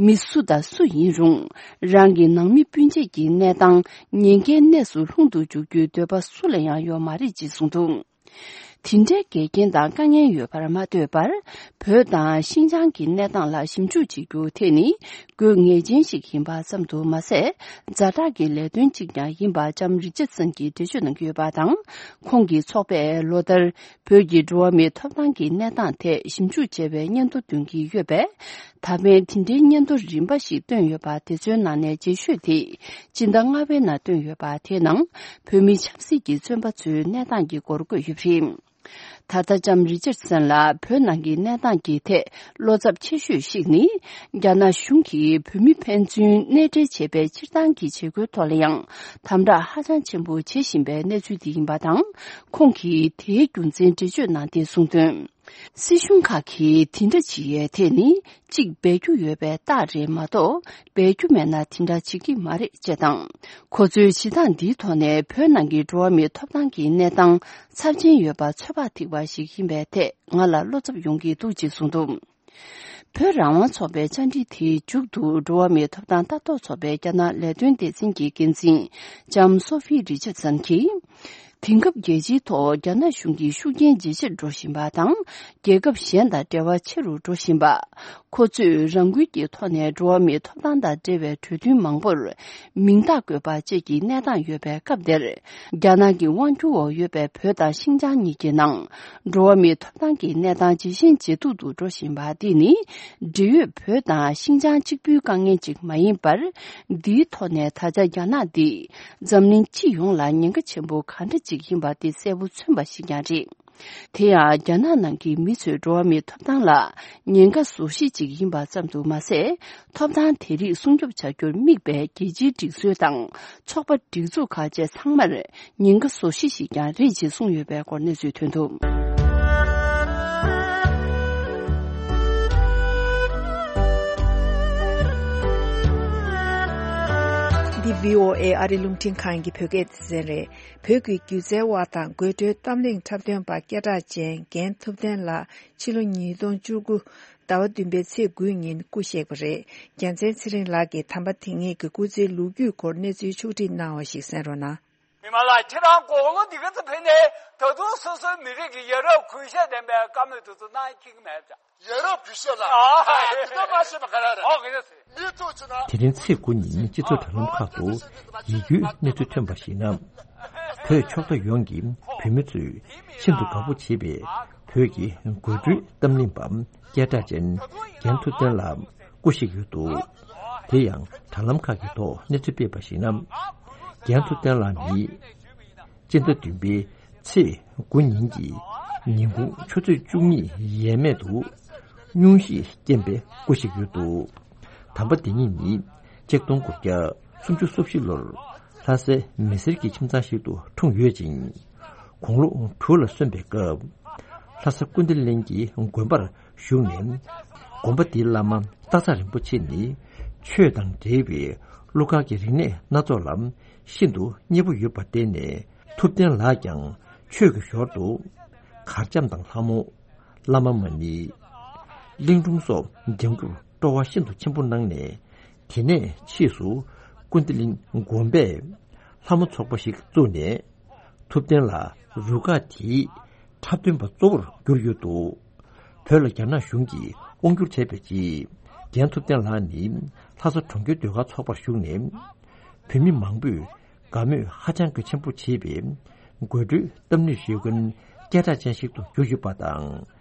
མི་སུ་དང་སུ་ཡིན་རུང་། རང་གི་ནང་མི་སྤུན་མཆེད་ཀྱི་གནས་སྟངས་ཉེན་ཁའི་གནས་སུ་ལྷུང་དུ་འཇུག་རྒྱུའི་འདོད་པ་སུ་ལ་ཡང་ཡོད་མ་རེད་ཅེས་གསུངས་འདུག་དེ་འདྲའི་འགལ་རྐྱེན་དང་དཀའ་ངལ་ཡོད་པར་མ་ལྟོས་པར། བོད་དང་ཤིན་ཅང་གི་གནས་སྟངས་ལ་ཞིབ་འཇུག་བྱེད་རྒྱུ་དེ་ནི་དགོས་ངེས་ཅན་ཞིག་ཡིན་པ་ཙམ་དུ་མ་ཟད། ཛ་དྲག་གི་ལས་དོན་གཅིག་ཀྱང་ཡིན་པ་ལྕམ་རི་ཅར་སན་གྱིས་འགྲེལ་བརྗོད་གནང་གི་ཡོད་པ་དང་། ཁོང་གི་ཚོགས་པས་ལོ་ལྟར་བོད་ཀྱི་འགྲོ་བ་མིའི་ཐོབ་ཐང་གི་གནས་སྟངས་ཐད་ཞིབ་འཇུག་བྱས་པའི་སྙན་ཐོ་འདོན་གྱི་ཡོད་པས། ད་ཕན་དེ་འདྲའི་སྙན་ཐོ་རིམ་པ་ཞིག་བཏོན་ཡོད་པ་དེ་ཚོའི་ནང་ནས་རྗེས་ཤོས་དེ། སྤྱི་ཟླ་ལྔ་པའི་ནང་བཏོན་ཡོད་པ་དེའི་ནང་། བོད་མི་ཆབ་སྲིད་ཀྱི་བཙོན་པ་ཚོའི་གནས་སྟངས་ཀྱི་སྐོར་བཀོད་ཡོད་པ་རེད། ད་ལྟ་ལྕམ་རི་ཅར་སན་ལ་བོད་ནང་གི་གནས་སྟངས་ཀྱི་ཐད་བློ་འཚབ་ཆེ་ཤོས་ཤིག་ནི། རྒྱ་ནག་གཞུང་གིས་བོད་མི་ཕན་ཚུན་གནས་འབྲེལ་བྱེད་པའི་སྤྱིར་བཏང་གི་བྱེད་སྒོའི་ཐོག་ལ་ཡང་དམ་དྲག་ཧ་ཅང་ཆེན་པོ་བྱེད་བཞིན་པའི་གནས་ཚུལ་དེ་ཡིན་པ་དང་། ཁོང་གིས་དེའི་རྒྱུ་མཚན་འགྲེལ་བརྗོད་གནང་སྟེ་གསུངས་དོན། སྲིད་གཞུང་ཁག་གིས་དེ་འདྲ་བྱེད་ཡས་དེ་ནི། གཅིག་འབད་རྒྱུ་ཡོད་པའི་རྟགས་རེད་མ་གཏོགས། འབད་རྒྱུ་མེད་ན་དེ་འདྲ་བྱེད་ཀྱི་མ་རེད་ཅེས་དང་། ཁོ་ཚོའི་བྱེད་སྟངས་འདིའི་ཐོག་ནས་བོད་ནང་གི་འགྲོ་བ་མིའི་ཐོབ་ཐང་གི་གནས་སྟངས་ཚབས་ཆེན་ཡོད་པ་ཚོད་དཔག་ཐིག་པ་ཞིག་ཡིན་པའི་ཐད་ང་ལ་བློ་འཚབ་ཡོང་གི་འདུག་ཅེས་གསུངས་འདུག་བོད་རང་དབང་ཚོགས་པའི་བཅར་འདྲི་དེའི་མཇུག་ཏུ་འགྲོ་བ་མིའི་ཐོབ་ཐང་ལྟ་རྟོག་ཚོགས་པའི་རྒྱ་ནག་ལས་དོན་སྡེ་ཚན་གྱི་འགན་འཛིན་ལྕམ་སོ་ཧྥི་རི་ཅར་སན་གྱིས། དེང་སྐབས་རྒྱལ་སྤྱིའི་ཐོག་རྒྱ་ནག་གཞུང་གི་ཤུགས་རྐྱེན་ཇེ་ཆེར་འགྲོ་བཞིན་པ་དང་། རྒྱལ་ཁབ་གཞན་དང་འབྲེལ་བ་ཆེ་རུ་འགྲོ་བཞིན་པ། ཁོ་ཚོས་རང་འགུལ་གྱི་ཐོག་ནས་འགྲོ་བ་མིའི་ཐོབ་ཐང་དང་འབྲེལ་བའི་གྲོས་མཐུན་མང་པོར་མིང་རྟགས་བཀོད་པ་བཅས་ཀྱི་གནས་སྟངས་ཡོད་པའི་སྐབས་དེར། རྒྱ་ནག་གི་དབང་སྒྱུར་འོག་ཡོད་པའི་བོད་དང་ཤིན་ཅང་གཉིས་ཀྱི་ནང་། འགྲོ་བ་མིའི་ཐོབ་ཐང་གི་གནས་སྟངས་ཇེ་ཞན་ཇེ་སྡུག་ཏུ་འགྲོ་བཞིན་པ་འདི་ནི། འབྲེལ་ཡོད་བོད་དང་ཤིན་ཅང་གཅིག་པུའི་དཀའ་ངལ་ཅིག་མ་ཡིན་པར། འདིའི་ཐོག་ནས་ད་ཆ་རྒྱ་ནག་འདི། འཛམ་གླིང་སྤྱི་ཡོངས་ལ་ཉེན་ཁ་ཆེན་པོ་ག་འདྲ་ཅིག་ཡིན་པ་དེ་གསལ་པོ་མཚོན་པ་ཞིག་ཀྱང་རེད། དེ་ཡང་རྒྱ་ནག་ནང་གི་མི་ཚོས་འགྲོ་བ་མིའི་ཐོབ་ཐང་ལ་ཉེན་ཁ་བཟོ་གཞི་ཅིག་ཡིན་པ་ཙམ་དུ་མ་ཟད། ཐོབ་ཐང་དེ་རིགས་སྲུང་སྐྱོབ་བྱ་རྒྱུར་དམིགས་པའི་རྒྱལ་སྤྱིའི་སྒྲིག་སྲོལ་དང་ཚོགས་པ་སྒྲིག་འཛུགས་ཁག་བཅས་ཚང་མར་ཉེན་ཁ་བཟོ་གཞི་ཞིག་ཀྱང་རེད་ཅེས་གསུངས་ཡོད་པའི་སྐོར་གནས་ཚུལ་ཐོན་འདུག་འདི་བྷི་ཨོ་ཨེ་ཨ་རི་རླུང་འཕྲིན་ཁང་གི་བོད་སྐད་སྡེ་ཚན་རེད། བོད་ཀྱི་སྒྱུ་རྩལ་བ་དང་དགོད་བྲོའི་གཏམ་གླེང་འཁྲབ་སྟོན་པ་སྐད་གྲགས་ཅན་རྒན་ཐུབ་བསྟན་ལགས་ཕྱི་ལོ་ཉིས་སྟོང་བཅུ་དགུ་ཟླ་བ་བདུན་པའི་ཚེས་དགུའི་ཉིན་སྐུ་གཤེགས་པ་རེད། རྒྱལ་མཚན་ཚེ་རིང་ལགས་ཀྱིས་དམ་པ་དེ་ཉིད་ཀྱི་སྐུ་ཚེའི་ལོ་རྒྱུས་སྐོར་གནས་ཚུལ་ཕྱོགས་སྒྲིག་གནང་བ་ཞིག་གསན་རོགས་གནང་། མི་མང་ལགས། ཁྱེད་རང་དགུང་ལོ་འདི་ག་ཚོད་ཕེབས་ནའི་ད་དུང་སོ་སོའི་མི་རིགས་ཀྱི་ཡ་རབས་གུས་ཞབས་ལྡན་པའི་བཀའ་མོལ་དེ་ཚོ་གནང་ཁྱེད་ཀྱི་མེད་པ། ཡ་རབས་གུས་ཞབས་ལ། ཨ། ཨ། དེ་ལྟར་མ་བྱས་པ་ག་རེ་རེད། ཨོ། ག་རེ་ཟེར། མི་ཐུག་ཅེ་ན། དེ་རིང་ཚེས་དགུ་ཉིན་སྤྱི་ཚོགས་དྲ་ལམ་ཁག་ཏུ་ཡིད་སྐྱོའི་གནས་ཚུལ་ཐོན་པར་གཞིགས་ན། བོད་ཕྱོགས་མཐའ་ཡོངས་ཀྱི་བོད་མི་ཚོས་ཤིན་ཏུ་དགའ་པོ་བྱེད་པའི་བོད་ཀྱི་དགོད་བྲོའི་གཏམ་གླེང་པ་སྐད་གྲགས་ཅན་རྒན་ཐུབ་བསྟན་ལགས་སྐུ་གཤེགས་ཡོད་འདུག་དེ་ཡང་དྲ་ལམ་ཁག་གི་ཐོག་གནས་ཚུལ་སྤེལ་བར་གཞིགས་ན། རྒན་ཐུབ་བསྟན་ལགས་ནི། སྤྱི་ཟླ་བདུན་པའི་ཚེས་དགུ་ཉིན་གྱི་ཉིན་གུང་ཆུ་ཚོད་བཅུ་གཉིས་ཡས་མས་དུ་སྙུང་གཞིའི་རྐྱེན་པས་སྐུ་གཤེགས་ཡོད་འདུག་དམ་པ་དེ་ཉིད་ནི་ཆིག་སྟོང་དགུ་བརྒྱ་སུམ་ཅུ་སོ་བཞི་ལོར་ལྷ་སའི་མི་སེར་གྱི་ཁྱིམ་ཚང་ཞིག་ཏུ་འཁྲུངས་ཡོད་ཅིང་། དགུང་ལོ་དྲུག་ལ་སོན་པའི་སྐབས། ལྷ་ས་ཀུན་བདེ་གླིང་གི་དགོན་པར་བཞུགས་ནས། དགོན་པ་འདིའི་བླ་མ་སྟག་ཚང་རིན་པོ་ཆེ་ནི་ཆོས་དང་འབྲེལ་བའི་གླུ་གར་གྱི་རིག་གནས་སྣ་ཚོགས་ལ་ཤིན་ཏུ་མཉེས་པོ་ཡོད་པར་བརྟེན་ནས། ཐུབ་བསྟན་ལགས་ཀྱང་ཆོས་ཀྱི་ཞོར་དུ་གར་འཆམ་དང་ལྷ་མོ། བླ་མ་མ་ཎི། གླིང་སྒྲུང་སོགས་སྦྱང་རྒྱུར་སྤྲོ་བ་ཤིན་ཏུ་ཆེན་པོ་གནང་ནས། དེ་ནས་ཕྱིས་སུ་ཀུན་བདེ་གླིང་དགོན་པས་ལྷ་མོ་ཚོགས་པ་ཞིག་བཙུགས་ནས། ཐུབ་བསྟན་ལགས་རུ་ཁག་དེའི་འཁྲབ་སྟོན་པ་གཙོ་བོར་གྱུར་ཡོད་འདུག་བོད་ལ་རྒྱ་ནག་གཞུང་གིས་དབང་བསྒྱུར་བྱས་པའི་རྗེས། རྒན་ཐུབ་བསྟན་ལགས་ནི་ལྷ་ས་གྲོང་ཁྱེར་ཟློས་གར་ཚོགས་པར་ཞུགས་ནས། བོད་མི་མང་པོས་དགའ་མོས་ཧ་ཅང་གི་ཆེན་པོ་བྱེད་པའི་དགོད་བྲོའི་གཏམ་གླེང་ཞུ་མཁན་སྐད་གྲགས་ཅན་ཞིག་ཏུ་གྱུར་ཡོད་པ་དང་།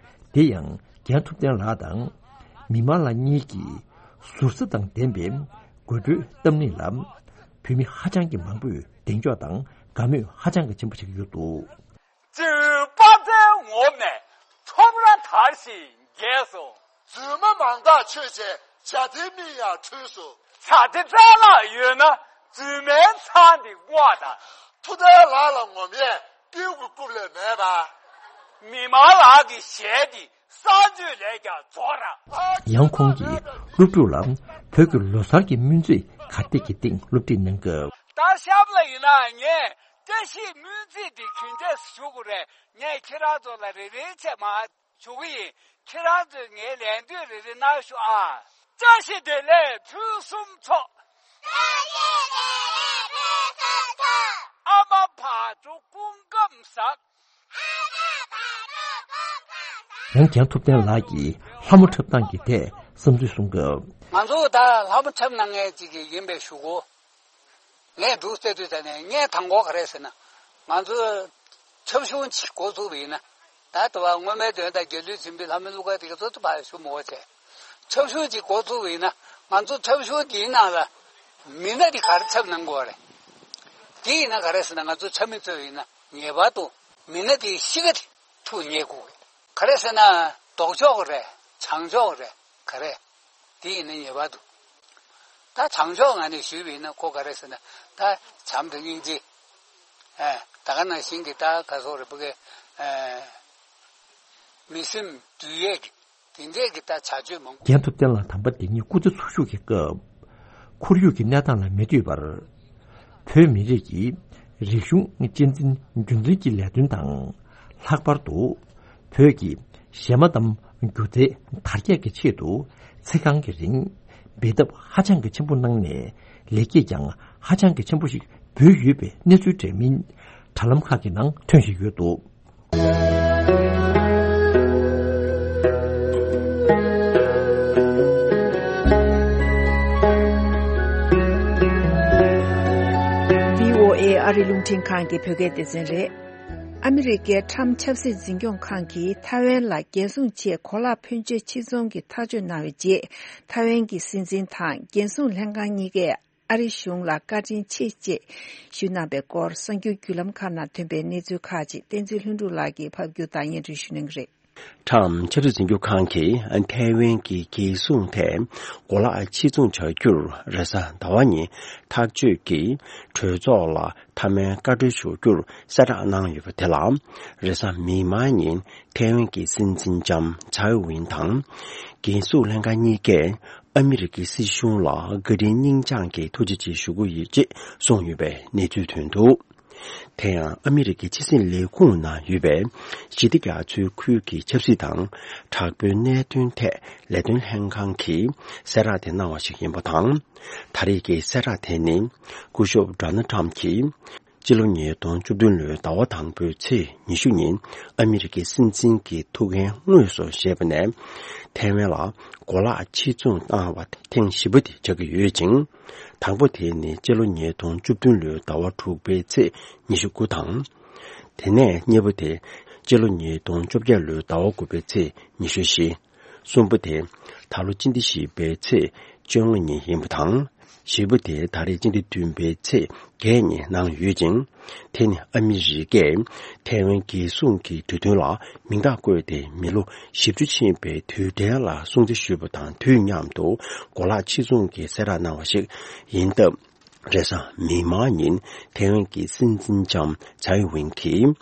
དེ་ཡང་རྒན་ཐུབ་བསྟན་ལགས་དང་མི་མང་ལགས་གཉིས་ཀྱིས་ཟུར་ཟ་དང་ལྡན་པའི་དགོད་བྲོའི་གཏམ་གླེང་ལ་བོད་མི་ཧ་ཅང་གི་མང་པོས་གདེང་འཇོག་དང་དགའ་མོས་ཧ་ཅང་གི་ཆེན་པོ་བྱེད་ཀྱི་ཡོད་འདུག་རྩིའུ་དཔག་ཚད་ངོམས་ནས་ཁྲོམ་ར་དར་ཞིང་རྒྱས་སོ། རྫུན་མ་མང་དག་ཆོས་བྱས་བྱ་དེ་མིག་ཡང་འཁྲུལ་སོ། བྱ་དེ་བཙན་ལག་ཡོད་ན་རྫུན་མའི་མཚང་དེ་སྔོག་དང་། ཐུབ་བསྟན་ལགས་ལ་ངོམས་ཡས་སྤྲེའུ་གི་རྐུབ་ལས་མེད་པ། མི་མང་ལགས་ཀྱི་ཞལ་དེ་གསང་སྤྱོད་ལས་ཀྱང་རྫོགས་ར། ཡང་ཁོང་གིས་སློབ་ཕྲུག་ལ་བོད་ཀྱི་ལོ་གསར་གྱི་སྨོན་ཚིག་གར་སྟེགས་ཀྱི་སྟེང་སློབ་ཁྲིད་གནང་སྐབས། ད་གཤམ་ལ་ཡིན་ན་ངས་བཀྲ་ཤིས་སྨོན་ཚིག་འདི་གུས་འདེད་ཞུ་དགོས་རེད། ངས་ཁྱེད་རང་ཚོ་ལ་རེ་རེ་བྱས་མར་ཞུ་གི་ཡིན། ཁྱེད་རང་ཚོས་ངའི་ལན་ལྟོས་རེ་རེ་གནང་ཤོག་ཨ། བཀྲ་ཤིས་བདེ་ལེགས་ཕུན་སུམ་ཚོགས། བཀྲ་ཤིས་བདེ་ལེགས་ཕུན་སུམ་ཚོགས། ཨ་མ་བག་དྲོ་སྐུ་ཁམས་བཟང་། ཡང་རྒན་ཐུབ་བསྟན་ལགས་ཀྱིས་ལྷ་མོ་འཁྲབ་སྟངས་ཀྱི་ཐད་བསམ་ཚུལ་གསུང་སྐབས། ང་ཚོ་ད་ལྷ་མོ་འཁྲབ་གནང་མཁན་ཅིག་ཡིན་པའི་ཞུ་གོ། ངས་འདུག་སེ་དུས་ད་ནས་ངས་དང་པོ་ག་རེ་ཟེར་ན། ང་ཚོ་འཁྲབ་གཞུང་ཅིག་འགོ་བཙུགས་པ་ཡིན་ན། ད་ལྟ་བ་སྔོན་མའི་དོན་དང་རྒྱལ་གླུ་འཛིན་པའི་ལྷ་མོའི་གླུ་གར་དེ་ག་ཚོད་དུ་ཕར་ཞུ་མི་དགོས་བྱས། འཁྲབ་གཞུང་ཅིག་འགོ་བཙུགས་པ་ཡིན་ན། ང་ཚོ་འཁྲབ་གཞུང་འདིའི་ནང་ལ་མི་སྣ་དེ་ག་རེ་འཁྲབ་གནང་དགོས་རེད། དེ་ཡིན་ན་ག་རེ་ཟེར་ན། ང་ཚོ་འཁྲབ་མི་ཚོ་ཡིན་ན་ངེས་པར་དུ་མི་སྣ་དེའི་གཤིས་ཀ་དེ་ཐུགས་མཉེས་དགོས་རེད། ག་རེ་ཟེར་ན་ལྡོག་ཕྱོགས་རེད། བྱང་ཕྱོགས་རེད། ག་རེ། དེ་ཡིན་ན་ངེས་པར་དུ། ད་བྱང་ཕྱོགས་ངོས་ནས་ཞུས་པ་ཡིན་ན་ཁོ་ག་རེ་ཟེར་ན། ད་བྱམས་དང་སྙིང་རྗེ། ཨེ། ད་ག་ནང་བཞིན་གྱི་ད་ག་སོགས་རེད། བུ་གའི། ཨེ། མི་སེམས་འདུལ་ཡས་ཀྱི་དེ་འདྲས་ཀྱི་ད་བྱ་སྤྱོད་མང་པོ། རྒན་ཐུབ་བསྟན་ལགས་དམ་པ་འདི་ཉིད་སྐུ་ཚེ་འཚོ་བཞུགས་ཀྱི་སྐབས། ཁོར་ཡུག་གི་གནས་སྟངས་ལ་མི་ལྟོས་པར། བོད་མི་རིགས་ཀྱི་རིག་གཞུང་གཅེས་འཛིན་རྒྱུན་འཛིན་གྱི་ལས་དོན་དང་། ལྷག་པར་དུ་བོད་ཀྱི་གཞས་མ་གཏམ་སྒྱུ་རྩལ་དར་རྒྱས་ཀྱི་ཆེད་དུ་ཚེ་གང་གི་རིང་འབད་འཐབ་ཧ་ཅང་གི་ཆེན་པོ་གནང་ནས། ལེགས་སྐྱེས་ཀྱང་ཧ་ཅང་གི་ཆེན་པོ་ཞིག་འབུལ་ཡོད་པའི་གནས་ཚུལ་འདྲ་མིན་དྲ་ལམ་ཁག་གི་ནང་ཐོན་བཞིན་ཡོད་འདུག་བྷི་ཨོ་ཨེ་ཨ་རི་རླུང་འཕྲིན་ཁང་གི་བོད་སྐད་སྡེ་ཚན་རེད། ཨ་མི་རི་ཀའི་ཁྲམ་ཆབ་སྲིད་འཛིན་སྐྱོང་ཁང་གིས་ཐའེ་ཝན་ལ་རྒྱལ་སྲུང་ཆེད་གོ་ལག་ཕོན་ཆེ་ཕྱིར་ཚོང་གི་ཐག་གཅོད་གནང་བའི་རྗེས། ཐའེ་ཝན་གྱི་སྲིད་འཛིན་དང་རྒྱལ་སྲུང་ལྷན་ཁང་གཉིས་ཀས། ཨ་རི་གཞུང་ལ་བཀའ་དྲིན་ཆེ་ཅེས་ཞུས་གནང་པའི་སྐོར། གསར་འགྱུར་བརྒྱུད་ལམ་ཁག་ནང་ཐོན་པའི་གནས་ཚུལ་ཁག་ཅིག་བསྟན་འཛིན་ལྷུན་གྲུབ་ལགས་ཀྱིས་ཕབ་སྒྱུར་དང་སྙན་སྒྲོན་ཞུ་གནང་གི་རེད། ཁྲམ་ཆབ་སྲིད་འཛིན་སྐྱོང་ཁང་གིས་ཐའེ་ཝན་གྱི་རྒྱལ་སྲུང་ཐད་གོ་ལག་ཕྱིར་ཚོང་བྱ་རྒྱུར་རེས་གཟའ་ཟླ་བ་ཉིན་ཐག་གཅོད་ཀྱིས། གྲོས་ཚོགས་ལ་མཐའ་མའི་བཀའ་འཁྲོལ་ཞུ་རྒྱུར་གསལ་བསྒྲགས་གནང་ཡོད་པ་དེ་ལ། རེས་གཟའ་མིག་དམར་ཉིན་ཐའེ་ཝན་གྱི་སྲིད་འཛིན་ལྕམ་ཚའེ་ཝིན་དང་། རྒྱལ་སྲུང་ལྷན་ཁང་གཉིས་ཀས། ཨ་མི་རི་ཀའི་སྲིད་གཞུང་ལ་བཀའ་དྲིན་སྙིང་བཅངས་ཀྱིས་ཐུགས་རྗེ་ཆེ་ཞུ་གི་ཡོད་ཅེས་གསུངས་ཡོད་པའི་གནས་ཚུལ་ཐོན་འདུག་དེ་ཡང་ཨ་མི་རི་ཀའི་ཕྱི་སྲིད་ལས་ཁུངས་ནང་ཡོད་པའི་ཞི་བདེ་རྒྱ་མཚོའི་ཁུལ་གྱི་ཆབ་སྲིད་དང་དྲག་པོའི་གནད་དོན་ཐད་ལས་དོན་ལྷན་ཁང་གིས་གསལ་བསྒྲགས་དེ་གནང་བ་ཞིག་ཡིན་པ་དང་། ད་རེས་ཀྱི་གསལ་བསྒྲགས་དེ་ནི་སྐུ་ཞབས་ཌོ་ནལ་ཁྲམ་གྱིས། སྤྱི་ལོ་ཉིས་སྟོང་བཅུ་བདུན་ལོའི་ཟླ་བ་དང་པོའི་ཚེས་ཉི་ཤུ་ཉིན་ཨ་མི་རི་ཀའི་སྲིད་འཛིན་གྱི་ཐུགས་འགན་དངོས་སུ་བཞེས་པ་ནས། ཐའེ་ཝན་ལ་གོ་ལག་ཕྱིར་ཚོང་བཏང་བ་ཐེངས་བཞི་པ་དེ་ཆགས་ཀྱི་ཡོད་ཅིང་། དང་པོ་དེ་ནི་སྤྱི་ལོ་ཉིས་སྟོང་བཅུ་བདུན་ལོའི་ཟླ་བ་དྲུག་པའི་ཚེས་ཉི་ཤུ་དགུ་དང་། དེ་ནས་གཉིས་པ་དེ་སྤྱི་ལོ་ཉིས་སྟོང་བཅོ་བརྒྱད་ལོའི་ཟླ་བ་དགུ་པའི་ཚེས་ཉི་ཤུ་བཞི། གསུམ་པ་དེ་ད་ལོ་སྤྱི་ཟླ་བཞི་པའི་ཚེས་བཅོ་ལྔ་ཉིན་ཡིན་པ་དང་། བཞི་པ་དེ་ད་རེས་སྤྱི་ཟླ་བདུན་པའི་ཚེས་བརྒྱད་ཉིན་གནང་ཡོད་ཅིང་། དེ་ནི་ཨ་མི་རི་ཀས་ཐའེ་ཝན་རྒྱལ་སྲུང་གི་གྲོས་མཐུན་ལ་མིང་རྟགས་བཀོད་དེ་མི་ལོ་བཞི་བཅུ་ཕྱིན་པའི་དུས་དྲན་ལ་སྲུང་བརྩི་ཞུས་པ་དང་དུས་མཉམ་དུ་གོ་ལག་ཕྱིར་ཚོང་གི་གསལ་བསྒྲགས་གནང་བ་ཞིག་ཡིན་སྟབས། རེས་གཟའ་མིག་དམར་ཉིན་ཐའེ་ཝན་གྱི་སྲིད་འཛིན་ལྕམ་ཚའེ་ཝིན་གྱིས།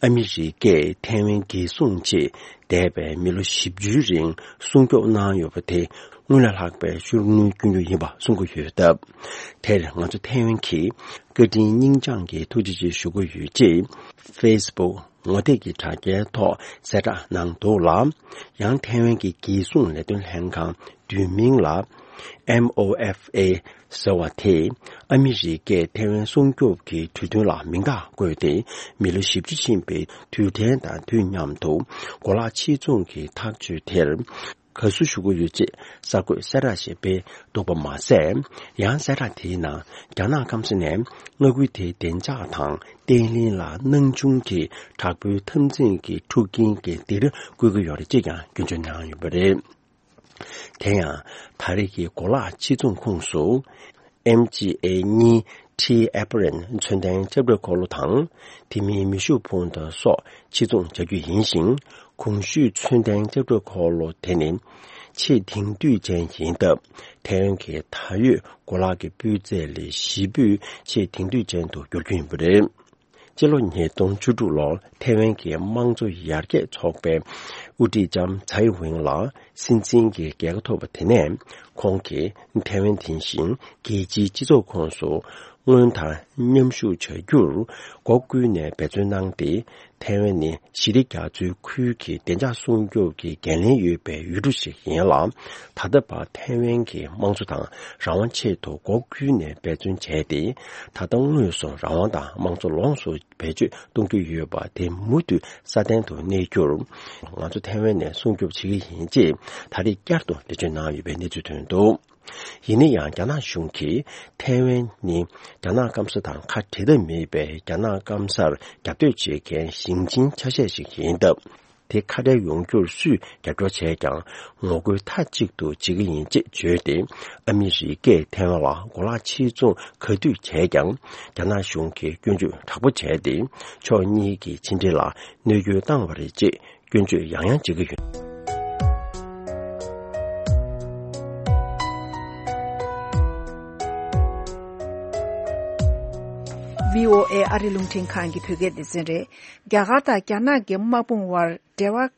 ཨ་མི་རི་ཀས་ཐའེ་ཝན་རྒྱལ་སྲུང་ཆེད་འདས་པའི་མི་ལོ་བཞི་བཅུའི་རིང་སྲུང་སྐྱོབ་གནང་ཡོད་པ་དེ་སྔོན་ལ་ལྷག་པའི་ཤུགས་སྣོན་སྐྱོན་རྒྱུ་ཡིན་པ་གསུང་གི་ཡོད་སྟབས། དེར་ང་ཚོ་ཐའེ་ཝན་གྱིས་བཀའ་དྲིན་སྙིང་བཅངས་ཀྱིས་ཐུགས་རྗེ་ཆེ་ཞུ་གི་ཡོད་ཅེས་ཕེ་སི་བུག་ངོ་དེབ་ཀྱི་དྲ་རྒྱའི་ཐོག་གསལ་བསྒྲགས་གནང་འདུག་ལ། ཡང་ཐའེ་ཝན་གྱི་རྒྱལ་སྲུང་ལས་དོན་ལྷན་ཁང་བསྡུས་མིང་ལ་M O F A ཟེར་བ་དེས་ཨ་མི་རི་ཀས་ཐའེ་ཝན་སྲུང་སྐྱོབ་ཀྱི་གྲོས་མཐུན་ལ་མིང་རྟགས་བཀོད་དེ། མི་ལོ་བཞི་བཅུ་ཕྱིན་པའི་དུས་དྲན་དང་དུས་མཉམ་དུ་གོ་ལག་ཕྱིར་ཚོང་གི་ཐག་གཅོད་དེར་དགའ་བསུ་ཞུ་གི་ཡོད་ཅེས་གསར་འགོད་གསལ་བསྒྲགས་ཤིག་སྤེལ་འདུག་པ་མ་ཟད། ཡང་གསལ་བསྒྲགས་དེའི་ནང་རྒྱ་ནག་སྐམ་ས་ནས་མངའ་ཁུལ་དེའི་བདེ་འཇགས་དང་བརྟན་ལྷིང་ལ་སྣང་ཆུང་གི་དྲག་པོའི་འཐབ་འཛིང་གི་འཁྲུག་རྐྱེན་གྱི་སྡིགས་ར་བསྐུལ་གྱི་ཡོད་རེད་ཅེས་ཀྱང་སྐྱོན་བརྗོད་གནང་ཡོད་པ་རེད། དེ་ཡང་ད་རེས་ཀྱི་གོ་ལག་ཕྱིར་ཚོང་ཁོངས་སུ་M G A གཉིས T Heparin མཚོན་ལྡན་ལྕགས་སྒྲོག་འཁོར་ལོ་དང་། དེ་མིན་མེ་ཤུགས་འཕུར་མདའ་སོགས་ཕྱིར་ཚོང་བྱ་རྒྱུ་ཡིན་ཞིང་། གོང་ཞུས་མཚོན་ལྡན་ལྕགས་སྒྲོག་འཁོར་ལོ་དེ་ནི་ཆེས་དེང་དུས་ཅན་ཡིན་སྟབས། ཐའེ་ཝན་གྱི་ད་ཡོད་གོ་ལག་གི་སྤུས་ཚད་ལས་བཞི་པོས་ཆེས་དེང་དུས་ཅན་དུ་འགྱུར་རྒྱུ་ཡིན་པ་རེད། སྤྱི་ལོ་ཉིས་སྟོང་བཅུ་དྲུག་ལོར་ཐའེ་ཝན་གྱི་དམངས་གཙོ་ཡར་རྒྱས་ཚོགས་པའི་དབུ་ཁྲིད་ལྕམ་ཚའེ་ཝེན་ལ་སྲིད་འཛིན་གྱི་རྒྱལ་ཁ་ཐོབ་པ་དེ་ནས། ཁོང་གིས་ཐའེ་ཝན་དེ་བཞིན་རྒྱལ་སྤྱིའི་སྤྱི་ཚོགས་ཁོངས་སུ་སྔོན་དང་མཉམ་ཞུགས་བྱ་རྒྱུར་སྒོ་ཀུན་ནས་འབད་བརྩོན་གནང་སྟེ། ཐའེ་ཝན་ནི་ཞི་བདེ་རྒྱ་མཚོའི་ཁུལ་གྱི་བདེ་འཇགས་སྲུང་སྐྱོབ་ཀྱི་འགན་ལེན་ཡོད་པའི་ཡུལ་གྲུ་ཞིག་ཡིན་ལ། ད་ལྟ་བར་ཐའེ་ཝན་གྱི་དམངས་གཙོ་དང་རང་དབང་ཆེད་དུ་སྒོ་ཀུན་ནས་འབད་བརྩོན་བྱས་ཏེ། ད་ལྟ་དངོས་སུ་རང་དབང་དང་དམངས་གཙོ་ལོངས་སུ་བེད་སྤྱོད་གཏོང་རྒྱུ་ཡོད་པ་དེ་མུ་མཐུད་སྲ་བརྟན་དུ་གནས་རྒྱུར། ང་ཚོ་ཐའེ་ཝན་ནས་སྲུང་སྐྱོབ་བྱེད་ཀྱི་ཡིན་ཅེས་ད་རེས་བསྐྱར་དུ་འགྲེལ་བརྗོད་གནང་ཡོད་པའི་གནས་ཚུལ་ཐོན་འདུག། ཡིན་ན་ཡང་རྒྱ་ནག་གཞུང་གིས་ཐའེ་ཝན་ནི་རྒྱ་ནག་སྐམ་ས་དང་ཁ་བྲལ་ཐབས་མེད་པའི་རྒྱ་ནག་སྐམ་སར་རྒྱབ་གཏོད་བྱེད་མཁན་ཞིང་ཆེན་ཆ་ཤས་ཤིག་ཡིན་སྟབས། དེ་ཁ་བྲལ་ཡོང་རྒྱུར་སུས་རྒྱབ་སྐྱོར་བྱས་ཀྱང་ངོ་རྒོལ་མཐའ་གཅིག་ཏུ་བྱེད་ཀྱི་ཡིན་ཅེས་བརྗོད་དེ། ཨ་མི་རི་ཀས་ཐའེ་ཝན་ལ་གོ་ལག་ཕྱིར་ཚོང་ག་དུས་བྱས་ཀྱང་། རྒྱ་ནག་གཞུང་གིས་སྐྱོན་བརྗོད་དྲག་པོ་བྱས་ཏེ། ཕྱོགས་གཉིས་ཀྱི་ཕྱི་འབྲེལ་ལ་གནོད་སྐྱོན་བཏང་བ་རེད་ཅེས་སྐྱོན་བརྗོད་ཡང་ཡང་བྱེད་ཀྱི་ཡོད། བྷི་ཨོ་ཨེ་ཨ་རི་རླུང་འཕྲིན་ཁང་གི་བོད་སྐད་སྡེ་ཚན་རེད། རྒྱ་གར་དང་རྒྱ་ནག་གི་དམག་དཔུང་དབར་འབྲེལ་བ་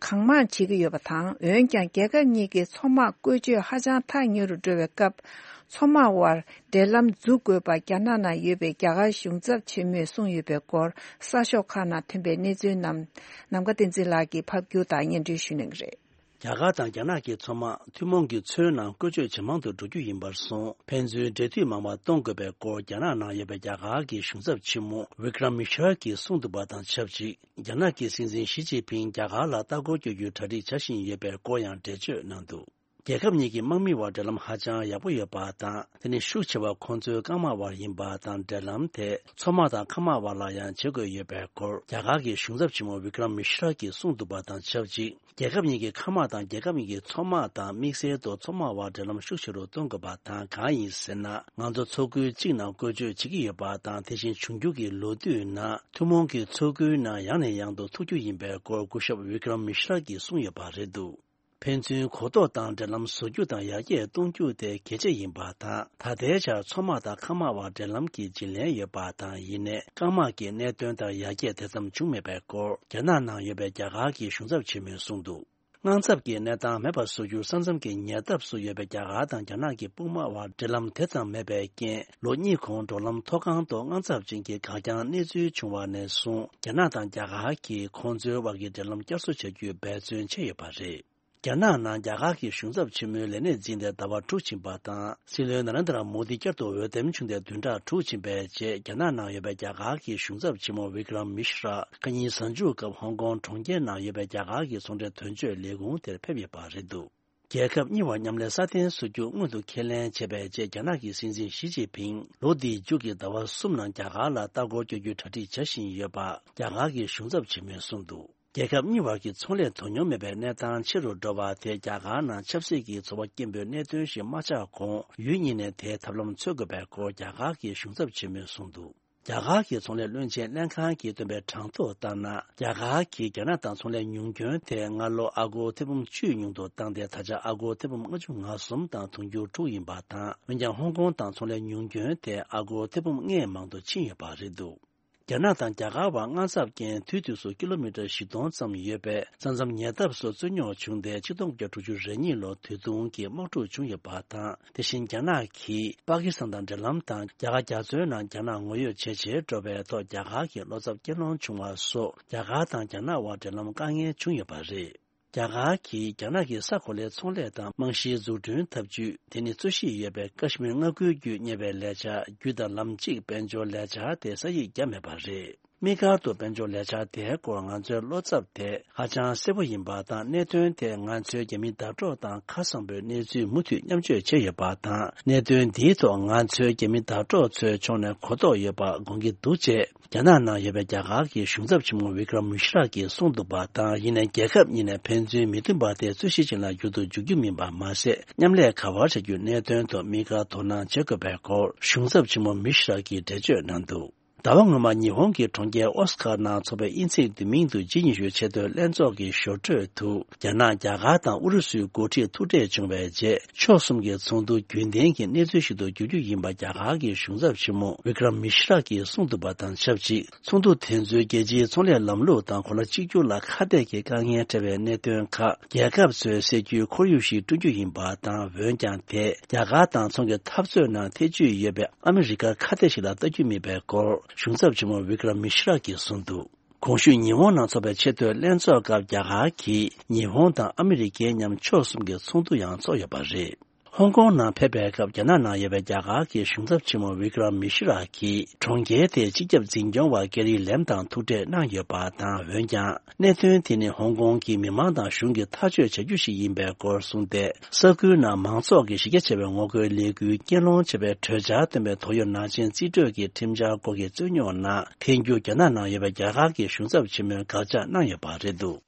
གང་མང་བྱེད་ཀྱི་ཡོད་པ་དང་། འོན་ཀྱང་རྒྱལ་ཁབ་གཉིས་ཀྱི་མཚོ་དམག་བཀོལ་སྤྱོད་ཧ་ཅང་ཐག་ཉེ་རུ་འགྲོ་བའི་སྐབས། མཚོ་དམག་དབར་འབྲེལ་ལམ་འཛུགས་དགོས་པ་རྒྱ་ནག་ནང་ཡོད་པའི་རྒྱ་གར་གཞུང་ཚབ་ཆེན་མོས་གསུངས་ཡོད་པའི་སྐོར། གསར་ཤོག་ཁག་ནང་ཐོན་པའི་གནས་ཚུལ་རྣམས་ནམ་མཁའ་བསྟན་འཛིན་ལགས་ཀྱིས་ཕབ་སྒྱུར་དང་སྙན་སྒྲོན་ཞུ་གནང་གི་རེད། རྒྱ་གར་དང་རྒྱ་ནག་གི་མཚོ་དམག་ཐུན་མོང་གི་མཚོའི་ནང་བཀོལ་སྤྱོད་ཇེ་མང་དུ་འགྲོ་རྒྱུ་ཡིན་པར་སོང་། ཕན་ཚུན་འབྲེལ་མཐུད་མང་བ་གཏོང་དགོས་པའི་སྐོར། རྒྱ་ནག་ནང་ཡོད་པའི་རྒྱ་གར་གྱི་གཞུང་ཚབ་ཆེན་མོ་Vikram Misra གྱིས་གསུངས་འདུག་པ་དང་ཆབས་ཅིག། རྒྱ་ནག་གི་སྲིད་འཛིན་ཞི་ཅིན་ཕིང་རྒྱ་གར་ལ་ལྟ་སྐོར་སྐྱོད་རྒྱུའི་གྲ་སྒྲིག་བྱ་བཞིན་ཡོད་པའི་སྐོར་ཡང་འགྲེལ་བརྗོད་གནང་འདུག། རྒྱལ་ཁབ་གཉིས་ཀྱི་དམག་མི་དབར་འབྲེལ་ལམ་ཧ་ཅང་ཡག་པོ་ཡོད་པ་དང་། དེ་ནི་ཤུགས་ཆེ་བ་ཁོང་ཚོའི་རྐང་དམག་དབར་ཡིན་པ་དང་། འབྲེལ་ལམ་དེ་མཚོ་དམག་དང་མཁའ་དམག་དབར་ལ་ཡང་བྱེད་དགོས་ཡོད་པའི་སྐོར། རྒྱ་གར་གྱི་གཞུང་ཚབ་ཆེན་མོ་Vikram Misra གྱིས་གསུངས་འདུག་པ་དང་ཆབས་ཅིག། རྒྱལ་ཁབ་གཉིས་ཀྱི་མཁའ་དམག་དང་རྒྱལ་ཁབ་གཉིས་ཀྱི་མཚོ་དམག་དང་། དམིགས་བསལ་དུ་མཚོ་དམག་དབར་འབྲེལ་ལམ་ཤུགས་ཆེ་རུ་གཏོང་དགོས་པ་དང་། གང་ཡིན་ཟེར་ན། ང་ཚོ་མཚོ་ཁུལ་གཅིག་ནང་བཀོལ་སྤྱོད་བྱེད་ཀྱི་ཡོད་པ་དང་། དེ་བཞིན་འབྱུང་འགྱུར་གྱི་ལོ་དུས་ནང་ཐུན་མོང་གི་མཚོ་ཁུལ་ནང་ཡང་ནས་ཡང་དུ་ཐུག་རྒྱུ་ཡིན་པའི་སྐོར། སྐུ་ཞབས་Vikram Misra གྱིས་གསུངས་ཡོད་པ་རེད་འདུག། ཕན་ཚུན་གོ་རྟོགས་དང་འབྲེལ་ལམ་བཟོ་རྒྱུ་དང་ཡར་རྒྱས་གཏོང་རྒྱུ་དེ་གལ་ཆེ་ཡིན་པ་དང་། ད་ལྟའི་ཆར་མཚོ་དམག་དང་མཁའ་དམག་དབར་འབྲེལ་ལམ་གྱི་བརྗེ་ལེན་ཡོད་པ་དང་། ཡིན་ནའི་རྐང་དམག་གི་གནད་དོན་ལྟར་ཡར་རྒྱས་དེ་ཙམ་བྱུང་མེད་པའི་སྐོར། རྒྱ་ནག་ནང་ཡོད་པའི་རྒྱ་གར་གྱི་གཞུང་ཚབ་ཆེན་མོས་གསུངས་འདུག། དངངས་འཚབ་ཀྱི་གནས་སྟངས་མེད་པར་བཟོ་རྒྱུར་ས་མཚམས་ཀྱི་ཉེ་འདབས་སུ་ཡོད་པའི་རྒྱ་གར་དང་རྒྱ་ནག་གི་དཔུང་དམག་དབར་འབྲེལ་ལམ་དེ་ཙམ་མེད་པའི་རྐྱེན། ལོ་གཉིས་གོང་འབྲེལ་ལམ་མཐོ་སྒང་དུ་དངངས་འཚབ་ཅན་གྱི་འགག་རྐྱང་གནས་ཚུལ་བྱུང་བ་ནས་བཟུང་། རྒྱ་ནག་དང་རྒྱ་གར་གྱིས་ཁོང་ཚོའི་དབར་གྱི་འབྲེལ་ལམ་བསྐྱར་གསོ་བྱ་རྒྱུའི་འབད་བརྩོན་བྱས་ཡོད་པ་རེད། རྒྱ་ནག་ནང་རྒྱ་གར་གྱི་གཞུང་ཚབ་ཆེན་མོའི་ལས་གནས་འཛིན་ཏེ་ཟླ་བ་དྲུག་ཕྱིན་པ་དང་། སྲིད་བློན་ན་རེན་དྲ་མོ་དི་བསྐྱར་དུ་འོས་འདེམས་བྱུང་སྟེ་བདུན་ཕྲག་དྲུག་ཕྱིན་པའི་རྗེས། རྒྱ་ནག་ནང་ཡོད་པའི་རྒྱ་གར་གྱི་གཞུང་ཚབ་ཆེན་མོ་Vikram Misra ཁ་ཉིན་གཟའ་མཇུག་སྐབས་ཧོང་ཀོང་གྲོང་ཁྱེར་ནང་ཡོད་པའི་རྒྱ་གར་གྱི་ཚོང་འབྲེལ་དོན་གཅོད་ལས་ཁུངས་དེར་ཕེབས་ཡོད་པ་རེད་འདུག། རྒྱལ་ཁབ་གཉིས་བར་མཉམ་ལས་སྲ་བརྟན་བཟོ་རྒྱུ་སྔོན་དུ་ཁས་ལེན་བྱས་པའི་རྗེས། རྒྱ་ནག་གི་སྲིད་འཛིན་ཞི་ཅིན་ཕིང་ལོ་འདིའི་མཇུག་གི་ཟླ་བ་གསུམ་ནང་རྒྱ་གར་ལ་ལྟ་སྐོར་སྐྱོད་རྒྱུའི་གྲ་སྒྲིག་བྱ་བཞིན་ཡོད་པ། རྒྱ་གར་གྱི་གཞུང་ཚབ་ཆེན་མོས་གསུངས་འདུག། རྒྱལ་ཁབ་གཉིས་བར་གྱི་ཚོང་ལས་དོ་སྙོམས་མེད་པའི་གནས་སྟངས་ཆེ་རུ་འགྲོ་བ་དེས་རྒྱ་གར་ནང་ཆབ་སྲིད་ཀྱི་ཚོར་བ་སྐྱེན་པོའི་གནད་དོན་ཞིག་མ་ཆགས་གོང་། ཡུལ་གཉིས་ནས་དེའི་ཐབས་ལམ་འཚོལ་དགོས་པའི་སྐོར་རྒྱ་གར་གྱི་གཞུང་ཚབ་ཆེན་མོས་གསུངས་འདུག། རྒྱ་གར་གྱི་ཚོང་ལས་བློན་ཆེན་ལྷན་ཁང་གིས་བཏོན་པའི་གྲངས་ཐོ་ལྟར་ན། རྒྱ་གར་གྱིས་རྒྱ་ནག་དང་ཚོང་ལས་ཉུང་སྐྱོན་དེ་སྔ་ལོ་ཨ་སྒོར་ཐེར་འབུམ་བཅུ་ཉུང་དུ་བཏང་སྟེ། ད་ཆ་ཨ་སྒོར་ཐེར་འབུམ་ལྔ་བཅུ་ང་གསུམ་དང་དུང་ཕྱུར་དྲུག་ཡིན་པ་དང་། འོན་ཀྱང་ཧོང་ཀོང་དང་ཚོང་ལས་ཉུང་སྐྱོན་དེ་ཨ་སྒོར་ཐེར་འབུམ་ལྔའི་མང་དུ་ཕྱིན་ཡོད་པ་རེད་འདུག། རྒྱ་ནག་དང་རྒྱ་གར་བར་དངངས་འཚབ་རྐྱེན་དུས་དུས་སུ་ཀི་ལོ་མི་ཊར་བཞི་སྟོང་ཙམ་ཡོད་པའི་ས་མཚམས་ཉེ་འདབས་སུ་རྩོད་རྙོག་བྱུང་སྟེ་ཆིག་སྟོང་དགུ་བརྒྱ་དྲུག་ཅུ་རེ་གཉིས་ལོར་དུས་ཐུང་གི་དམག་འཁྲུག་བྱུང་ཡོད་པ་དང་། དེ་བཞིན་རྒྱ་ནག་གིས་པ་ཀི་སི་ཐན་དང་འབྲེལ་ལམ་དང་རྒྱ་གར་རྒྱ་མཚོའི་ནང་རྒྱ་ནག་ངོ་ཡོད་བྱེད་ཆེད་འགྲོ་བའི་ཐོག་རྒྱ་གར་གྱི་བློ་འཚབ་སྐྱེད་སློང་བྱུང་བ་སོགས་རྒྱ་གར་དང་རྒྱ་ནག་དབར་འབྲེལ་ལམ་དཀའ་ངལ་བྱུང་ཡོད་པ་རེད། རྒྱ་གར་གྱིས་རྒྱ་ནག་གི་ས་གོ་ལའི་ཚོང་ལས་དང་རྨང་གཞིའི་འཛུགས་སྐྲུན་ཐབས་ཇུས་དེ་ནི་རྩོད་གཞི་ཡོད་པའི་ཀ་ཤི་མིར་མངའ་ཁུལ་བརྒྱུད་གཉེར་བའི་ལས་འཆར་རྒྱུད་དང་ལམ་གཅིག་དཔལ་འབྱོར་ལས་འཆར་དེ་ས་ཡིག་བརྒྱབ་མེད་པ་རེད། དམིགས་བཀར་དུ་དཔལ་འབྱོར་ལས་འཆར་དེའི་སྐོར་ང་ཚོའི་བློ་འཚབ་དེ་ཧ་ཅང་གསལ་པོ་ཡིན་པ་དང་། གནད་དོན་དེ་ང་ཚོའི་རྒྱ་མི་ཟླ་གྲོགས་དང་ཁ་གསང་པོའི་གནས་ཚུལ་མུ་མཐུད་མཉམ་སྤྱོད་བྱས་ཡོད་པ་དང་། གནད་དོན་འདིའི་ཐོག་ང་ཚོའི་རྒྱ་མི་ཟླ་གྲོགས་ཚོའི་ཕྱོགས་ནས་གོ་རྟོགས་ཡོད་པ་དགོངས་ཀྱི་འདུག་ཅེས། རྒྱ་ནག་ནང་ཡོད་པའི་རྒྱ་གར་གྱི་གཞུང་ཚབ་ཆེན་མོ་བི་ཀྲམ་མི་ཤྲ་གིས་གསུངས་འདུག་པ་དང་། ཡིན་ནའི་རྒྱལ་ཁབ་གཉིས་ནས་ཕན་ཚུན་མི་མཐུན་པ་དེ་རྩོད་གཞི་ཅན་ལ་འགྱུར་དུ་འཇུག་རྒྱུ་མིན་པ་མ་ཟད། མཉམ་ལས་ག་པར་བྱ་རྒྱུའི་གནད་དོན་ཐོག་དམིགས་བཀར་དོ་སྣང་བྱེད་དགོས་པའི་སྐོར་གཞུང་ཚབ་ཆེན་མོ་མི་ཤྲ་གིས་འགྲེལ་བརྗོད་གནང་འདུག་ཟླ་བ་སྔོན་མ་ཉི་ཧོང་གི་གྲོང་ཁྱེར་ཨོ་སི་ཀ་ནང་འཚོགས་པའི་དབྱིན་ཚེས་བདུན་མའི་ཉིན་དུ་ཇི་ཉི་ཤུའི་ཆེས་མཐོའི་ལྷན་ཚོགས་ཀྱི་ཞོར་འཕྲོས་དུ། རྒྱ་ནག་རྒྱ་གར་དང་ཨུ་རུ་སུའི་འགོ་ཁྲིད་ཐུག་འཕྲད་བྱུང་བའི་རྗེས། ཕྱོགས་གསུམ་གྱི་ཚོགས་འདུ་རྒྱུན་ལྡན་གྱི་གནས་ཚུལ་ཞིག་ཏུ་འགྱུར་རྒྱུ་ཡིན་པ་རྒྱ་གར་གྱི་གཞུང་ཚབ་ཆེན་མོ་བི་ཀྲམ་མི་ཤྲ་གིས་གསུངས་འདུག་པ་དང་ཆབས་ཅིག་ཚོགས་འདུ་དེ་ཚོས་རྒྱལ་སྤྱིའི་ཚོང་ལས་ལམ་ལུགས་དང་གོ་ལ་གཅིག་གྱུར་ལ་ཁ་གཏད་ཀྱི་དཀའ་ངལ་འཕྲད་པའི་གནད་དོན་ཁག་རྒྱལ་ཁབ་ཚོས་སེལ་རྒྱུའི་ཁོར་ཡུག་ཞིག་བསྐྲུན་རྒྱུ་ཡིན་པ་དང་། འོན་ཀྱང་དེས་རྒྱ་གར་དང་ཚོང་གི་འཐབ་རྩོད་ནང་ཐེ་ཇུས་ཡོད་པའི་ཨ་མི་རི་ཀར་ཁ་གཏད་ཞིག་ལ་ལྟ་རྒྱུ་མིན་པའི་སྐོར་གཞུང་ཚབ་ཆེན་མོ་བི་ཀྲམ་མི་ཤྲ་གིས་གསུངས་འདུག་གོང་ཞུས་ཉི་ཧོང་ནང་འཚོགས་པའི་ཆེས་མཐོའི་ལྷན་ཚོགས་སྐབས་རྒྱ་གར་གྱིས་ཉི་ཧོང་དང་ཨ་མི་རི་ཀའི་མཉམ་ཕྱོགས་གསུམ་གྱི་ཚོགས་འདུ་ཡང་འཚོགས་ཡོད་པ་རེད། ཧོང་ཀོང་ནང་ཕེབས་པའི་སྐབས་རྒྱ་ནག་ནང་ཡོད་པའི་རྒྱ་གར་གྱི་གཞུང་ཚབ་ཆེན་མོ་བི་ཀྲམ་མི་ཤི་ར་གིས་གྲོང་ཁྱེར་དེའི་སྤྱི་ཁྱབ་འཛིན་སྐྱོང་བ་ཀེ་རི་ལེམ་དང་ཐུག་འཕྲད་གནང་ཡོད་པ་དང་། འོན་ཀྱང་གནད་དོན་དེ་ནི་ཧོང་ཀོང་གི་མི་མང་དང་གཞུང་གིས་ཐག་གཅོད་བྱ་རྒྱུ་ཞིག་ཡིན་པའི་སྐོར་གསུངས་ཏེ། ས་ཁུལ་ནང་མང་ཚོགས་ཀྱི་གཞི་རྒྱ་ཆེ་བའི་ངོ་རྒོལ་ལས་འགུལ་རྐྱེན་སློང་བྱས་པའི་གྲོས་འཆར་བཏོན་པའི་ཏོག་དབྱིབས་ནང་ཆེན་རྩིས་སྤྲོད་ཀྱི་ཁྲིམས་འཆར་སྐོར་གྱི་རྩོད་རྙོག་ནང་ཐལ་འགྱུར་རྒྱ་ནག་ནང་ཡོད་པའི་རྒྱ་གར་གྱི་གཞུང་ཚབ་ཆེན་མོས་དགག་བྱ་གནང་ཡོད་པ་རེད་འདུག་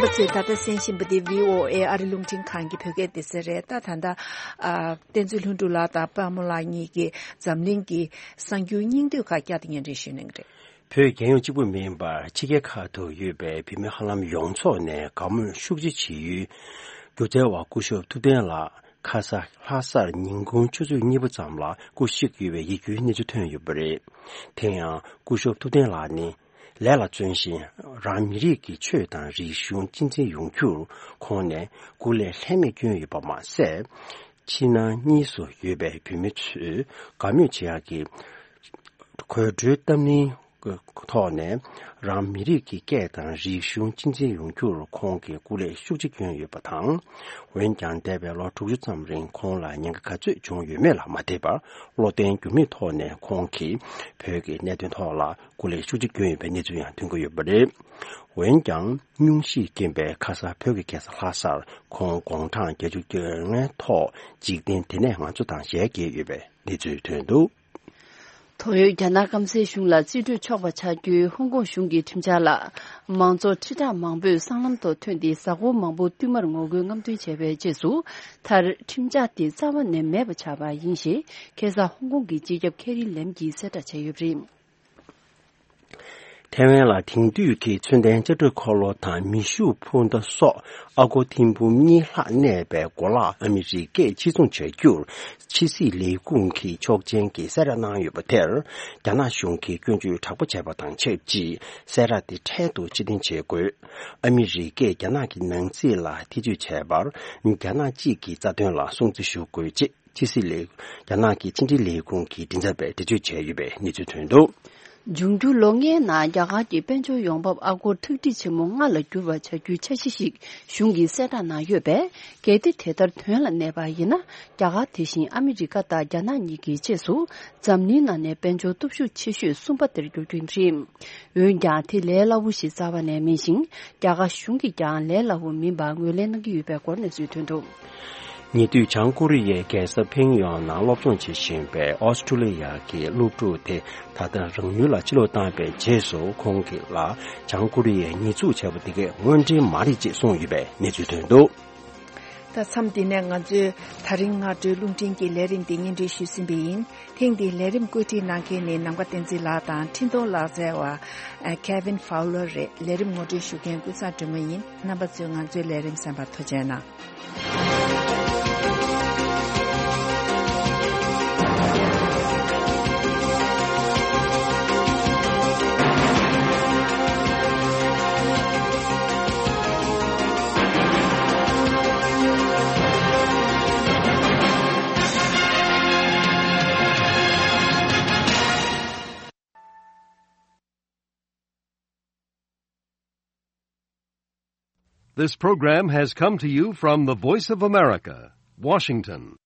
རྣམ་པ་ཚོས་ད་ལྟ་གསན་བཞིན་པ་འདི་བྷི་ཨོ་ཨེ་ཨ་རི་རླུང་འཕྲིན་ཁང་གི་བོད་སྐད་སྡེ་ཚན་རེད། ད་ད་ལྟ་ཨ། བསྟན་འཛིན་ལྷུན་གྲུབ་ལགས་དང་པདྨ་ལགས་གཉིས་ཀྱིས་འཛམ་གླིང་གི་གསར་འགྱུར་སྙིང་བསྡུས་ཁག་བསྐྱར་དུ་སྙན་སྒྲོན་ཞུ་གནང་གི་རེད། བོད་རྒྱལ་ཡོངས་གཅིག་པུ་མིན་པར་ཕྱི་རྒྱལ་ཁག་ཏུ་ཡོད་པའི་བོད་མི་ཧ་ལམ་ཡོངས་རྫོགས་ནས་དགའ་མོས་ཤུགས་ཆེ་བྱེད་ཡུལ་སྒྱུ་རྩལ་བ་སྐུ་ཞབས་ཐུབ་བསྟན་ལགས་ཁ་ས་ལྷ་སར་ཉིན་གུང་ཆུ་ཚོད་གཉིས་པ་ཙམ་ལ་སྐུ་གཤེགས་ཡོད་པའི་ཡིད་སྐྱོའི་གནས་ཚུལ་ཐོན་ཡོད་པ་རེད། དེ་ཡང་སྐུ་ཞབས་ཐུབ་བསྟན་ལགས་ནི་ལས་ལ་བརྩོན་ཞིང་རང་མི་རིགས་ཀྱི་ཆོས་དང་རིག་གཞུང་གཅེས་འཛིན་ཡོང་རྒྱུར་ཁོང་ནས་སྐུ་ལས་ལྷད་མེད་བསྐྱོན་ཡོད་པ་མ་ཟད། ཕྱི་ནང་གཉིས་སུ་ཡོད་པའི་བོད་མི་ཚོས་དགའ་མོས་བྱེད་ཡག་གི་དགོད་བྲོའི་གཏམ་གླེང་གི་ཐོག་ནས་རང་མི་རིགས་ཀྱི་སྐད་དང་རིག་གཞུང་གཅེས་འཛིན་ཡོང་རྒྱུར་ཁོང་གིས་སྐུ་ལས་ཤུགས་ཆེ་བསྐྱོན་ཡོད་པ་དང་། འོན་ཀྱང་འདས་པའི་ལོ་དྲུག་ཅུ་ཙམ་རིང་ཁོང་ལ་ཉེན་ཁ་ག་ཚོད་བྱུང་ཡོད་མེད་ལ་མ་ལྟོས་པར་བློ་བརྟན་འགྱུར་མེད་ཐོག་ནས་ཁོང་གིས་བོད་ཀྱི་གནད་དོན་ཐོག་ལ་སྐུ་ལས་ཤུགས་ཆེ་བསྐྱོན་ཡོད་པའི་གནས་ཚུལ་ཡང་ཐོན་གྱི་ཡོད་པ་རེད། འོན་ཀྱང་སྙུང་གཞིའི་རྐྱེན་པས་ཁ་ས་བོད་ཀྱི་རྒྱལ་ས་ལྷ་སར་ཁོང་དགུང་གྲངས་བརྒྱད་ཅུ་གྱ་ལྔའི་ཐོག་འཇིག་རྟེན་འདི་ནས་ང་ཚོ་དང་ཞལ་གྱེས་ཡོད་པའི་གནས་ཚུལ་ཐོན་འདུག་ད་ཡོད་རྒྱ་ནག་སྐམ་སའི་གཞུང་ལ་རྩིས་སྤྲོད་ཆོག་པ་ཆགས་རྒྱུའི་ཧོང་ཀོང་གཞུང་གི་ཁྲིམས་འཆར་ལ་མང་ཚོགས་ཁྲི་ཕྲག་མང་པོས་སྲང་ལམ་ཐོག་ཐོན་ཏེ་གཟའ་འཁོར་མང་པོ་བསྟུད་མར་ངོ་རྒོལ་རྔམ་སྟོན་བྱས་པའི་རྗེས་སུ་མཐར་ཁྲིམས་འཆར་དེ་རྩ་བ་ནས་མེད་པ་ཆགས་པ་ཡིན་ཞེས་ཁ་སང་ཧོང་ཀོང་གི་སྤྱི་ཁྱབ་ཁེ་རི་ལེམ་གྱིས་གསལ་བསྒྲགས་བྱས་ཡོད་པ་རེད། ཐའེ་ཝན་ལ་དེང་དུས་ཀྱི་མཚོན་ལྡན་ལྕགས་སྒྲོག་འཁོར་ལོ་དང་མེ་ཤུགས་འཕུར་མདའ་སོགས་ཨ་སྒོར་ཐེར་འབུམ་གཉིས་ལྷག་གནས་པའི་གོ་ལག་ཨ་མི་རི་ཀས་ཕྱིར་ཚོང་བྱ་རྒྱུར་ཕྱི་སྲིད་ལས་ཁུངས་ཀྱི་ཆོག་མཆན་གྱི་གསལ་བསྒྲགས་གནང་ཡོད་པ་དེར། རྒྱ་ནག་གཞུང་གིས་སྐྱོན་བརྗོད་དྲག་པོ་བྱས་པ་དང་ཆབས་ཅིག་གསལ་བསྒྲགས་དེ་འཕྲལ་དུ་ཕྱིར་འཐེན་བྱེད་དགོས། ཨ་མི་རི་ཀས་རྒྱ་ནག་གི་ནང་སྲིད་ལ་ཐེ་ཇུས་བྱས་པར། རྒྱ་ནག་གཅིག་གི་རྩ་དོན་ལ་སྲུང་བརྩི་ཞུ་དགོས་ཅེས། ཕྱི་སྲིད་ལས། རྒྱ་ནག་གི་ཕྱི་འབྲེལ་ལས་ཁུངས་ཀྱི་མགྲིན་ཚབ་པས་འགྲེལ་བརྗོད་བྱས་ཡོད་པའི་གནས་ཚུལ་ཐོན་འདུག་འབྱུང་འགྱུར་ལོ་ལྔའི་ནང་རྒྱ་གར་གྱི་དཔལ་འབྱོར་ཡོང་འབབ་ཨ་སྒོར་ཁྲག་ཁྲིག་ཆེན་མོ་ལྔ་ལ་འགྱུར་བ་བྱ་རྒྱུའི་འཆར་གཞི་ཞིག་གཞུང་གིས་གསལ་བསྒྲགས་གནང་ཡོད་པས། གལ་ཏེ་དེ་ལྟར་དོན་ལ་གནས་པ་ཡིན་ན། རྒྱ་གར་དེ་བཞིན་ཨ་མི་རི་ཀ་དང་རྒྱ་ནག་གཉིས་ཀྱི་རྗེས་སུ་འཛམ་གླིང་ནང་ནས་དཔལ་འབྱོར་སྟོབས་ཤུགས་ཆེ་ཤོས་གསུམ་པ་དེར་འགྱུར་རྒྱུ་རེད། འོན་ཀྱང་དེ་ལས་སླ་བོ་ཞིག་རྩ་བ་ནས་མིན་ཞིང་། རྒྱ་གར་གཞུང་གིས་ཀྱང་ལས་སླ་བོ་མིན་པ་ངོས་ལེན་གནང་གི་ཡོད་པའི་སྐོར་གནས་ཚུལ་ཐོན་འདུག་ཉེ་དུས་བྱང་ཀོ་རི་ཡའི་རྒྱལ་ས་ཕིང་ཡོང་ནང་སློབ་སྦྱོང་བྱེད་བཞིན་པའི་ཨོ་སི་ཀྲུ་ལི་ཡ་གི་སློབ་ཕྲུག་དེ་ད་ལྟ་རང་ཡུལ་ལ་ཕྱིར་ལོག་བཏང་བའི་རྗེས་སུ་ཁོང་གིས་ལ་བྱང་ཀོ་རི་ཡས་ཉེས་འཛུགས་བྱས་པ་དེ་གས་དངོས་འབྲེལ་མ་རེད་ཅེས་གསུངས་ཡོད་པའི་གནས་ཚུལ་ཐོན་འདུག་ད་མཚམས་འདི་ནས་ང་ཚོས་ད་རིང་སྔ་དྲོའི་རླུང་འཕྲིན་གྱི་ལས་རིམ་འདི་སྙན་སྒྲོན་ཞུས་ཟིན་པ་ཡིན། ཐེངས་འདིའི་ལས་རིམ་བཀོད་སྒྲིག་གནང་མཁན་ནི་ནམ་མཁའ་བསྟན་འཛིན་ལགས་དང་འཕྲིན་གཏོང་ལག་རྩལ་བ་Kevin Fowler་རེད། ལས་རིམ་ངོ་སྤྲོད་ཞུ་མཁན་ཀུན་བཟང་སྒྲོལ་མ་ཡིན། རྣམ་པ་ཚོས་ང་ཚོའི་ལས་རིམ་གསན་པར་ཐུགས་རྗེ་གནང་། This program has come to you from the Voice of America, Washington.